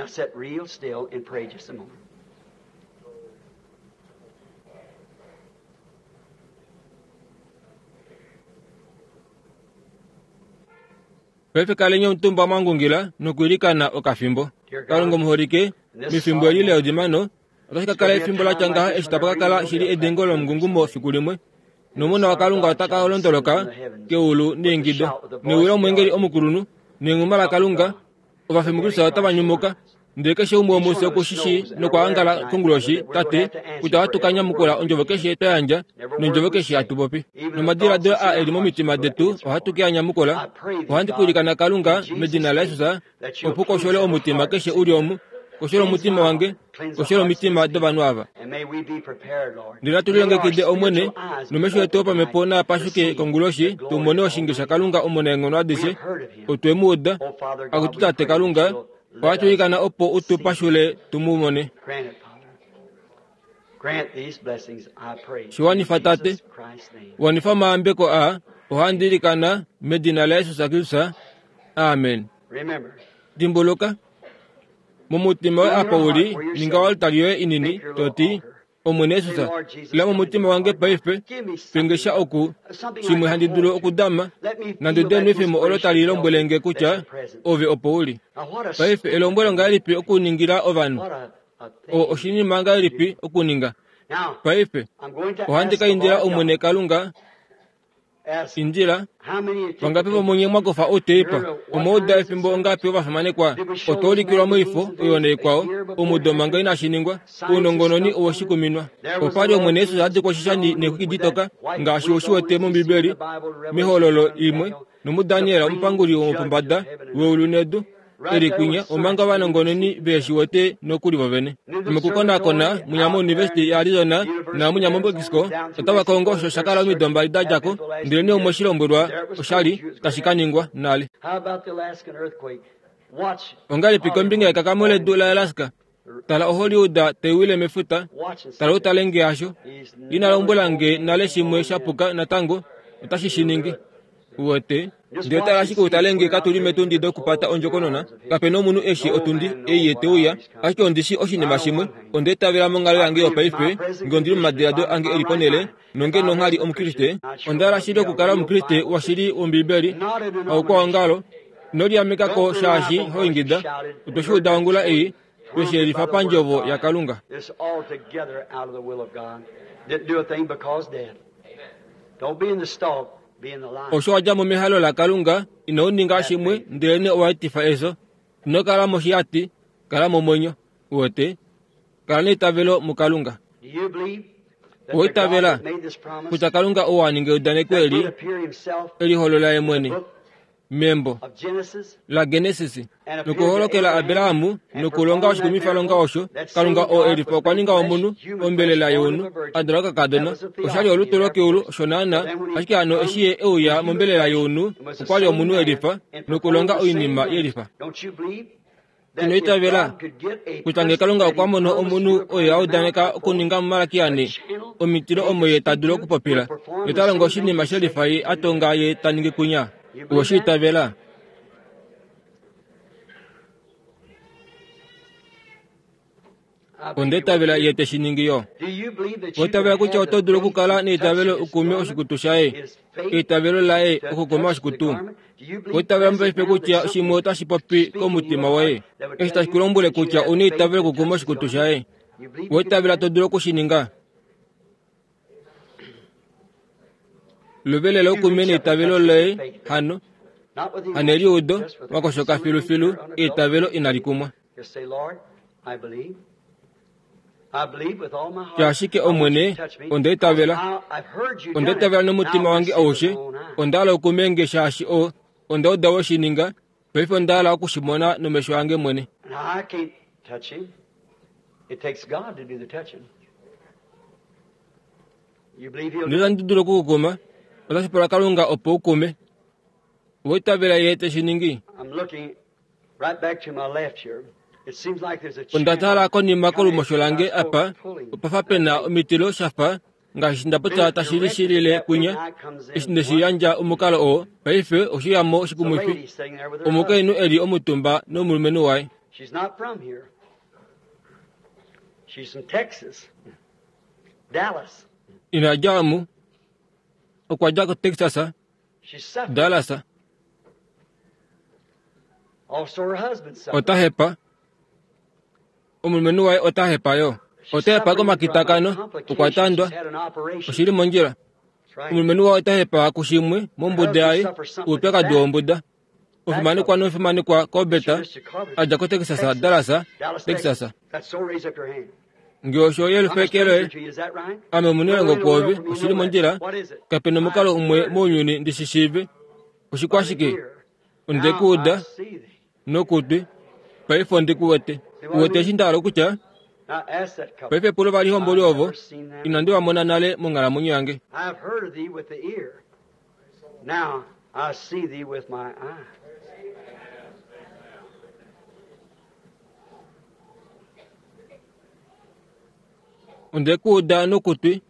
Paife kaleni omutumba mwa ngungila nokwiilikana okafimbo. Kalunga omuholike, mefimbo eli leodimano, otashi ka kala efimbo la tya ngaha eshi tapa ka kala shili edengo lomungungumo fiku limwe, nOmona waKalunga ota ka londoloka keulu neingido, newi lomweengeli omukulunhu, nenghuma laKalunga, Ovafi muKristus otava nyumuka. Ndele keshe umwe womufye oku shi shii nokwa ongala konguloshi, Tate, kutya ohatu ka nyamukula ondjovo keshe twa yandja nondjovo keshe hatu popi. Nomadiladilo aa e li momitima detu ohatu ke a nyamukula. Ohandi ku ilikana Kalunga, medina laJesus, opo u koshole omutima keshe u li omu, koshole omutima wange, koshole omitima dovanhu ava. Ndele natu lilongekide, Omwene, nomesho etu opamhepo naa pashuke konguloshi, tu mone oshinge shaKalunga Omunaenghono adishe. Otwe mu uda. Akutu Tate Kalunga, ohatu ilikana opo u tu pashule tu mu mone. Shi wanifa, Tate. Wanifa omayambeko aa, ohandi ilikana medina laJesus Kristus. Amen. Dimbuluka, momutima woye apa u li, ninga oaltari yoye inini, to ti, Omwene Jesus, ila momutima wange paife, pe nge sha oku, shimwe handi dulu okudama, nandi ude enwefemo olo tali lombwele nge kutya Ove opo u li. Paife elombwelo ngahelipi okuningila ovanhu? O, oshinima ngahelipi okuninga? Paife, ohandi ka indila Omwene Kalunga, Indila, vangapi vomunye mwa kufa outeipa? Omwa uda efimbo ongapi ovafimanekwa? Otwa ulikilwa moifo oyo naikwao, omudo manga inashi ningwa. Ounongononi owe shi kuminwa. Opa li Omwene Jesus a dikwa oshishani neexwiki ditoka, ngaashi u shi wete mOmbibeli, mEhololo imwe, nomuDaniel omupanguli womopombada weulu nedu. e li kwinya omanga ovanongononi ve shi wete nokuli vovene. Nomokukonakona munya moUnivesiti yaArizona naamunya moMexico otava kongo osho sha kala omido mbali da dja ko, ndelenee umwe shi lombwelwa osha li tashi ka ningwa nale. Ongahelipi kombinga yekakamo ledu laAlaska? Tala oHollywood tai wile mefuta. Tala u tale nge hasho. Ina lombwela nge nale shimwe sha puka natango, otashi shi ningi. Uwete? Ndele tala ashike u tale nge katu li metundi dokupata ondjokonona. Kape nomunhu e shii otundi ei ye te uya. Ashike ondi shii oshinima shimwe, onda itavela monghalo yange yopaife, nge ondi li momadiladilo ange e li ponhele, nonge nongha li Omukriste, onda hala shili okukala Omukriste washili wOmbiibeli, haukwaongalo. Ino liameka ko shaashi ho ingida. Otwe shi uda ongula ei, twe shi yelifa pandjovo yaKalunga. Osho wa dja mo mehalo laKalunga, ino ninga shimwe, ndelenee owa etifa efyo. Ino kala moshihati, kala momwenyo. Uwete? Kala neitavelo muKalunga. Owa itavela kutya Kalunga ou a ninga eudaneko eli, e liholola ye mwene membo laGenesis nokuholokela Abraham nokulonga oshikumwifalonga osho, Kalunga oo e lifa okwa ninga omunhu, ombelela younhu, a dalwa kokakadona. Osha li olutu lokeulu, osho naana, ashike hano eshi ye e uya mombelela younhu, okwa li omunhu e lifa nokulonga oinima ye lifa. Ino itavela kutya ngee Kalunga okwa mono omunhu oye a udaneka okuninga muMalakia 4 omitilo omo ye ta dulu okupopila, nota longo oshinima she lifa ye a tonga ye ta ningi kwinya? Owe shi itavela? Onda itavela ye te shi ningi yo. Owa itavela kutya oto dulu okukala neitavelo u kume oshikutu shaye, eitavelo laye okukuma oshikutu? Owa itavela mopaife kutya shimwe otashi popi komutima woye, eshi tashi ku lombwele kutya u neitavelo okukuma oshikutu shaye? Owa itavela to dulu oku shi ninga? Lovelela ukume neitavelo loye hano, haneliudo, wa koshoka filufilu, eitavelo inali kumwa. Tya ashike, Omwene, onda itavela. Onda itavela nomutima wange aushe. Onda hala ukume nge shaashi o, onda uda we shi ninga. Paife onda hala oku shi mona nomesho ange mwene. Ndele itandi dulu oku ku kuma. Otashi pula Kalunga opo u kume. Owa itavela Ye te shi ningi? Onda tala konima kolumosho lange apa, opa fa pe na omitilo sha fa ngaashi nda popya tashi lishilile kwinya, eshi nde shi yandja omukalo oo, paife oshe uya mo oshikumwifi. Omukainhu e li omutumba nomulumenhu waye. Ina dja omu. Okwa dja koTexas, Dallas. Ota hepa. Omulumenhu waye ota hepa yo. Ota hepa komakitakano. Okwa tandwa. Oshi li mondjila. Omulumenhu waye ota hepa kushimwe mombuda yaye, oupyakadi wombuda. Omufimanekwa nomufimanekwa Corbett a dja koTexas, Dallas, Texas. Nge osho yelufeke loye, ame omunailongo kwoove, oshi li mondjila. Kape nomukalo umwe mounyuni ndi shi shiive. Oshikwashike? Onde ku uda nokutwi, paife ondi ku wete. U wete eshi nda hala okutya? Paife pula ovalihomboli ovo, inandi va mona nale monghalamwenyo yange. Onde ku uda nokutwi,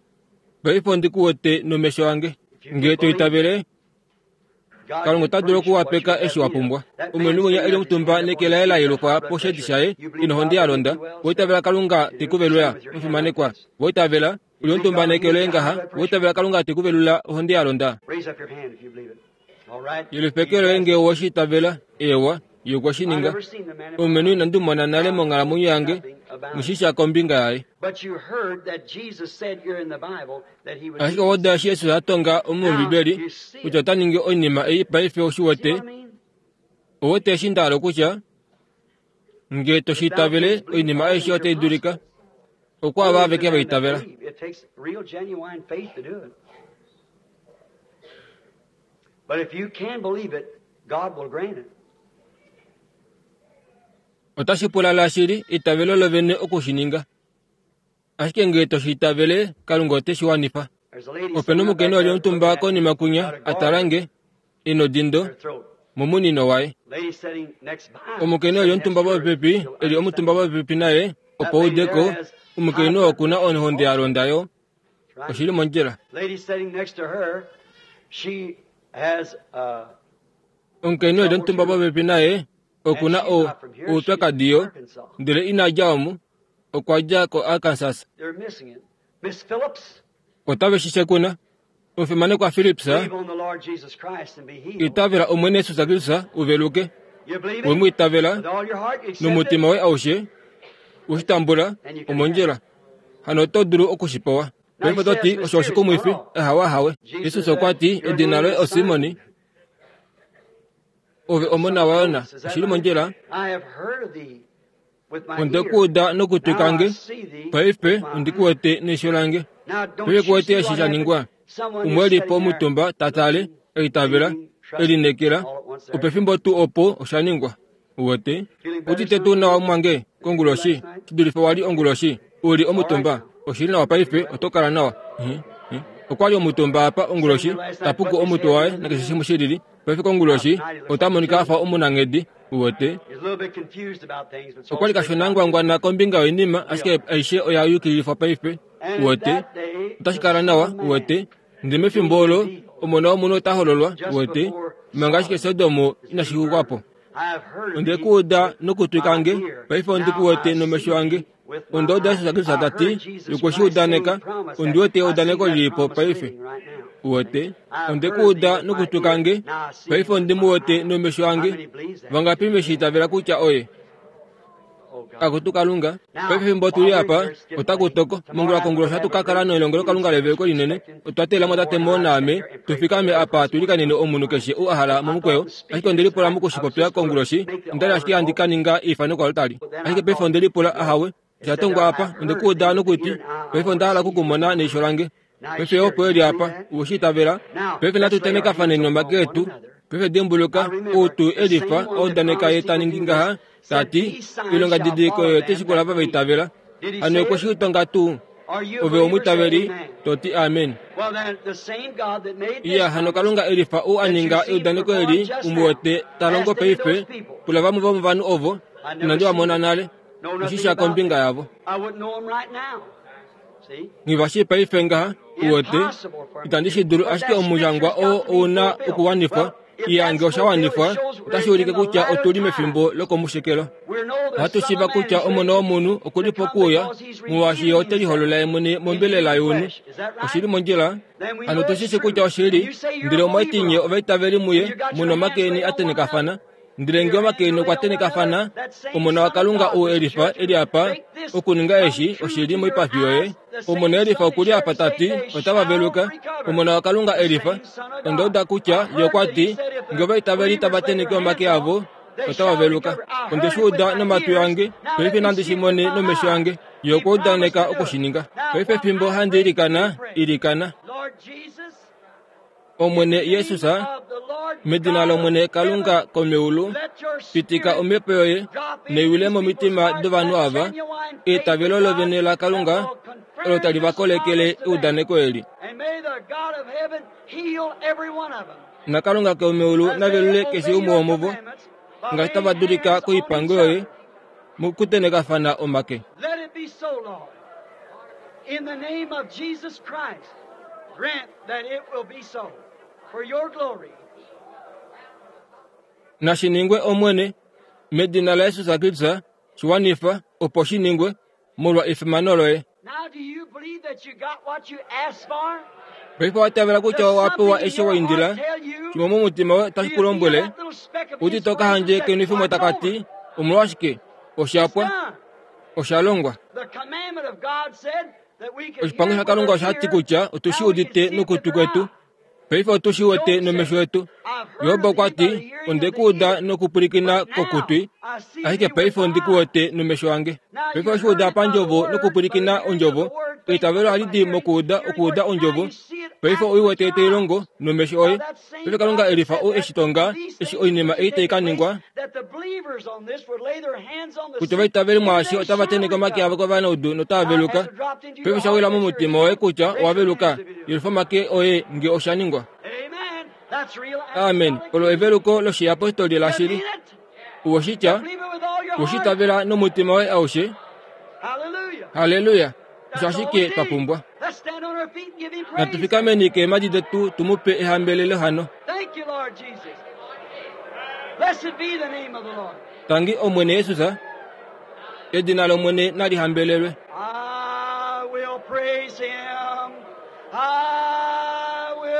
paife ondi ku wete nomesho ange. Nge to itavele, Kalunga ota dulu okuwapeka eshi wa pumbwa. Omulumenhu winya e li omutumba neke laye la yelukwa poshedi shaye, ina ohonde ya londa, owa itavela Kalunga te ku velula, omufimanekwa? Owa itavela? U li omutumba neke loye ngaha, owa itavela Kalunga te ku velula ohonde ya londa? Yelufa eke loye nge owe shi itavela. Eewa, ye okwe shi ninga. Omulumenhu inandi mu mona nale monghalamwenyo yange, nghi shi sha kombinga yaye. Ashike owa uda eshi Jesus a tonga mOmbibeli kutya ota ningi oinima ei paife ou shi wete? Ou wete eshi nda hala okutya? Nge to shi itavele, oinima aishe otai dulika. Okwaava aveke va itavela. Otashi pula lashili eitavelo lovene oku shi ninga. Ashike ngee to shi itavele, Kalunga ote shi wanifa. Ope nomukainhu a li omutumba konima kwinya, a tala nge, e nodindo momunino waye. Omukainhu e li omutumba popepi, e li omutumba popepi naye, opo ude ko, omukainhu oo oku na ohonde ya londa yo. Oshi li mondjila. Omukainhu e li omutumba popepi naye, oku na oupyakadi yo, ndele ina dja omu. Okwa dja koArkansas. Otave shi shekuna. Omufimanekwa Phillips, itavela Omwene Jesus Kristus u veluke. We mu itavela nomutima woye aushe, we shi tambula, omondjila. Hano oto dulu oku shi pewa. Paife oto ti, Osho oshikumwifi. Ahawe, ahawe. Jesus okwa ti, Edina loye oSimon. Ove omona waYona. Oshi li mondjila. Onde ku uda nokutwi kange, paife ondi ku wete neisho lange. Paife ku wete eshi sha ningwa. Umwe e li po omutumba ta tale, e itavela, e lineekela, opefimbo tuu opo osha ningwa. Uwete? Udite tuu nawa mwange konguloshi, shi dulife wa li onguloshi? U li omutumba. Oshi li nawa paife, oto kala nawa. Okwa li omutumba apa onguloshi, ta puku omutwe waye nakeshe shimwe shi lili. Paife konguloshi, ota monika a fa omunanghedi. Uwete? Okwa li kashona ngwangwana kombinga yoinima, ashike aishe oya yukililifwa paife. Uwete? Otashi kala nawa, uwete. Ndele mefimbo olo, Omona wOmunhu ota hololwa, uwete, manga ashike Sodom inashi xukwa po. Onde ku uda nokutwi kange, paife ondi ku wete nomesho ange. Onda uda Jesus Kristus ta ti, Okwe shi udaneka, ondi wete eudaneko li li po paife. Uwete? Onde ku uda nokutwi kange, paife ondi mu wete nomesho ange. Vangapi ve shi itavela kutya oye? Akutu Kalunga, paife fimbo tu li apa, otaku toko. Mongula konguloshi ohatu ka kala nelongelokalunga leveluko linene. Otwa teelela mo tate Moore naame tu fikame apa tu ilikanene omunhu keshe ou a hala momukweyo. Ashike onde lipula moku shi popya konguloshi, onda li ashike handi ka ninga eifano koaltari. Ashike paife onde lipula, ahawe, osha tongwa apa, onde ku uda nokutwi, paife onda hala oku ku mona neisho lange. Paife opo e li apa, uwe shi itavela. Paife natu tenekafaneni nomake etu. Paife dimbuluka, ou tuu e lifa, a udaneka ye ta ningi ngaha, ta ti, Oilongadidiliko oyo otai shikula ava va itavela. Hano okwe shi tonga tuu? Ove omwiitaveli, to ti amen. Iya, hano Kalunga e lifa ou a ninga eudaneko eli, u mu wete ta longo paife, pula vamwe vomovanhu ovo inandi va mona nale, oshi sha kombinga yavo. Nghi va shii paife ngaha, u wete, itandi shi dulu, ashike omushangwa oo ou na okuwanifwa. Iya, nge osha wanifwa, otashi ulike kutya otu li mefimbo lokomushekelo. Ohatu shiiva kutya Omona wOmunhu oku li pokuuya, molwaashi Ye ote liholola Ye mwene mombelela younhu. Oshi li mondjila? Hano otu shi shii kutya oshili, ndele omwa ti nye ovaitaveli muye, mu nomake eni a tenekafana. Ndele nge omake eni okwa tenekafana, Omona waKalunga ou e lifa e li apa okuninga eshi oshili moipafi yoye. Omona e lifa oku li apa ta ti, Otava veluka. Omona waKalunga e lifa. Onda uda kutya Ye okwa ti, Nge ovaitaveli tava teneke omake avo, otava veluka. Onde shi uda nomatwi ange, paife nandi shi mone nomesho ange. Ye okwa udaneka oku shi ninga. Paife fimbo handi ilikana, ilikana. Omwene Jesus, medina lOmwene Kalunga komeulu, pitika omhepo yoye neiwile momitima dovanhu ava, eitavelo lovene laKalunga olo tali va kolekele eudaneko eli. NaKalunga komeulu na velule keshe umwe womuvo, ngaashi tava dulika koipango yoye mokutenekafana omake.
In the name of Jesus Christ, grant that it will be so for your glory.
Nashi ningwe Omwene, medina laJesus Kristus, shi wanifa opo shi ningwe molwa efimano loye.
Now, do you believe that you got what you asked for?
Paife wa tavela kutya
Does
owa pewa
something in
eshi
your
wa indila,
heart tell you?
shimwe momutima woye
Do
otashi
you
ku
feel
lombwele,
that little speck of
uti to ka handje
inspiration that
kenwifimo
what's
taka
over?
ti, omolwashike, osha
It's
pwa,
done.
osha longwa.
The commandment of God said that we could
Oshipango
hear with
shaKalunga
our
osha ti
ear,
kutya otu shi
now we can
udite
see it with
nokutwi
our
kwetu,
eye.
paife otu shi wete
Job
nomesho
said,
etu.
I've heard
Job
of
okwa
thee by
ti,
the hearing
Onde
of
ku
the
uda
ear,
nokupwilikina
but now
kokutwi,
I see
ashike
thee with
paife
my
ondi ku
eyes.
wete nomesho ange.
Now
Paife
you
oshi
heard
uda
it by the
pandjovo
word, by the
nokupwilikina
hearing of the
ondjovo,
word, faith
eitavelo
cometh
ohali
by
di
hearing,
mokuuda
hearing
okuuda
word. Now
ondjovo,
you see it
paife
after
oi
with
wete
your
tai
eyes.
longo nomesho
Now
oye.
that same
Paife Kalunga
God
e
that
lifa
said
ou e
that
shi tonga,
these
eshi
things
oinima
would be
ei tai
taking
ka
place,
ningwa,
that the believers on this would lay their hands on the
kutya
sick
ovaitaveli
and
mwaashi
they
otava
shall
teneke omake
recover.
avo kovanaudu notava
Now,
veluka.
has it dropped into
Paife
your
osha
heart
wila
that you're
momutima woye
healed?
kutya
Raise
owa
your
veluka,
hands if you do.
yelifa omake oye nge osha ningwa.
Amen. That's real
Amen.
apostolic
Olo
teaching.
eveluko loshiyapostoli
You
lashili.
mean it?
Uwoshitya,
You believe it with all your heart?
ushitavela nomutima woye aushe.
Hallelujah.
Haleluya. Osho
That's all we
ashike twa
need.
pumbwa.
Let's stand on our feet and give him
Natu
praise. then.
fikameni keemhadi detu tu mu pe ehambelelo hano.
Thank you, Lord Jesus. Blessed be the name of the Lord.
Tangi Omwene Jesus, edina lOmwene nali hambelelwe.
I will praise him. I will.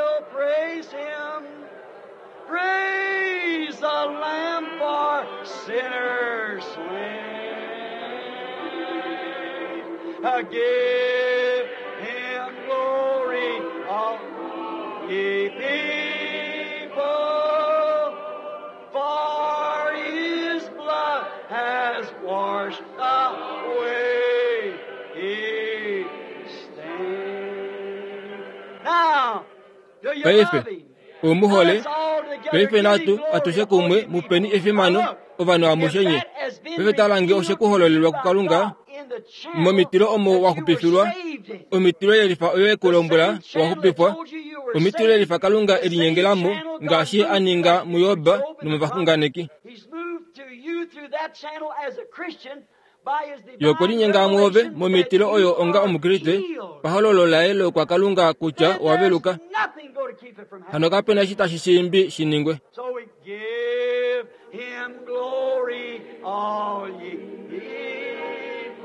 sinner slain. Give him glory, all ye people, for his blood has washed away his stain. Now, do you
Paife,
love him?
omuhole
Let's all together
paife
give him
natu
glory,
atushe
all
kumwe
ye people.
mupeni efimano
Now look,
ovanhu
if
amushenye
that has been
paife talange
revealed
oshe kuhololelwa
to you by
kukalunga
God in the channel
momitilo omo
that you were
waxupifilwa
saved in.
omitilo yelifa oyo
The
ekulombwela
same channel that
waxupifwa
told you you were
omitilo
saved,
yelifa kalunga
the same
elinyengelamo
channel God
ngaashi
moved
aninga
to
muyoba
Job and the prophets.
nomovaxunganeki
He's moved to you through that channel as a Christian by his divine
yokwelinyenga mwoove
revelation that
momitilo
you
oyo onga
are
omukriste
healed.
pahololo laye lokwa kalunga kutya
Then there's
waveluka
nothing going to keep it from
hano
happening.
kapena eshi tashi shimbi shiningwe
So we give him glory, all ye people,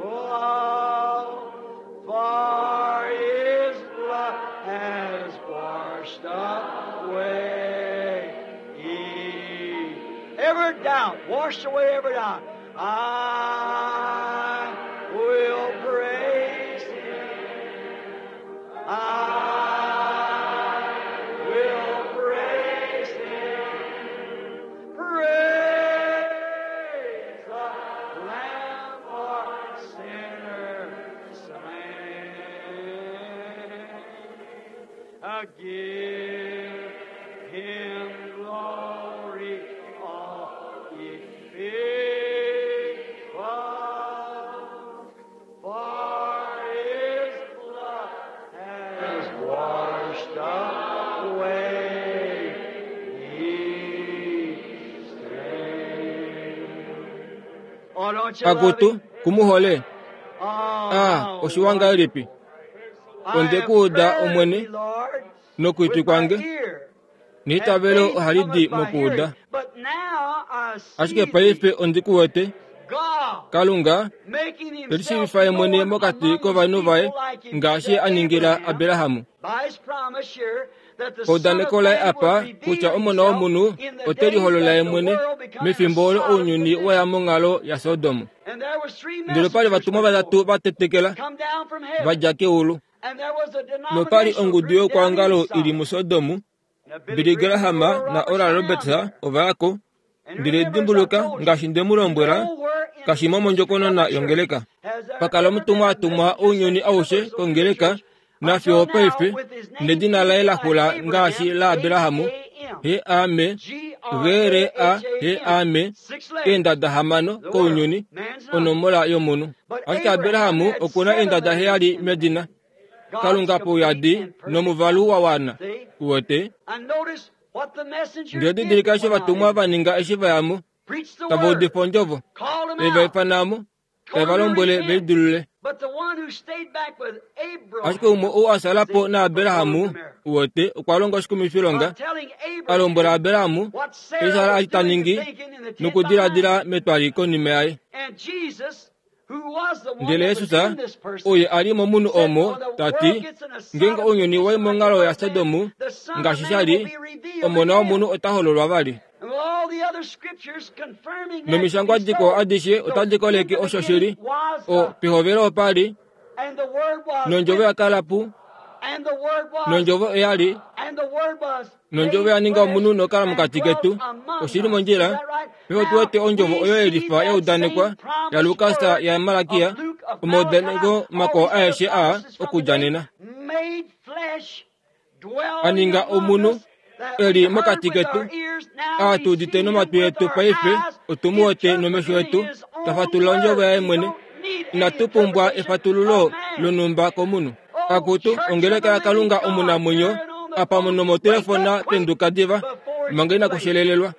for his blood has washed away every doubt, washed away every doubt. I will praise him. I will praise him. Praise the Lamb for sinners slain. Give him glory, all ye people, for his blood has washed away his stain. Oh, don't you love
akutu
him?
kumuhole
Oh,
a oshiwanga elipi
I
onde
have
kuuda
heard
omwene
thee, Lord,
nokwitwi
with my
kwange
ear.
niitavelo
And faith
ohalidi
cometh by
mokuuda
hearing. But now I see
ashike
thee,
paife ondi kuwete
God,
kalunga
making himself
telishiifa ye mwene
known
mokati
among his
kovanhu vaye
people like he
ngaashi
did
a ningila
Abraham,
aberahamu
by his promise here that the Son of
paudaneko laye
Man
apa
will reveal
kutya omona
himself
womunhu
in the
ote
days
liholola
that
ye
the
mwene
world becoming a
mefimbo olo
Sodom
ounyuni
condition.
waya monghalo yasodomu
And there was three
ndele pali
messengers
vatumwa
went
vatatu
forth,
vatetekela
come down from heaven.
vadja keulu
And there was a
nopali
denominational
ongudu
group down in
yokwangalo ili
Sodom.
musodomu
Now, Billy
Billy
Graham
Graham
and Oral
na
Roberts
Oral
were
Roberts
down there.
ovayako
And
ndele
remember, as I
dimbuluka
told you,
ngaashi nde mu lombwela
nowhere in the
kashimo
history of
mondjokonona
the church
yongeleka
has there
pakala
ever been
omutumwa
a
atumwa
messenger
ounyuni
sent
aushe
universal to the
kongeleka
church
nafiyo
until now
paife
with his name
nedina laye
ending
la
like
xula ngaashi
Abraham,
la Aberahamu
H-A-M,
he ame G R A he ame
G-R-A-H-A-M, six letters,
eendada hamano
the word,
kounyuni
man's number.
onomola yomunhu
But
ashike
Abraham
Aberahamu
had
okuna
seven
eendada
letters
heyali
in the
medina
name. God's
kalunga
complete
pouyadi
and perfect
nomuvalu
number.
wa wana
See?
uwete
And notice what the messenger
ndele
did that
didilika eshi
went out
vatumwa
in.
vaninga eshi vayamo
Preached the
tava
word,
udifa ondjovo
called them
eva
out,
ifanamo
told
tava
them to
lombwele
repent.
veidulule
But the one who stayed back with
ashike umwe
Abraham,
ou a salapo
see,
na
performed
Aberahamu
the miracle.
uwete okwa longa
By
oshikumifilonga
telling
a lombwela
Abraham
Aberahamu
what
eshi
Sarah
ala
was
ali ta
doing and
ningi
thinking in the tent behind
nokudiladila
him.
metwali konima yaye
And Jesus, who was the one
ndele
that was
yesus
in this person,
oye ali momunhu
said,
omo
When the
ta
world
ti
gets in a
ngeenge
Sodom
ounyuni wai
condition like the
monghalo
first man,
yasodomu
the Son of
ngaashi
Man
sha
will
li
be revealed
omona
again.
womunhu ota hololwa vali
And with all the other scriptures confirming that to be
nomishangwa dikwao
so,
adishe
so
otadi
in
koleke
the
osho
beginning
shili
was
o
the,
pehovelo opali
and the Word was
nondjovo
with,
ya kala pu
and the Word was,
nondjovo oyali
and the Word was
nondjovo
made
ya ninga
flesh
omunhu nokala
and
mokati
dwelt
ketu
among
oshili
us. Is
mondjila
that right?
peho tu
Now
wete ondjovo
we
oyo
see
yelifa ya
that
udanekwa
same
ya
promised
Lukas
word
ya Malakia
of Luke, of Malachi,
omaudaneko
all
makwao
these other
aeshe a
promises from the
okudja
day
nena
made flesh,
a
dwelling
ninga
among
omunhu
us, that we
eli
heard
mokati
with
ketu
our ears, now
a
we
tu udite
see him
nomatwi
with
etu
our
paife
eyes,
otu mu wete nomesho
interpreting
etu
his
ta
own
fatulula ondjovo
word.
yaye
We
mwene
don't need any
inatu pumbwa
interpretation
efatululo
of man.
lonumba komunhu
Oh,
akutu
Church of
ongeleka
the
ya
living
kalunga
God,
omunamwenyo
turn on the
apa
phone,
muno
wake
motelefona
up quick
penduka diva
before it's
manga
too
ina
late.
kushelelelwa
God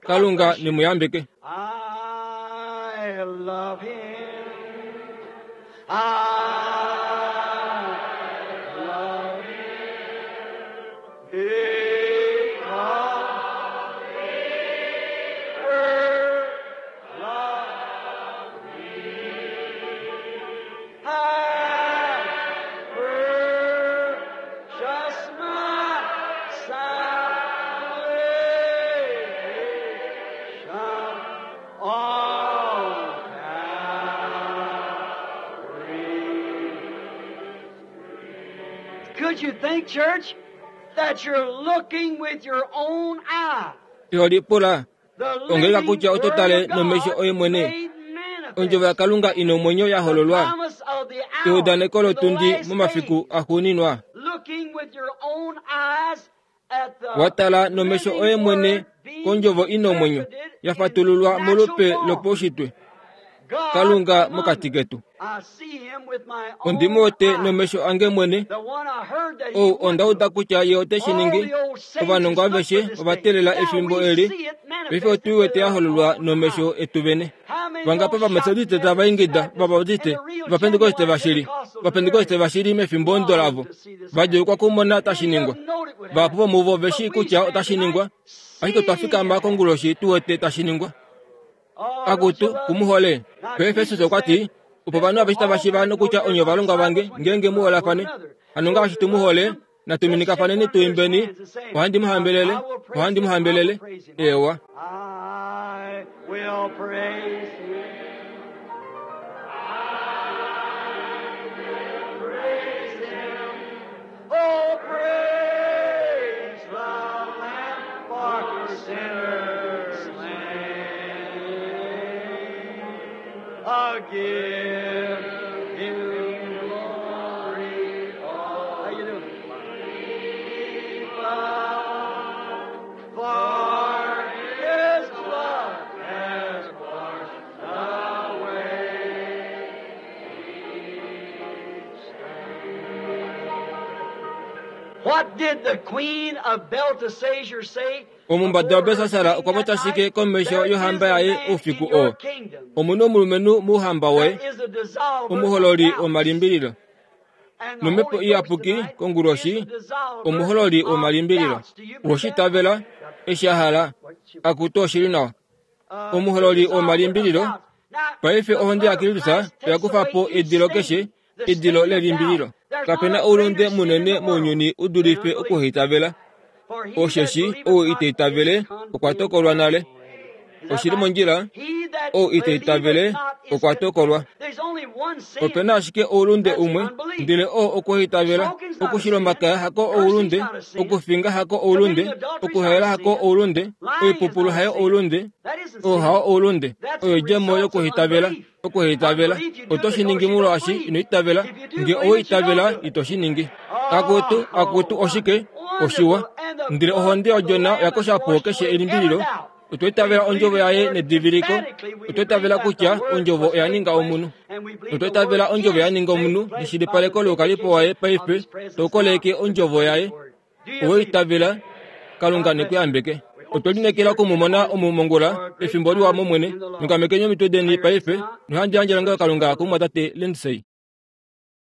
kalunga
bless you.
nimuyambike
I love him. I love him. Because he first loved me. I purchased my salvation on
Iho lipula ongeleka kutya oto tale nomesho oye mwene ondjovo yaKalunga ina omwenyo ya hololwa, eudaneko lotundi momafiku axuuninwa. Wa tala nomesho oye mwene kondjovo ina omwenyo ya fatululwa molupe lopaushitwe, Kalunga mokati ketu. Ondi mu wete nomesho ange mwene, ou onda uda kutya ye ote shi ningi. Ovanongo aveshe ova teelela efimbo eli. Paife otu i wete ya hololwa nomesho etu vene. Vangapi Ovametodiste tava ingida, Ovabautiste, Ovapentekoste vashili, Ovapentekoste vashili mefimbo ondo lavo, va djuulukwa okumona tashi ningwa. Vahapu vomuvo ove shii kutya otashi ningwa, ashike otwa fikama konguloshi tu wete tashi ningwa. Akutu, ku mu hole. Peefesus okwa ti, Opo ovanhu aveshe tava shiiva nokutya onye ovalongwa vange, ngeenge mu holafane. Hano ngaashi tu mu hole, natu minikafaneni tu imbeni, Ohandi mu hambelele, ohandi mu hambelele. Eewa.
I will praise him. I will praise him. Oh, praise the Lamb for sinners slain. Oh, give him glory. Oh, how you doing? For his blood has washed away. What did the queen of Belteshazzar say?
Omumbada waBelsasar okwa popya shike komesho yohamba yaye oufiku oo? Omu na omulumenhu mouhamba woye, omuhololi womalimbililo. NOmhepo Iyapuki konguloshi, omuhololi womalimbililo. Owe shi itavela? Eshi a hala. Akutu, oshi li nawa. Omuhololi womalimbililo. Paife ohonde yaKristus oya kufa po edilo keshe, edilo lelimbililo. Kape na oulunde munene mounyuni u dulife okuhaitavela. Osheshi ou ita itavele okwa tokolwa nale. Oshi li mondjila, ou ita itavele okwa tokolwa. Ope na ashike oulunde umwe, ndele oo okuhaitavela. Okushila omakaya hako oulunde, okufinga hako oulunde, okuhaela hako oulunde, oipupulu hayo oulunde, oo hao oulunde. Oyo oidjemo yokuhaitavela. Okuhaitavela. Oto shi ningi molwaashi ino itavela. Nge owa itavela, ito shi ningi. Akutu, akutu, oshike? Oshiwa. Ndele ohonde yOdjona oya kosha po keshe elimbililo. Otwa itavela Ondjovo Yaye nediviliko. Otwa itavela kutya Ondjovo oya ninga omunhu. Otwa itavela Ondjovo ya ninga omunhu neshilipaleko loukalipo waye paife tau koleke Ondjovo Yaye. Owe itavela? Kalunga ne ku yambeke. Otwe lineekela oku mu mona omu mongula, efimbo liwa mOmwene. Nyongamekeni omitwe deni paife, nohandi yandje elongelokalunga kumumwatate Lindsay.